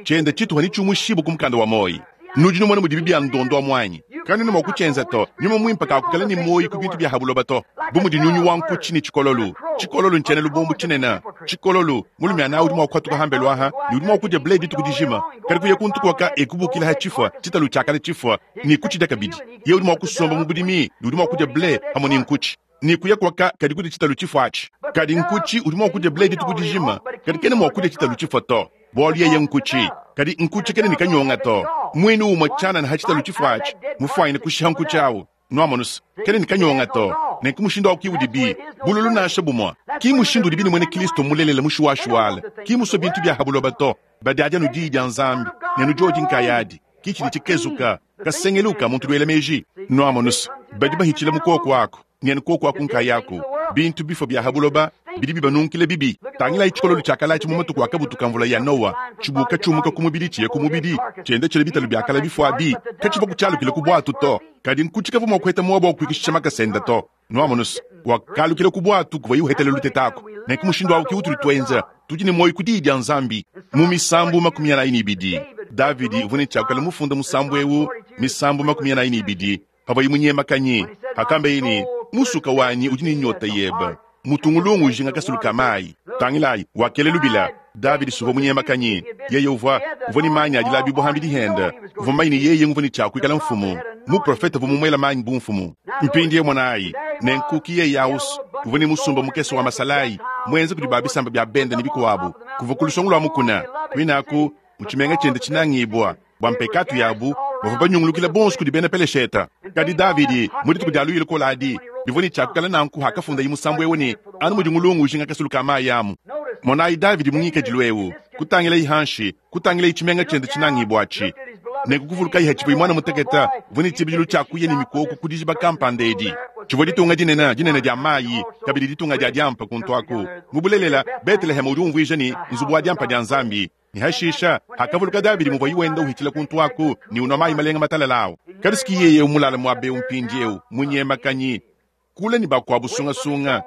tshiende tshituha netshiumushibue ku mukanda wa muoyo. Nudi numona mudibi bia ndondo amu anyi? Kanuena mua kutshienza to. Nyuma Muimpe kakukala ne muoyo ku bintu bia ha buloba to, bu mudi nyunyu wa nkutshi ne tshikololu. Tshikololu ntshiena lubombo tshinene. Tshikololu, mulume ana udi mua kuhatuka hambelu aha ne udi mua kudia ble dituku dijima, kadi kuya kuntu kuaka ekubukila ha tshifua, tshitalu tshiakala tshifua, ne kutshidia kabidi. Yeye udi mua kusomba mu budimi ne udi mua kudia ble hamue ne nkutshi, ne kuya kuaka kadi kudia tshitalu tshifua atshi. Kadi nkutshi udi mua kudia ble dituku dijima, kadi kena mua kudia tshitalu tshifua to, bualu yeye nkutshi. Kadi nkutshi kena ne kanyonga to. Muinu umue tshianana ha tshitalu tshifua atshi, mufuanyine kushiha nkutshi au. Nuamonus, kena ne kanyonga to. Nenku mushindu au ki udibi bululu nansha bumue. Ki mushindu udibi ne muena Kristo mulelela mushuwashuwala, ki musue bintu bia ha buloba to. Badiadia anu Diyi dia Nzambi. Ne nudiodi nkayadi, ki tshidi tshikezuka, kasengelu ka muntu luela meji. Nuamonus, badi bahitshila mu kuoku aku, ne anu kuoku aku nkayaku, bintu bifua bia ha buloba bidi bibanunkile bibi. Tangilayi tshikololo tshia kala atshi mu matuku a kabutu ka mvula ya Noa, tshibuka tshiumuka ku mubidi tshiye ku mubidi, tshienda tshila bitalu bia kala bifua abi, katshivua kutshialukila ku buatu to, kadi nkutshi kavua mua kuheta muaba wa kuikishisha makasa enda to. Nuamonus, wakalukila ku buatu kuvuaye uhetela luteta aku. Nenku mushindu awu ke utudi tuenza, tudi ne muoyo ku diyi dia Nzambi. Mu Misambu 42, Davidi uvua ne tshiakula mufunda musambu eu, Misambu 42, pavuaye munyemakanyi, pakambeye ne, Musuka wanyi udi ne nyota yebe, mutungulungu ujinga kasulu ka mayi. Tangilayi, wakela lubila. Davidi suvua munyemakanyi, yeye uvua uvua ne manyi a dilabibua ham'bidi hende, uvua mumanye ne yeye nguvua ne tshia kuikala mfumu. Muprofete uvua mumuela manyi bu mfumu. Mpindieu monayi, nenku ki yeye aus uvua ne musumba mukese wa masalayi muenza kudi ba bisamba bia bende ne bikuabu, kuvua ku lusongo lua mukuna, kuinaku mu tshimenga tshiende tshinangibua. Bua mpekatu yabu, bavua banyungulukila bonso kudi bena Peleshete. Kadi Davidi, mu dituku dia luyi lukole adi, bivua ne tshia kuikala nanku hakafundaye musambu eu ne, Anu mudi ngulungu ujinga kasulu ka mayi amu. Monayi Davidi mu ngikadilu eu, kutangilayi hanshi, kutangilayi tshimenga tshiende tshinangibua atshi, nenku kuvulukayi hatshivuaye muana mutekete, uvua ne tshibidilu tshia kuya ne mikoko ku dijiba kampanda edi. Tshivua ditunga dinene, dinene dia mayi, kabidi ditunga dia diampa kuntu aku. Mu bulelela, Beteleheme udi umvuija ne, Nzubu wa diampa dia Nzambi. Ne hashisha, hakavuluka Davidi muvuaye wenda uhitshila kuntu aku ne unua mayi malenga matalala au. Kadi si yeye mulale muaba eu mpindieu, munyemakanyi, kule ne bakuabu sungasunga,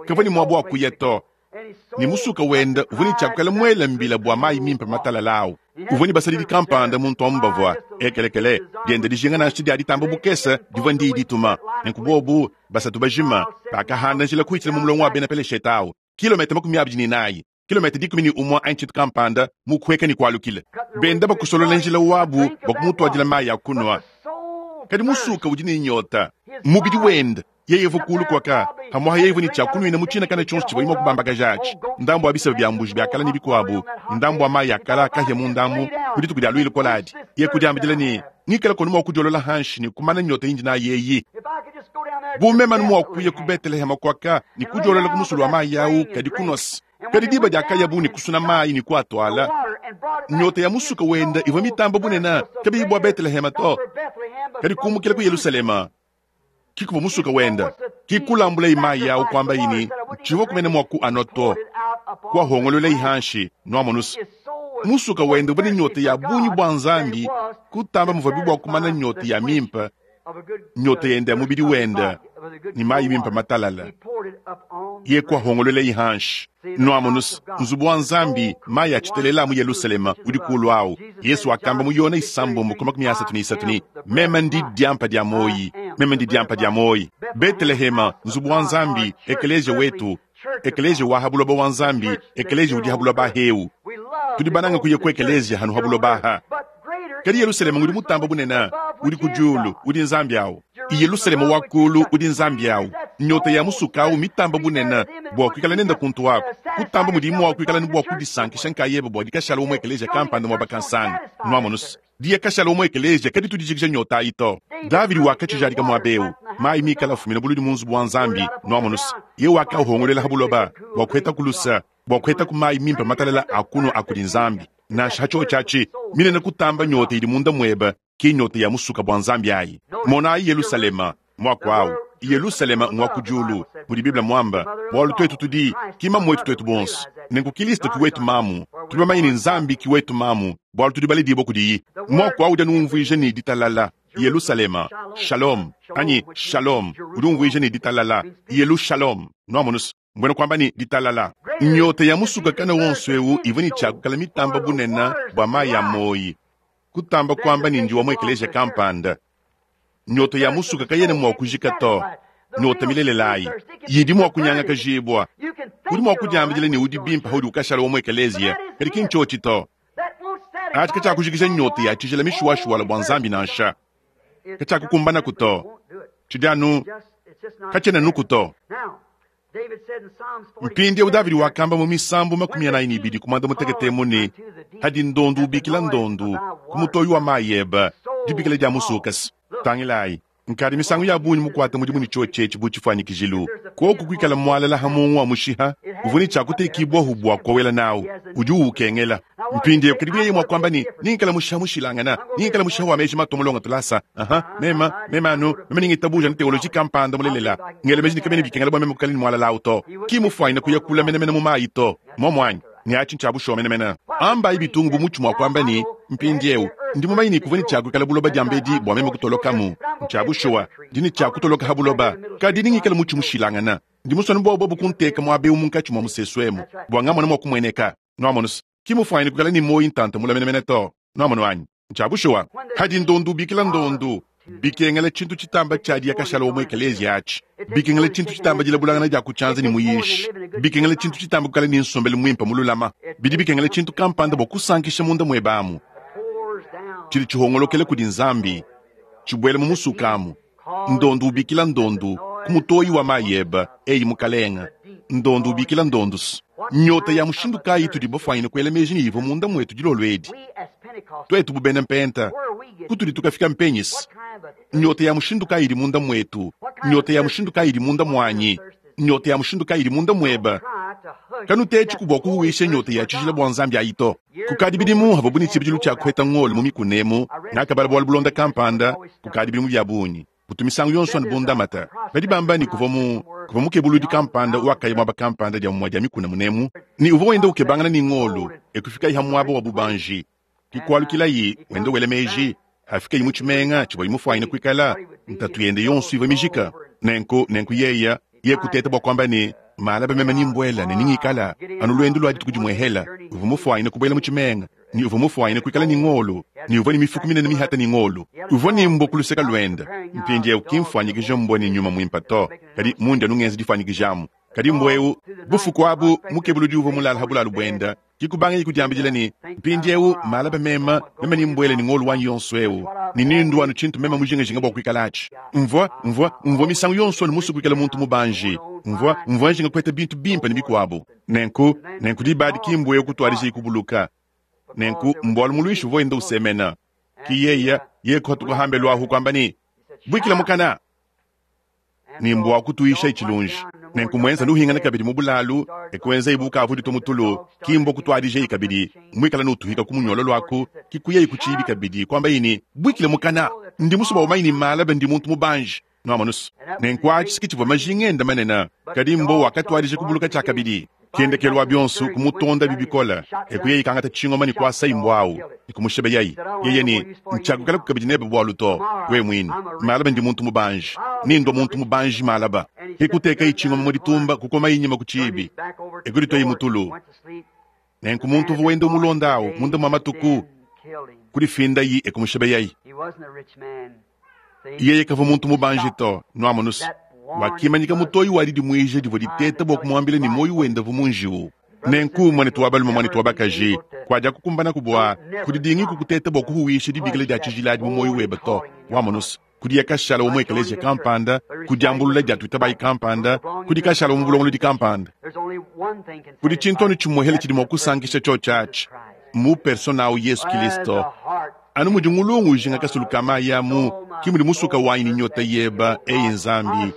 kavua ne muaba wa kuya to. Ne musuka wenda uvua ne tshiakukala muela mbila bua mayi mimpe matalala au. Uvua ne basadidi kampanda muntu amu bavua ekelekele dienda dijinga nansha dia ditamba bukese divua ndiyi dituma. Nenku bobu basatu bajima bakahanda njila kuhitshila mu mulongo wa bena Peleshete au, kilometa 24. Kilometa 11 anyi tshintu kampanda mu kuheka ne kualukila, benda bakusolola njila wabu bua kumutuadila mayi a kunua. Kadi musuka udi ne nyota, mubidi wenda yeye uvua kulu kuaka pamuapa yeye uvua ne tshia kunuina mu tshina kana tshionso tshivua mua kubambakaja atshi, ndambu wa biseba bia mbuji bia kala ne bikuabu, ne ndambu wa mayi a kala akahia mu ndambu ku dituku dia luyi lukola adi. Yeye kudiambidila ne, Ngikala kono mua kudiolola hanshi ne kumana nyota indi nayi eyi. Bu meme anu mua kuya ku Beteleheme kuaka ne kudiolola ku musulu wa mayi au, kadi kunuase. Kadi diba diakayabu ne kusuna mayi ne kuatuala, nyota ya musuka wenda ivua mitamba bunene, kabiyi bua Beteleheme to, kadi kumukila ku Yelushalema ki kuvua musuka wenda. Ki kulambulayi mayi au kuambayi ne, Tshivua kumene mua kuanua to, kuahongololayi hanshi, nuamonusa. Musuka wenda uvua ne nyota ya bungi bua Nzambi kutamba muvuabi bua kumana nyota ya mimpe, nyota yende ya mubidi wenda ne mayi mimpe matalala. Ye kuahongololayi hanshi. Nuamonus, nzubu wa Nzambi, mayi a tshitelela mu Yelushalema udi kulu awu. Yesu wakamba mu Yona 6:33 ne, Meme ndi diampa dia muoyi, meme ndi diampa dia muoyi. Betelehema, nzubu wa Nzambi, ekeleziya wetu, ekeleziya wa ha buloba wa Nzambi, ekeleziya udi ha buloba aheu. Tudi bananga kuya ku ekeleziya hanu ha buloba aha. Kadi Yelushalema udi mutamba bunene, udi ku diulu, udi Nzambi awu. Yelushalema wa kulu udi Nzambi awu. Nyota ya musuka awu mitamba bunene bua kuikala nenda kuntu aku, kutamba mudi mua kuikala ne bua kudisankisha nkayebe bua dikashala wa mu ekeleziya kampanda muaba kansanga. Nuamonus, diya kashala wa mu ekeleziya kaditu dijikija nyota ayi to. Davidi wakatshijadika muaba eu, mayi mikala afumina buludi mu nzubu wa Nzambi. Nuamonus, ye wakahongoluela ha buloba bua kuheta ku lusa, bua kuheta ku mayi mimpe matalala a kunua a kudi Nzambi. Nansha ha tshiotshi atshi, minene kutamba nyota idi munda muebe ki nyota ya musuka bua Nzambi ayi. Monayi Yelushalema, muaku au Yelushalema ngua ku diulu, mudi Bible muamba, bualu tuetu tudi ki mamu wetu tuetu bonso. Nenku Kilisto ki wetu mamu, tudi bamanye ne Nzambi ki wetu mamu, bualu tudi baledibue kudiyi. Muaku au udi anu umvuija ne ditalala. Yelushalema, shalom, anyi shalom, udi umvuija ne ditalala. Yelushalom, nuamonus, mbuena kuamba ne ditalala. Nyota ya musuka kana wonso eu ivua ne tshiakukala mitamba bunene bua mayi a muoyi, kutamba kuamba ne ndi wa mu ekeleziya kampanda. Nyota ya musuka kayena mua kujika to. Nyota milelela ayi yidi mua kunyangakajibua. Udi mua kudiambidila ne udi bimpe paudi ukashala wa mu ekeleziya, kadi ki ntshiotshi to. Atshi katshiakujikija nyota ya tshijila mishuwashuwala bua Nzambi nansha. Katshiakukumbanaku to. Tshidi anu katshiena nuku to. Mpindieu Davidi wakamba mu Misambu 42 ku muanda-mutekete emu ne, Hadi ndondu ubikila ndondu ku mutoyi wa mayi ebe, dibikila dia musukase. Tangilayi! Nkadi misangu ya bungi mukuate mudimu ne tshiotshi etshi bu tshifuanyikijilu. Kuoku kuikala mualala ha muongo wa mushiha uvua ne tshia kutekibwahu bua kowela nawu, udi uwukengela. Mpindieu kadi bu yeye mua kuamba ne, Ningikala mushiha mushilangana, ningikala mushiha wa meji matua mulonga tulasa, aha, mema, mema anu, mema ningitabuja anu teoloji kampanda mulelela, ngela meji ne kabiena bikengela bua meme kukala ne mualala awu to. Ki mufuanyine kuya kula menemene mu mayi to. Muomu anyi? Ne atshi ntshia bushuwa menemene. Ambayi bitungu bu mutshi mua kuamba ne, Mpindieu, ndi mumanye ne kuvua ne tshia kuikala buloba diambedi bua meme kutolokamu. Ntshia bushuwa, ndi ne tshia kutoloka ha buloba, kadi nengikale mutshi mushilangana. Ndi musue anu bua bobu kunteka muaba eu munkatshi mua musesu emu, bua ngamone mua kumueneka. Nuamonu's, ki mufuanyine kuikala ne muoyi ntanta mule menemene to. Nuamonu anyi? Ntshia bushuwa. Hadi ndondu ubikila ndondu, bikengela tshintu tshitamba tshia diya kashala wa mu ekeleziya atshi, bikengela tshintu tshitamba dilabulangana dia ku tshianza ne muyishi, bikengela tshintu tshitamba kukala ne nsombelu muimpe mululama, bidi bikengela tshintu kampanda bua kusankisha munda muebe amu, tshidi tshihongolokela kudi Nzambi, tshibuela mu musuka amu. Ndondu ubikila ndondu ku mutoyi wa mayi ebe, eyi Mukalenga. Ndondu ubikila ndondus. Nyota ya mushindu kayi itudi bafuanyine kuela meji ne ivua munda muetu dilolo edi? Tuetu bu bena Mpenta, kutudi tukafika mpenyis? Nyota ya mushindu kayi idi munda muetu? Nyota ya mushindu kayi idi munda muanyi? Nyota ya mushindu kayi idi munda muebe? Kanutetshi bua kuhuwisha nyota ya tshijila bua Nzambi ayi to. Kukadi bidimu havuabu ne tshibidilu tshia kuheta ngolo mu mikuna emu, ngakabala bualu bulonda kampanda kukadi bidimu bia bungi. Butu misangu yonso anu bundamata. Badi bamba ne kuvua mu kuvua mukebuludi kampanda wakaya muaba kampanda dia mumue dia mikuna munemu, ne uvua wenda ukebangana ne ngolo, e kufikayi ha muaba wa bubanji. Ke kualukilayi wenda wela meji, hafikayi mu tshimenga tshivuaye mufuanyine kuikala, ntatu yende yonso ivua mijika. Nenku, nenku yeya, ye kuteta bua kuamba ne, Malaba meme ni mbuela ne ningikala anu luendu lua dituku dimuehela. Uvua mufuanyine kubuela mu tshimenga, ne uvua mufuanyine kuikala ne ngolo, ne uvua ne mifuku minene mihata ne ngolo. Uvua ne mbua ku luseke luende. Mpindieu ki mfuanyikija mbua ne nyuma muimpe to, kadi mundi anu ngenza difuanyikija amu. Kadi mbua eu, bufuku abu, mukebuludi uvua mulale ha bulalu buende, Ke kubangaye kudiambidila ne, Mpindiewu, malaba meme, meme nembuele ne ngolu wanyi yonso ewu, ne nendue anu tshintu meme mujingajinga bua kuikalatshi. Mvua, mvua, mvua misangu yonso anu musue kuikala muntu mubanji. Mvua, mvua njinga kupeta bintu bimpe ne bikuabu. Nenku, nenku diba adi ki mbuewu kutuadijayi kubuluka. Nenku, mbualu muluishi uvua wenda usemena. Ki yeye, yeye kuhatuka hambelu ahu kuamba ne, Buikila mukana! Ne mbua kutuisha tshilunji. Nenku muenza nuhingana kabidi mu bulalu, e kuenzayi bu ukavua uditua mu tulu, ki mbua kutuadijayi kabidi, muikala nutuhika ku munyolo luaku, ki kuyayi ku tshiibi kabidi, kuambayi ne, Buikile mukana! Ndi musue bua umanye ne malaba ndi muntu mubanji. Nuamonus? Nenku atshi ke tshivua majinga ende manene. Kadi mbua wakatuadija kubuluka tshiakabidi. Ke ndekelu wa bionso kumutondabi bikole, e kuyayi kangata tshingoma ne kuasayi mbua au ne kumushebeyayi. Yeye ne, Ntshiakuikalaku kabidi nebe bualu to, wewe muine. Malaba ndi muntu mubanji, ne ndua muntu mubanji malaba. Ke kutekayi tshingoma mu ditumba, kukomayi nyima ku tshiibi, e kudituayi mu tulu. Nenku muntu uvua wenda umulonda au munda mua matuku, kudifindayi e kumushebeyayi. Yeye kavua muntu mubanji to, nuamonus. Wakimanyika mutoyi wa didimuija divua diteta bua kumuambila ne muoyo wende uvua mu njiwu. Nenku, muanetu wa balume, muanetu wa bakaji, kuadiakukumbanaku bua kudidingiku kuteta bua kuhuwisha dibikila dia tshijila adi mu muoyo webe to, wamonus. Kudiye kashala wa mu ekeleziya kampanda, ku diambulula dia tuitabayi kampanda, kudi kashala wa mu bulongolodi kampanda. Kudi tshintu anu tshimuehele tshidi mua kusankisha tshiotshi atshi, mu persona au Yesu Kilisto. Anu mudi ngulungu ujinga kasulu ka mayi amu, ke mudi musuka wanyi ne nyota yeba, eyi Nzambi.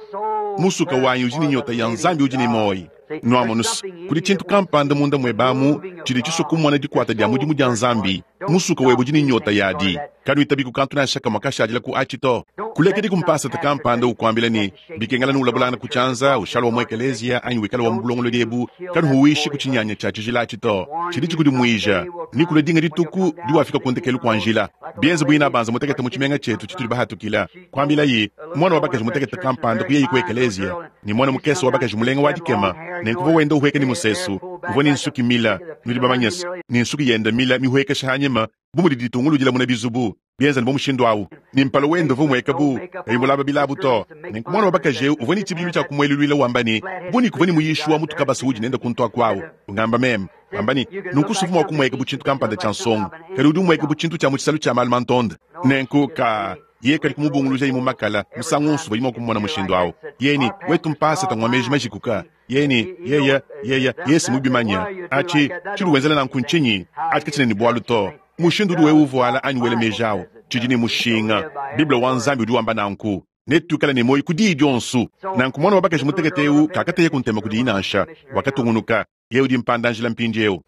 Musuka wanyi udi ne nyota ya Nzambi udi ne muoyi. Nuamonus, kudi tshintu kampanda munda muebe amu tshidi tshisua kumona dikuata dia mudimu dia Nzambi. Musuka webe udi ne nyota yadi. Kanuitabiku kantu nansha kamue kashadila ku atshi to. Kulekediku mpasata kampanda ukuambila ne, bikengela nuulabulangana ku tshianza, ushala wa mu ekeleziya anyi wikala wa mu bulongolodi ebu. Kanuhuwishi ku tshinyanya tshia tshijila atshi to. Tshidi tshikudimuija ne kulua dinga dituku diwafika ku ndekelu kua njila. Bienze bu inabanza mutekete mu tshimenga tshietu tshitudi bahatukila, kuambilayi muana wa bakaji mutekete kampanda kuyayi ku ekeleziya ne muana mukese wa bakaji mulenga wa dikema, nenku uvua wenda uhueka ne musesu, uvua ne nsuki mila, nudi bamanyese, ne nsuki yende mila mihuekesha hanyima bu mudi ditunguludila muna bizubu bienza ne bu mushindu au, ne mpala wende uvua umueka bu kayi mulaba bilabu to. Nenku muana wa bakaji eu uvua ne tshibidilu tshia kumueluluila wamba ne, Bu ni kuvua ne muyishi wa mu tukabasa udi nende kuntu aku au, ungamba meme, wamba ne, nunku suvua mua kumueka bu tshintu kampanda tshia nsongo, kadi udi umueka bu tshintu tshia mu tshisalu tshia malu mantonde. Nenku ka yeye kadi kumubungulujayi mu makala musangu wonso uvuaye mua kumumona mushindu au. Yeye ne, Wetu mpasata ngua meji majikuka. Yeye ne, Yeye, yeye, yeye mubimanye. Atshi, tshidi wenzela nanku ntshinyi? Atshi katshiena ne bualu to. Mushindu udi wewe uvuala anyi wela meji au, tshidi ne mushinga. Bible wa Nzambi udi wamba nanku. Netuikale ne muoyo ku diyi dionso. Nanku mwana wa bakaji mutekete eu kakateyaku ntema kudiyi nansha, wakatungunuka. Yeye udi mpanda-njila mpindieu.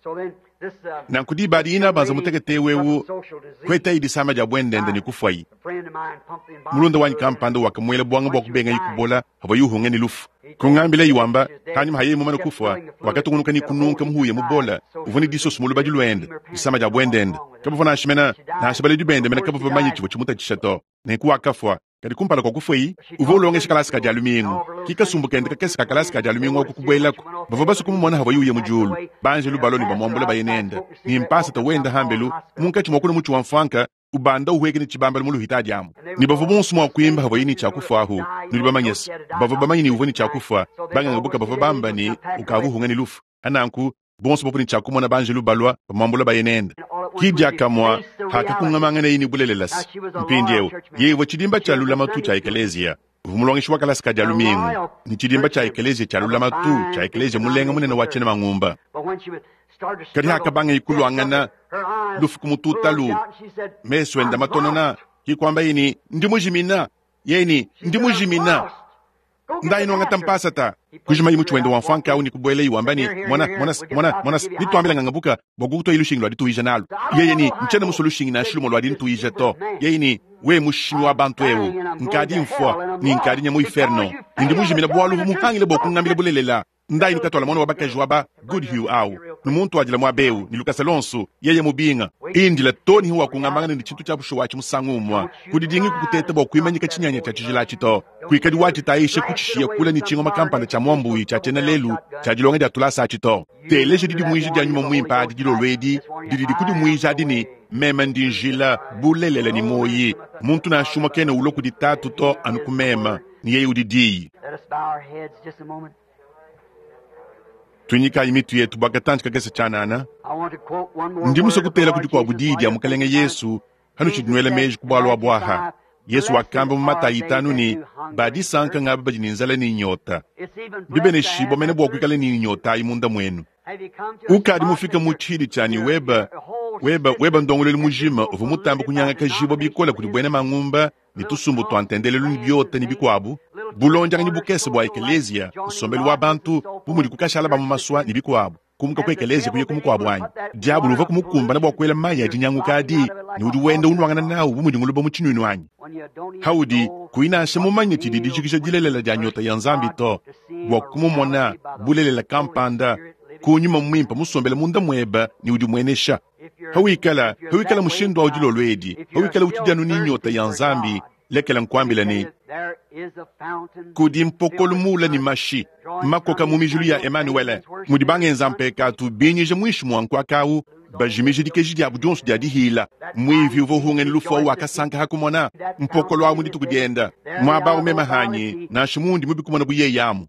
Nanku diba adi inabanza mutekete eu eu kuetayi disama dia buendenda ne kufuayi. Mulunda wanyi kampanda wakamuela buanga bua kubengayi kubola pavuaye uhunga ne lufu. Kungambilayi wamba, panyima pa yeye mumane kufua, wakatungunuka ne kununka muhuya mubola uvua ne disoso mu lubadi luende, disama dia buendenda. Kabavua nansha mena, nansha baledi bende mene kabavua bamanye tshivua tshimutatshisha to. Nenku wakafua. Kadi kumpala kua kufuayi, uvua ulongesha kalasa ka Dia lumingu. Ki kasumbu kende kakese ka kalasa ka Dia lumingu aku kubuelaku. Bavua basue kumumona havuaye uya mu diulu. Banjelu balua ne bamuambula baye nende. Ne mpasata wenda hambelu, munkatshi mua kuna mutshi wa mfuanka, ubanda uhueka ne tshibambalu mu luhita diamu. Ne bavua bonso mua kuimba havuaye ne tshia kufua ahu. Nudi bamanye se, bavua bamanye ne uvua ne tshia kufua. Banganga buka bavua bamba ne ukavua uhunga ne lufu. Nanku, bonso bavua ne tshia kumona banjelu balua bamuambula baye nende. Ki diakamue hakakungamanganeyi ne bulelela se, mpindieu yeye uvua tshidimba tshia lulamatu tshia ekeleziya. Uvua mulongeshi wa kalasa ka Dia lumingu ne tshidimba tshia ekeleziya tshia lulamatu tshia ekeleziya mulenga munene wa tshiena mangumba. Kadi hakabangaye kuluangana lufu ku mututalu, mesu ende matonona, ki kuambaye ne, Ndi mujimina! Yeye ne, Ndi mujimina! Ndayi nuangata mpasata. Kujimayi mutshi wende wa mfuanka au ne kubuelayi wamba ne, Mona, mona, mona, mona, nituambila ngangabuka bua kukutuayi lushingi lua dituija nalu. Yeye ne, Ntshiena musue lushingi nansha lumue lua dintuija to. Yeye ne, We mushimi wa bantu eu, nkadi mfua ne nkadi nya mu inferno, ne ndi mujimina bualu uvua muhangile bua kungambila bulelela. Ndayi nukatuala muana wa bakaji wa ba Goodhue au, numuntuadila muaba eu ne lukasa luonso, yeye mubinga. Indila too ne hawakungambangana ne tshintu tshia bushuwa atshi musangu umue. Kudidingi kukuteta bua kuimanyika tshinyanya tshia tshijila atshi to. Kuikadi watshitayisha kutshishiya kule ne tshingoma kampanda tshia muambuyi tshia tshiena lelu tshia dilonga dia tulasa atshi to. Teleja didimuija dia Nyuma Muimpe adi dilolo edi didi dikudimuija adi ne, Meme ndi njila, bulelela ne muoyi. Muntu nansha umue kena ulua kudi Tatu to anu ku meme, ne yeye udi Diyi. Tuinyikayi mitu yetu bua katantshi kakese tshianana. Ndi musue kutela ku dikuabu diyi dia Mukelenge Yesu hanutshidi nuela meji ku bualu abu aha. Yesu wakamba mu Matayi itanu ne, Ba disanka ngaba badi ne nzala ne nyota. Mbibeneshibua mene bua kuikala ne nyota ayi munda muenu. Ukadi mufike mu tshidi tshia ne weba, weba, weba ndongoluelu mujima uvua mutambe kunyangakajibua bikole kudi buena mangumba ne tusumbu tua ntendelelu ne biota ne bikuabu, bulondianganyi bukese bua ekeleziya, nsombelu wa bantu, bu mudi kukashala ba mu masua ne bikuabu, kumuka ku ekeleziya kuya ku mukuabu anyi? Diabolo uvuaku mukumbane bua kuela mayi a dinyanguka adi ne udi wenda unuangana nawu bu mudi nguluba mu tshinuinu anyi? Haudi kuyi nansha mumanye tshidi dijikija dilelela dia nyota ya Nzambi to, bua kumumona bulelela kampanda ku nyuma muimpe musombele munda muebe ne udimuenesha. Hawikala, hawikala mushindu awu dilolo edi, hawikala utshidi anu ne nyota ya Nzambi, lekela nkuambila ne, kudi mpokolo muula ne mashi makoka mu mijulu ya Emanuele, mudi bangenza mpekatu binyija muinshi mua nkuaka awu, bajimije dikeji diabu dionso dia dihila. Muivi uvua uhunga ne lufu awu wakasanka ha kumona mpokolo awu mu dituku dienda. Muaba awu meme hanyi, nansha mundi mubi kumona bu yeye amu,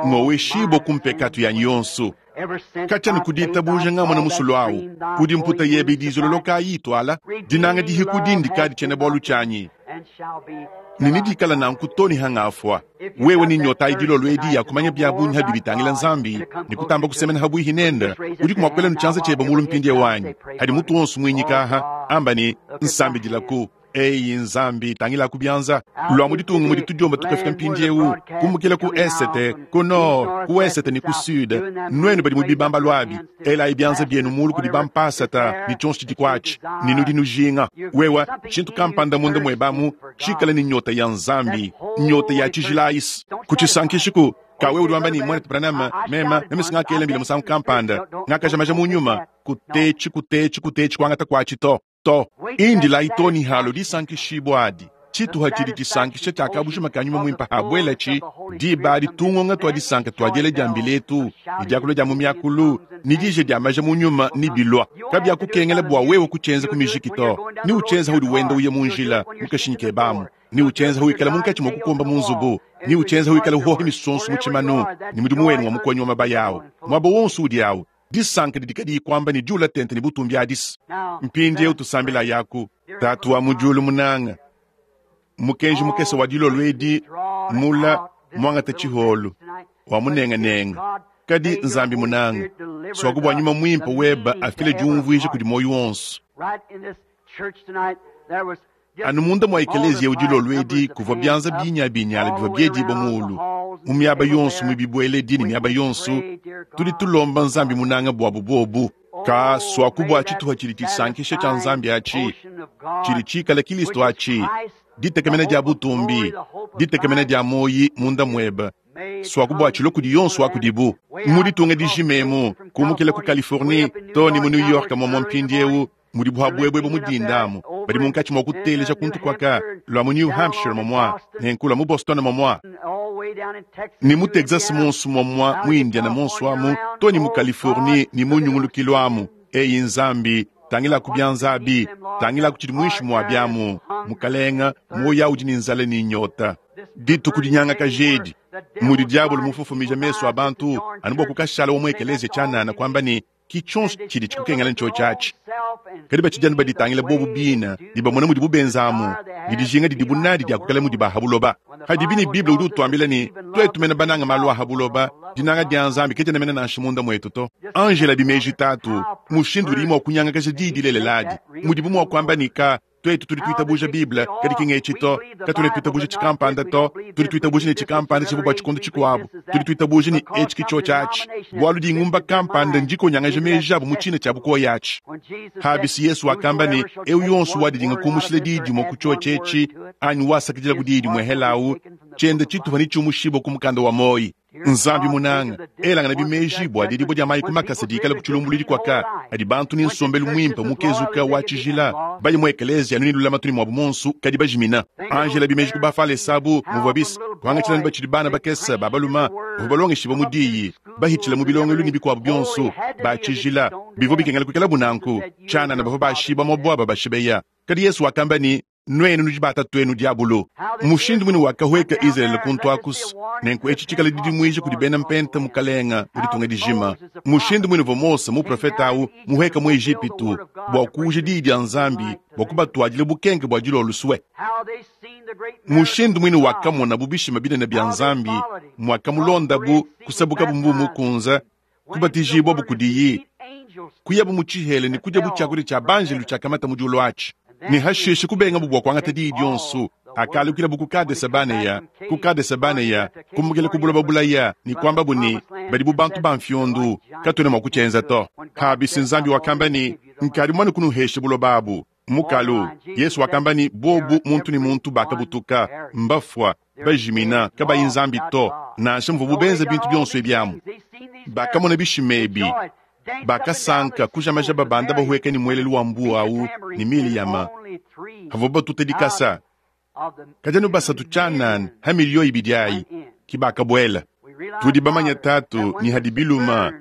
ngoweshibua ku mpekatu yanyi yonso. Katshia ne ku ditabuja ngamona musulu awu, udi mputa yebe idi izololoka ayi ituala dinanga dihikudi ndikadi tshiena-bualu tshianyi, ne nedikala nanku to ne hangafua. Wewe ne nyota ayi dilolo edi ya kumanya bia bungi ha bidi bitangila Nzambi ne kutamba kusemena habuihi nende, udiku mua kuela ne tshianza tshiebe mulu mpindieu anyi? Hadi mutu wonso muinyika aha, amba ne, Nsambidilaku. Eyi Nzambi, tangila ku bianza lua mu ditunga mudi tudiomba tukafika mpindieu, kumukila ku esete, ku nord, ku wesete ne ku sud. Nuenu badi mu bibambalu abi, elayi bianza bienu mulu kudi bampasata ne tshionso tshidi kuatshi, ne nudi nujinga wewa tshintu kampanda munda muebe amu tshikale ne nyota ya Nzambi, nyota ya tshijila ayisi. Kutshisankishiku ka wewe udi wamba ne, Muanetu Branham, mema, meme singakela mbila musangu kampanda, ngakajamaja mu nyuma. Kutetshi, kutetshi, kutetshi kuangata kuatshi to. To. Indilayi to ne halo disankishibua adi. Tshituha tshidi tshisankisha tshia kabujima ka Nyuma Muimpe habuelatshi, diba adi tungonga tua disanka tua diela dia mbila etu, ne diakula dia mu miakulu, ne dija dia maja mu nyuma nebilua. Kabiakukengela bua wewe kutshienza ku mijiki to. Neutshienze haudi wenda uya mu njila, mu kashinyi kebe amu. Neutshienze hawikala munkatshi mua kukomba mu nzubu. Neutshienze hawikala uhoha misonso mu tshimanu, ne mudimu wenu wa mukonyi wa mabaya awu. Muaba wonso udi awu, disanka didi kadiyi kuamba ne diula tente ne butumbi adis. Mpindieu tusambilayaku. Tatu wa mu diulu munanga, mukenji mukese wa dilolo edi mula muangata tshiholu wa munenganenga, kadi Nzambi munanga, suaku bua nyuma muimpe weba afile diumvuija kudi muoyo wonso. Anu munda mua ekeleziya eu dilolo edi kuvua bianza binyabinyala bivua biedibua muulu mu miaba yonso, mu bibueledi ne miaba yonso. Tudi tulomba Nzambi munanga buabu buobu. Ka suaku bua tshituha tshidi tshisankisha tshia Nzambi atshi, tshidi tshikala Kilisto atshi, ditekemena dia butumbi, ditekemena dia muoyi munda muebe, suaku bua tshilua kudi yonso wa kudibu. Mu ditunga dijima emu, kumukila ku Californie too ne mu New York muamua mpindieu, mudi buabuebue mu dinda amu, badi munkatshi mua kuteleja kuntu kuaka lua mu New Hampshire muamua, nenku lua mu Boston muamua, ne mu Texas muonso muamua, mu Indiana muonso amu, too ne mu Californie ne mu nyungulukilu amu. Eyi Nzambi, tangilaku bianza abi, tangilaku tshidi muinshi mua biamu. Mukalenga, muoyo udi ne nzala ne nyota. Dituku dinyangakaja edi, mudi diabolo mufofomija mesu a bantu anu bua kukashala wa mu ekeleziya tshianana kuamba ne, ki tshionso tshidi tshikukengela ntshio atshi. Kadi batshidi anu baditangila bobu bina ne bamona mudibu benzamu ne dijinga didibu nadi dia kukala mudi ba ha buloba. Hadibi ne Bible udi utuambila ne, tuetu mene bananga malu a ha buloba, dinanga dia Nzambi kadiena mene nansha munda muetu to. Angela bimeji tatu, mushindu udi mua kunyangakaja diyi dilelela adi, mudibu mua kuamba ne ka tuetu tudi tuitabuja Bible, kadi ki ng'etshi to, katuena tuitabuja tshikampanda to, tudi tuitabuja ne tshikampanda tshivua bua tshikondo tshikuabu, tudi tuitabuja ne etshi ki tshiotshi atshi, bualu dingumba kampanda ndikonyangaja meji abu mu tshina tshia bukoya atshi. Habisi Yesu wakamba ne, eu yonso wadidinga kumushila diyi dimue ku tshiotshi etshi, anyi wasakidila ku diyi dimue helawu, tshiende tshitupa ne tshiumushibua ku mukanda wa muoyo. Nzambi munanga, elangana bimeji bua didibua dia mayi ku makasa dikala ku tshilumbuluidi kuaka adi bantu ne nsombelu muimpe mukezuka wa tshijila baye mu ekeleziya anu ne lulamatu ne muabu muonso kadi bajimina. Angela bimeji ku bafalesa abu muvua bis kuangatshila ne batshidi bana bakese ba baluma bavua balongeshibua mu diyi bahitshila mu bilongelu ne bikuabu bionso ba tshijila bivua bikengela kuikalabu nanku tshianana bavua bashiba muabu bashibeya. Kadi Yesu wakamba ne, Nuenu nudi batatuenu diabolo. Mushindu muine wakahueka Izalele kuntu akusu, nenku etshi tshikala didimuija kudi bena mpenta mukalenga mu ditunga dijima. Mushindu muine uvua Mose muprofete au muhueka mu Ejipitu bua kuuja diyi dia Nzambi bua kubatuadila bukenke bua dilolo sue. Mushindu muine wakamonabu bishima binene bia Nzambi, muakamulondabu, kusabukabu mbuu mukunza, kubatijibwabu kudiyi, kuyabu mu tshihela ne kudiabu tshiakudia tshia banjelu tshiakamata mu diulu atshi, ne hashishe kubengabu bua kuangata diyi dionso, akalukilabu ku Kadese-Banea, ku Kadese-Banea, kumukila ku buloba bulaya ne kuambabu ne, badi bu bantu ba mfiondu, katuena mua kutshienza to. Habisi Nzambi wakamba ne, nkadi mumane kunuhesha buloba abu. Mukalu, Yesu wakamba ne, bobu muntu ne muntu bakabutuka, mbafua, bajimina, kabayi Nzambi to, nansha muvuabu benza bintu bionso ebi amu. Bakamona bishima ebi, bakasanka, kujamaja babanda bahueka ne muelelu wa mbuwa au ne Miliyama, havua batuta dikasa. Kadi anu basatu tshianana ha miliyo ibidi ayi ki bakabuela. Tudi bamanya tatu ne hadi biluma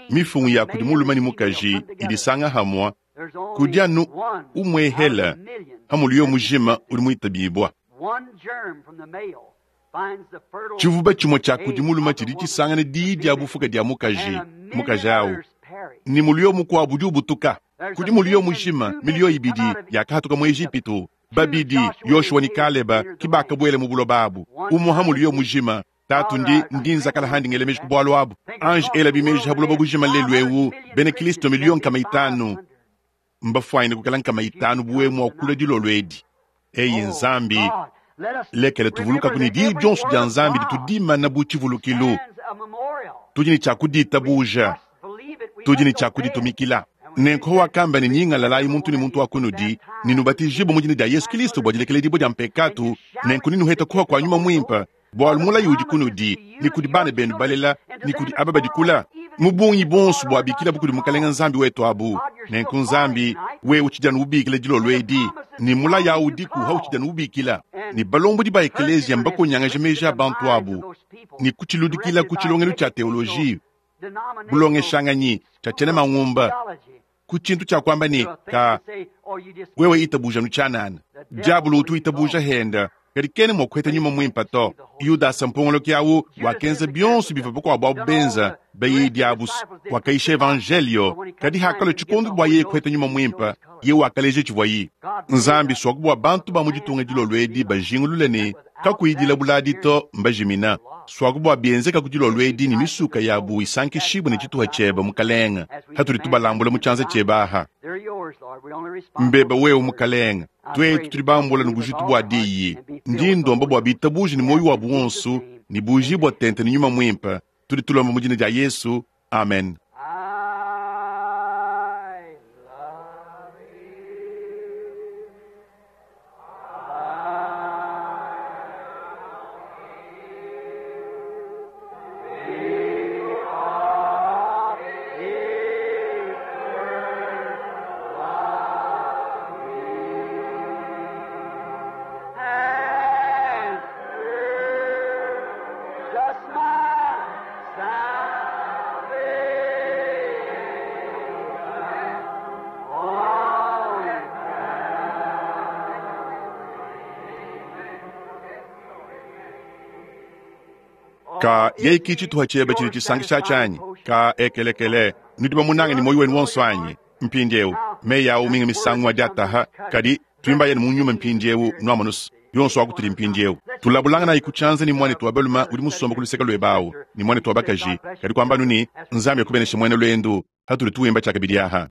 mifungu ya kudi mulume ne mukaji idisanga hamua, kudi anu umwehela ha muliyo mujima udi muitabibua. Tshivuba tshimue tshia kudi mulume tshidi tshisangana diyi dia bufuka dia mukaji, mukaji au ne muliyo mukuabu udi ubutuka. Kudi muliyo mujima miliyo ibidi yakahatuka mu Ejipitu, babidi Yoshua ne Kaleba ki bakabuela mu buloba abu. Umue ha muliyo mujima tatu ndi ndi nzakala handi ngela meji ku bualu abu. Ange ela bimeji ha buloba bujima lelu eu bena Kristo miliyo nkama itanu mbafuanyine kukala nkama itanu buwe mua kula dilolo edi. Eyi Nzambi, lekela tuvulukaku ne diyi dionso dia Nzambi ditudimana bu tshivulukilu. Tudi ne tshia kuditabuja, tudi ne tshia kuditumikila. Nenku wakamba ne, nyingalalayi muntu ne muntu wa kunudi, ne nubatijibue mu dina dia Yesu Kristo bua dilekeledibua dia mpekatu, nenku nenuhete kuha kua Nyuma Muimpe, bualu mulayi udi kunudi ne kudi bana benu balela ne kudi aba badi kula, mu bungi bonso buabikilabu kudi Mukalenga Nzambi wetu abu. Nenku Nzambi, wewe utshidi anu ubikila dilolo edi, ne mulayi awu udiku hautshidi anu ubikila. Ne balombodi ba ekeleziya mbakonyangaje meji a bantu abu ne kutshiludikila ku tshilongelu tshia teoloji, bulongeshanganyi, tshia tshiena mangumba, ku tshintu tshia kuamba ne ka wewe itabuja nu tshianana. Diabolo utu itabuja henda, kadi kena mua kuheta Nyuma Muimpe to. Yudasa mpongoloki awu wakenza bionso bivua bakuabu abu benza bayidi abu, wakayisha evanjelio, kadi hakalua tshikondo bua yeye kuheta Nyuma Muimpe, ye wakaleja tshivuayi. Nzambi suaku bua bantu ba mu ditunga dilolo edi bajingulule ne. Kakuyi dilabula adi to, mbajimina. Suaku bua bienzeka ku dilolo edi ne misuka yabu isankishibue ne tshituha tshiebe, Mukalenge, hatudi tubalambula mu tshianza tshiebe aha. Mbeba wewe, Mukalenge, tuetu tudi bambula ne bujitu bua diyi. Ndi ndomba bua bitabuje ne muoyo wabu wonso ne bujibua tente ne Nyuma Muimpe. Tudi tulomba mu dina dia Yesu. Amen. I love you. And just my salvation. On Ka yeye ki tshituha tshiebe tshidi tshisankisha tshianyi. Ka ekelekele nudi bamunange ne muoyo wenu wonso anyi? Mpindieu meyi awu minga misangu adi ataha, kadi twimbayeni mu nyuma mpindieu nuamonusu yonso akutudi mpindieu. Tulabulanganayi ku tshianza ne muanetu wa balume udi musomba ku luseke luebe awu ne muanetu wa bakaji, kadi kuambanu ne Nzambi akubeneshe muena luendu hatudi tuwimba tshiakabidi aha.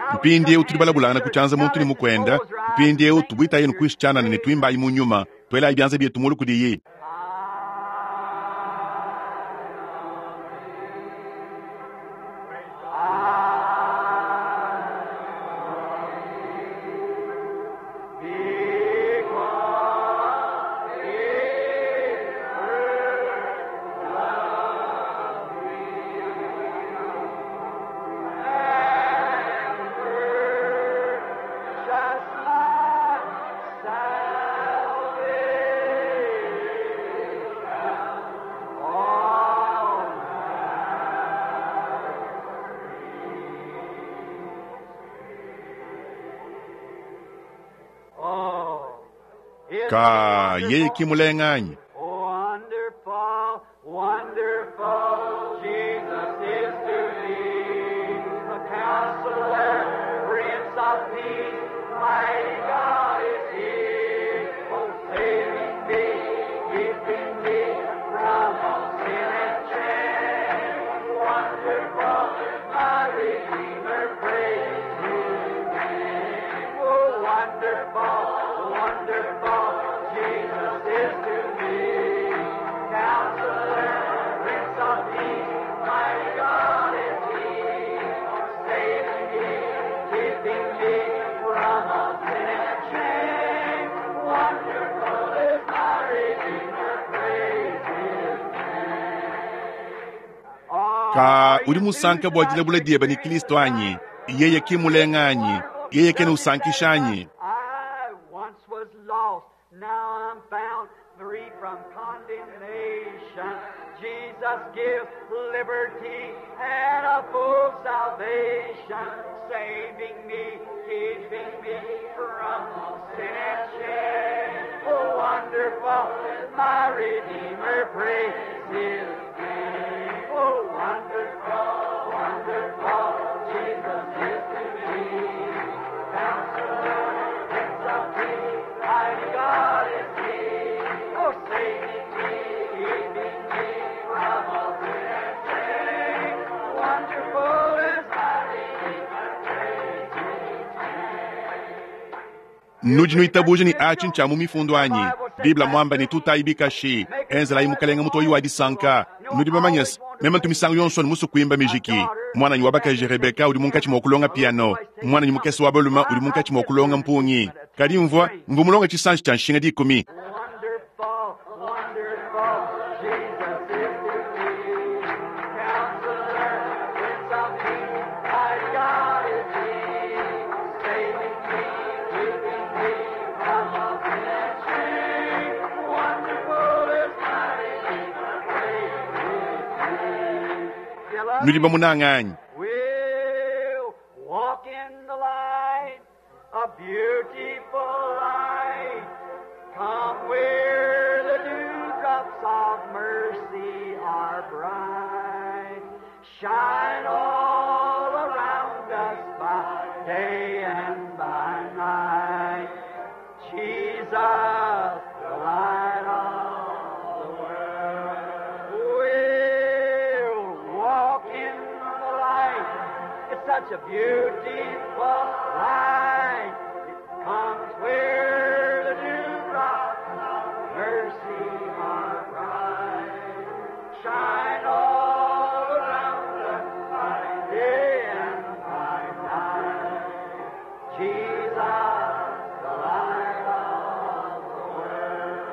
I Mpindieu tudi balabulangana ku tshianza muntu ne mukwenda. Mpindieu tubuitayi kuishi tshianana ne tuimbayi mu nyuma, tuelayi bianza bietu mulu kudiyi. Just my salvation. On Oh, isn't Ka it yeye ki wonderful? mulenganyi. Wonderful, wonderful, Jesus is to me. The counselor, Prince of Peace, mighty God is he. Oh, saving me, keeping me from all sin and shame. Wonderful, my Redeemer, praise his name. Oh, wonderful, wonderful, Jesus is to me. Counselor, Prince of Peace, mighty God is he. Saving me, keeping me from all sin and shame. Wonderful is my Redeemer, praise his name. Ka udi musanka bua dilabula diebe ne Kristo anyi? Yeye ki mulenganyi? Yeye kena usankisha anyi? I once was lost, now I'm found, free from condemnation. Jesus gives liberty and a full salvation, saving me, keeping me from all sin and shame. Oh, wonderful, my Redeemer, praise His name. Oh, wonderful, wonderful, Jesus is to me. Counselor, Prince of Peace, mighty God is He. Oh, saving me, keeping me from all sin and shame. Wonderful is my Redeemer, praise His name. Nudi nuitabuja ne achi ncha mu mifundu anyi? Biblia mwamba ne tutayi bikashi enzelayi mukalenga mutoyi wa disanka. Nudi bamanyese meme ntu misangu yonso ne musu kuimba mijiki. Mwananyi wa bakaji Rebeka udi munkatshi mua kulonga piano, mwananyi mukese wa balume udi munkatshi mua kulonga mpungi. Kadi mvua mvua mulonga tshisanji tshia nshinga dikumi. Wonderful, wonderful, Jesus is to me. Counselor, Prince of Peace, my God is He. Nudi bamunange anyi? We'll walk in the light, a beautiful light. Come where the dewdrops of mercy are bright. Shine all around us by day and by night. Jesus, the light of the world. We'll walk in the light. It's such a beautiful light. It comes where the dewdrops of mercy are bright. Shine all around us by day and by night. Jesus, the light of the world.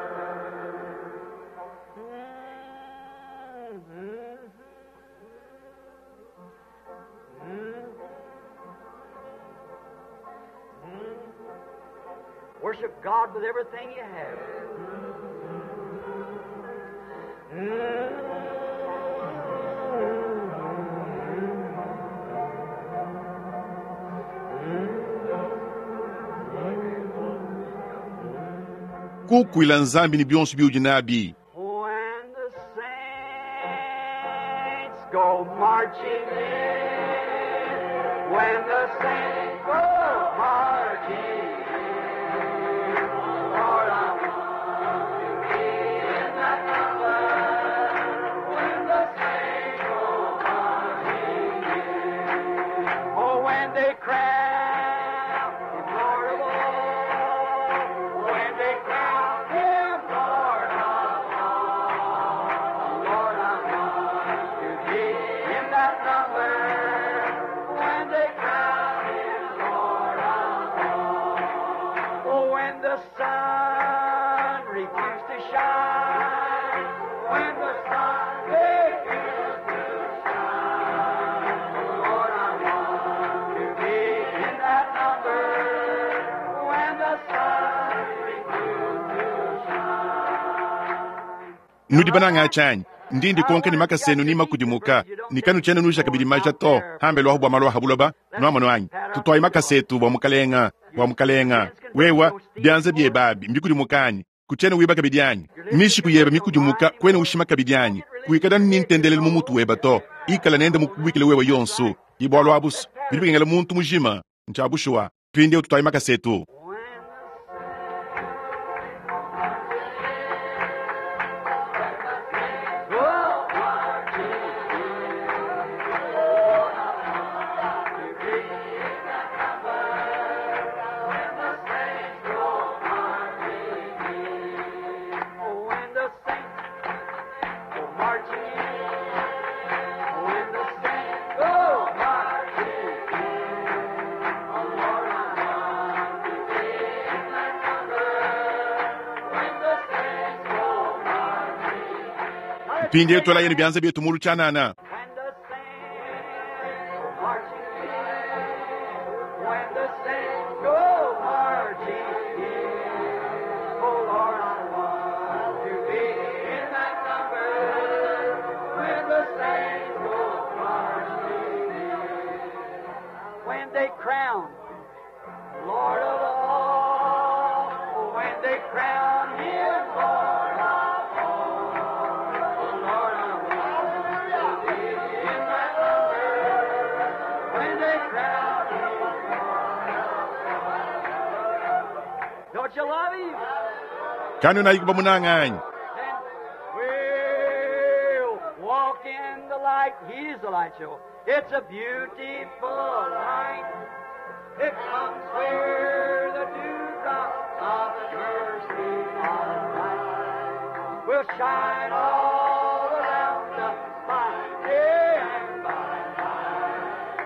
Worship God with everything you have. Kukuila Nzambi ne bionso biudi nabi. When the saints go marching in, when the saints go marching in, Lord, I want to be in that number. When the saints go marching in, oh, when they crown Him Lord of all, when they crown Him Lord of all, Lord, I want to be in that number. When they crown Him Lord of all, oh, when the sun refuses to shine, when the sun refuses to shine, Lord, I want to be in that number. When the sun refuses to shine. Nudi banange tshianyi ndi ndikonka ne makasa enu ni makudimuka ne kanutshiena nuja kabidi maja to hambelu aho bua malu aha buloba nuamono anyi tutwayi makasa etu bua mukalenga bua mukalenga wewa bianza biebe abi mbikudimuka anyi kutshiena wiba kabidi anyi mishiku yebe mikudimuka kuena ushima kabidi anyi kuikala ni ntendelelu mu mutu weba to ikala nende mukubikile wewe yonso ibualu abuso bidi bikengela muntu mujima ntshiabushuwa mpindieu tutwayi makasa etu. When the saints go marching in, when the saints go marching in, oh Lord, I want to be in that number. When the saints go marching in. Mpindieu twelaye ne bianza bietu mulu tshianana. When the saints go marching in, when the saints go marching in, oh Lord, I want to be in that number. When the saints go marching in, when they crown Lord of all, when they crown Him Lord of all, oh Lord, I want to be in that number. When they crown Him Lord of all. Don't you love Him? Kanu bamunange anyi? Then we'll walk in the light. He's the light show. It's a beautiful light. It comes where the dewdrops of mercy are bright. Will shine all around us by day and by night.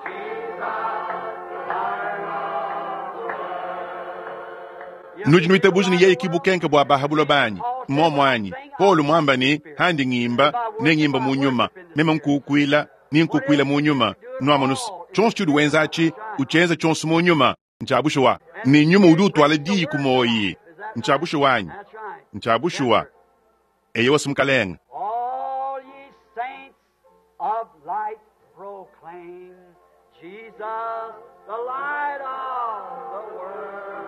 Jesus, the light of the world. Nudi nuitabuja ne yeye kibukenke bua baha buloba anyi momo anyi Paulo mwamba ne handi ngimba ne ngimba mu nyuma meme nkukuila ni nkukuila mu nyuma nuamonusu tshionso tshiudi wenza atshi utshienza tshionso mu nyuma ntshiabushuwa ne nyuma udi utwala diyi ku moyi ntshiabushuwa anyi That's right. ntshiabushuwa eyo wasi mukalenga. All ye saints of light, proclaim Jesus, the light of the world.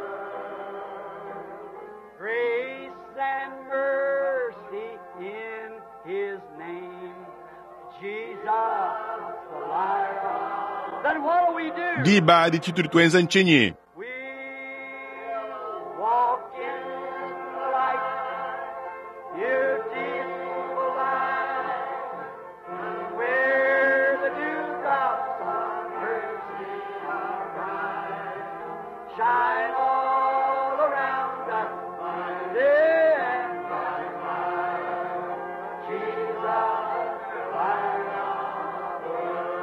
Grace and mercy in His name. Jesus, the light of. Then what do we do? Diba adi tshitudi tuenza ntshinyi? We'll walk in the light, beautiful light, where the dewdrops of mercy are bright. Shine all around us by day and by night. Jesus, the light of the world.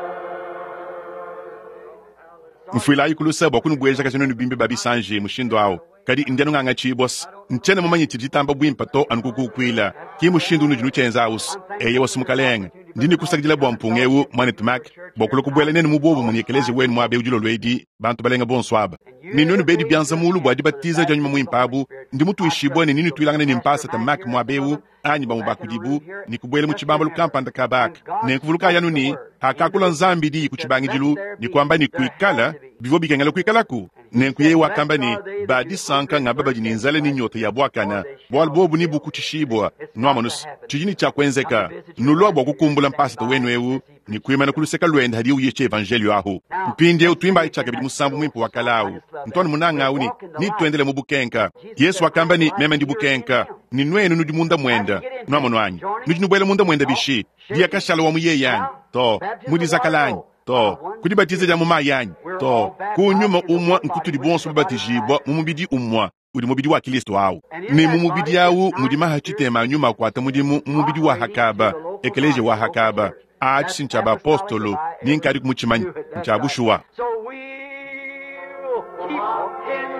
Mfuilayi kulusa bua kunubueja nuenu bimbi ba bisanji mushindu awu. Kadi ndi anu ngangatshibua ntshiena mumanye tshidi tshitamba buimpe to anu kukukuila. Ki mushindu unudi nutshienza awusi. Eye wasu mukalenge. Ndi nikusakidila bua mpunga ewu mwanetu Mac bua kulua kubuela nenu mu buobumue ne ekeleziya wenu muaba ewu dilolo edi bantu balenga bonso aba. Ne nuenu bedi bianza mulu bua dibatiza dia nyuma muimpe abu, ndi mutuishibue ne nenutuilangane ne mpasata Mac muaba ewu anyi bamue ba kudibu ne kubuela mu tshibambalu kampanda kabaka. Nenkuvulukayi anu ne hakakula Nzambi diyi ku tshibangidilu ne kuamba ne kuikala bivua bikengela kuikalaku. Nenku yeye wakamba ne ba disanka ngaba badi ne nzala ne nyota ya buakana, bualu bobu ne bukutshishibua. Nuamonusu tshidi ne tshia kuenzeka. Nulua bua kukumbula mpasata wenu ewu ne kuimana ku luseke luende hadiye uyisha evanjelio ahu. Mpindieu tuimbayi tshiakabidi musambu muimpe wa kala awu. Ntwanu munanga awu ne nituendele mu bukenka. Yesu wakamba ne meme ndi bukenka ne nuenu nudi munda muenda. Nuamonu anyi? Nudi nubuela munda muenda bishi? Diakashala wa mu yeye anyi? To. Mudizakala anyi? To. Kudibatiza dia mu mayi anyi? To. Ku nyuma umue nkutudi bonso babatijibua mu mubidi umue udi mubidi wa Kristo awu. Ne mu mubidi awu mudi maha tshitema a nyuma akuata mudimu mu mubidi wa hakaba, ekeleziya wa hakaba. Atshi ntshia bapostolo ni nkadi kumutshimanya ntshia bushuwa. So we'll keep walking.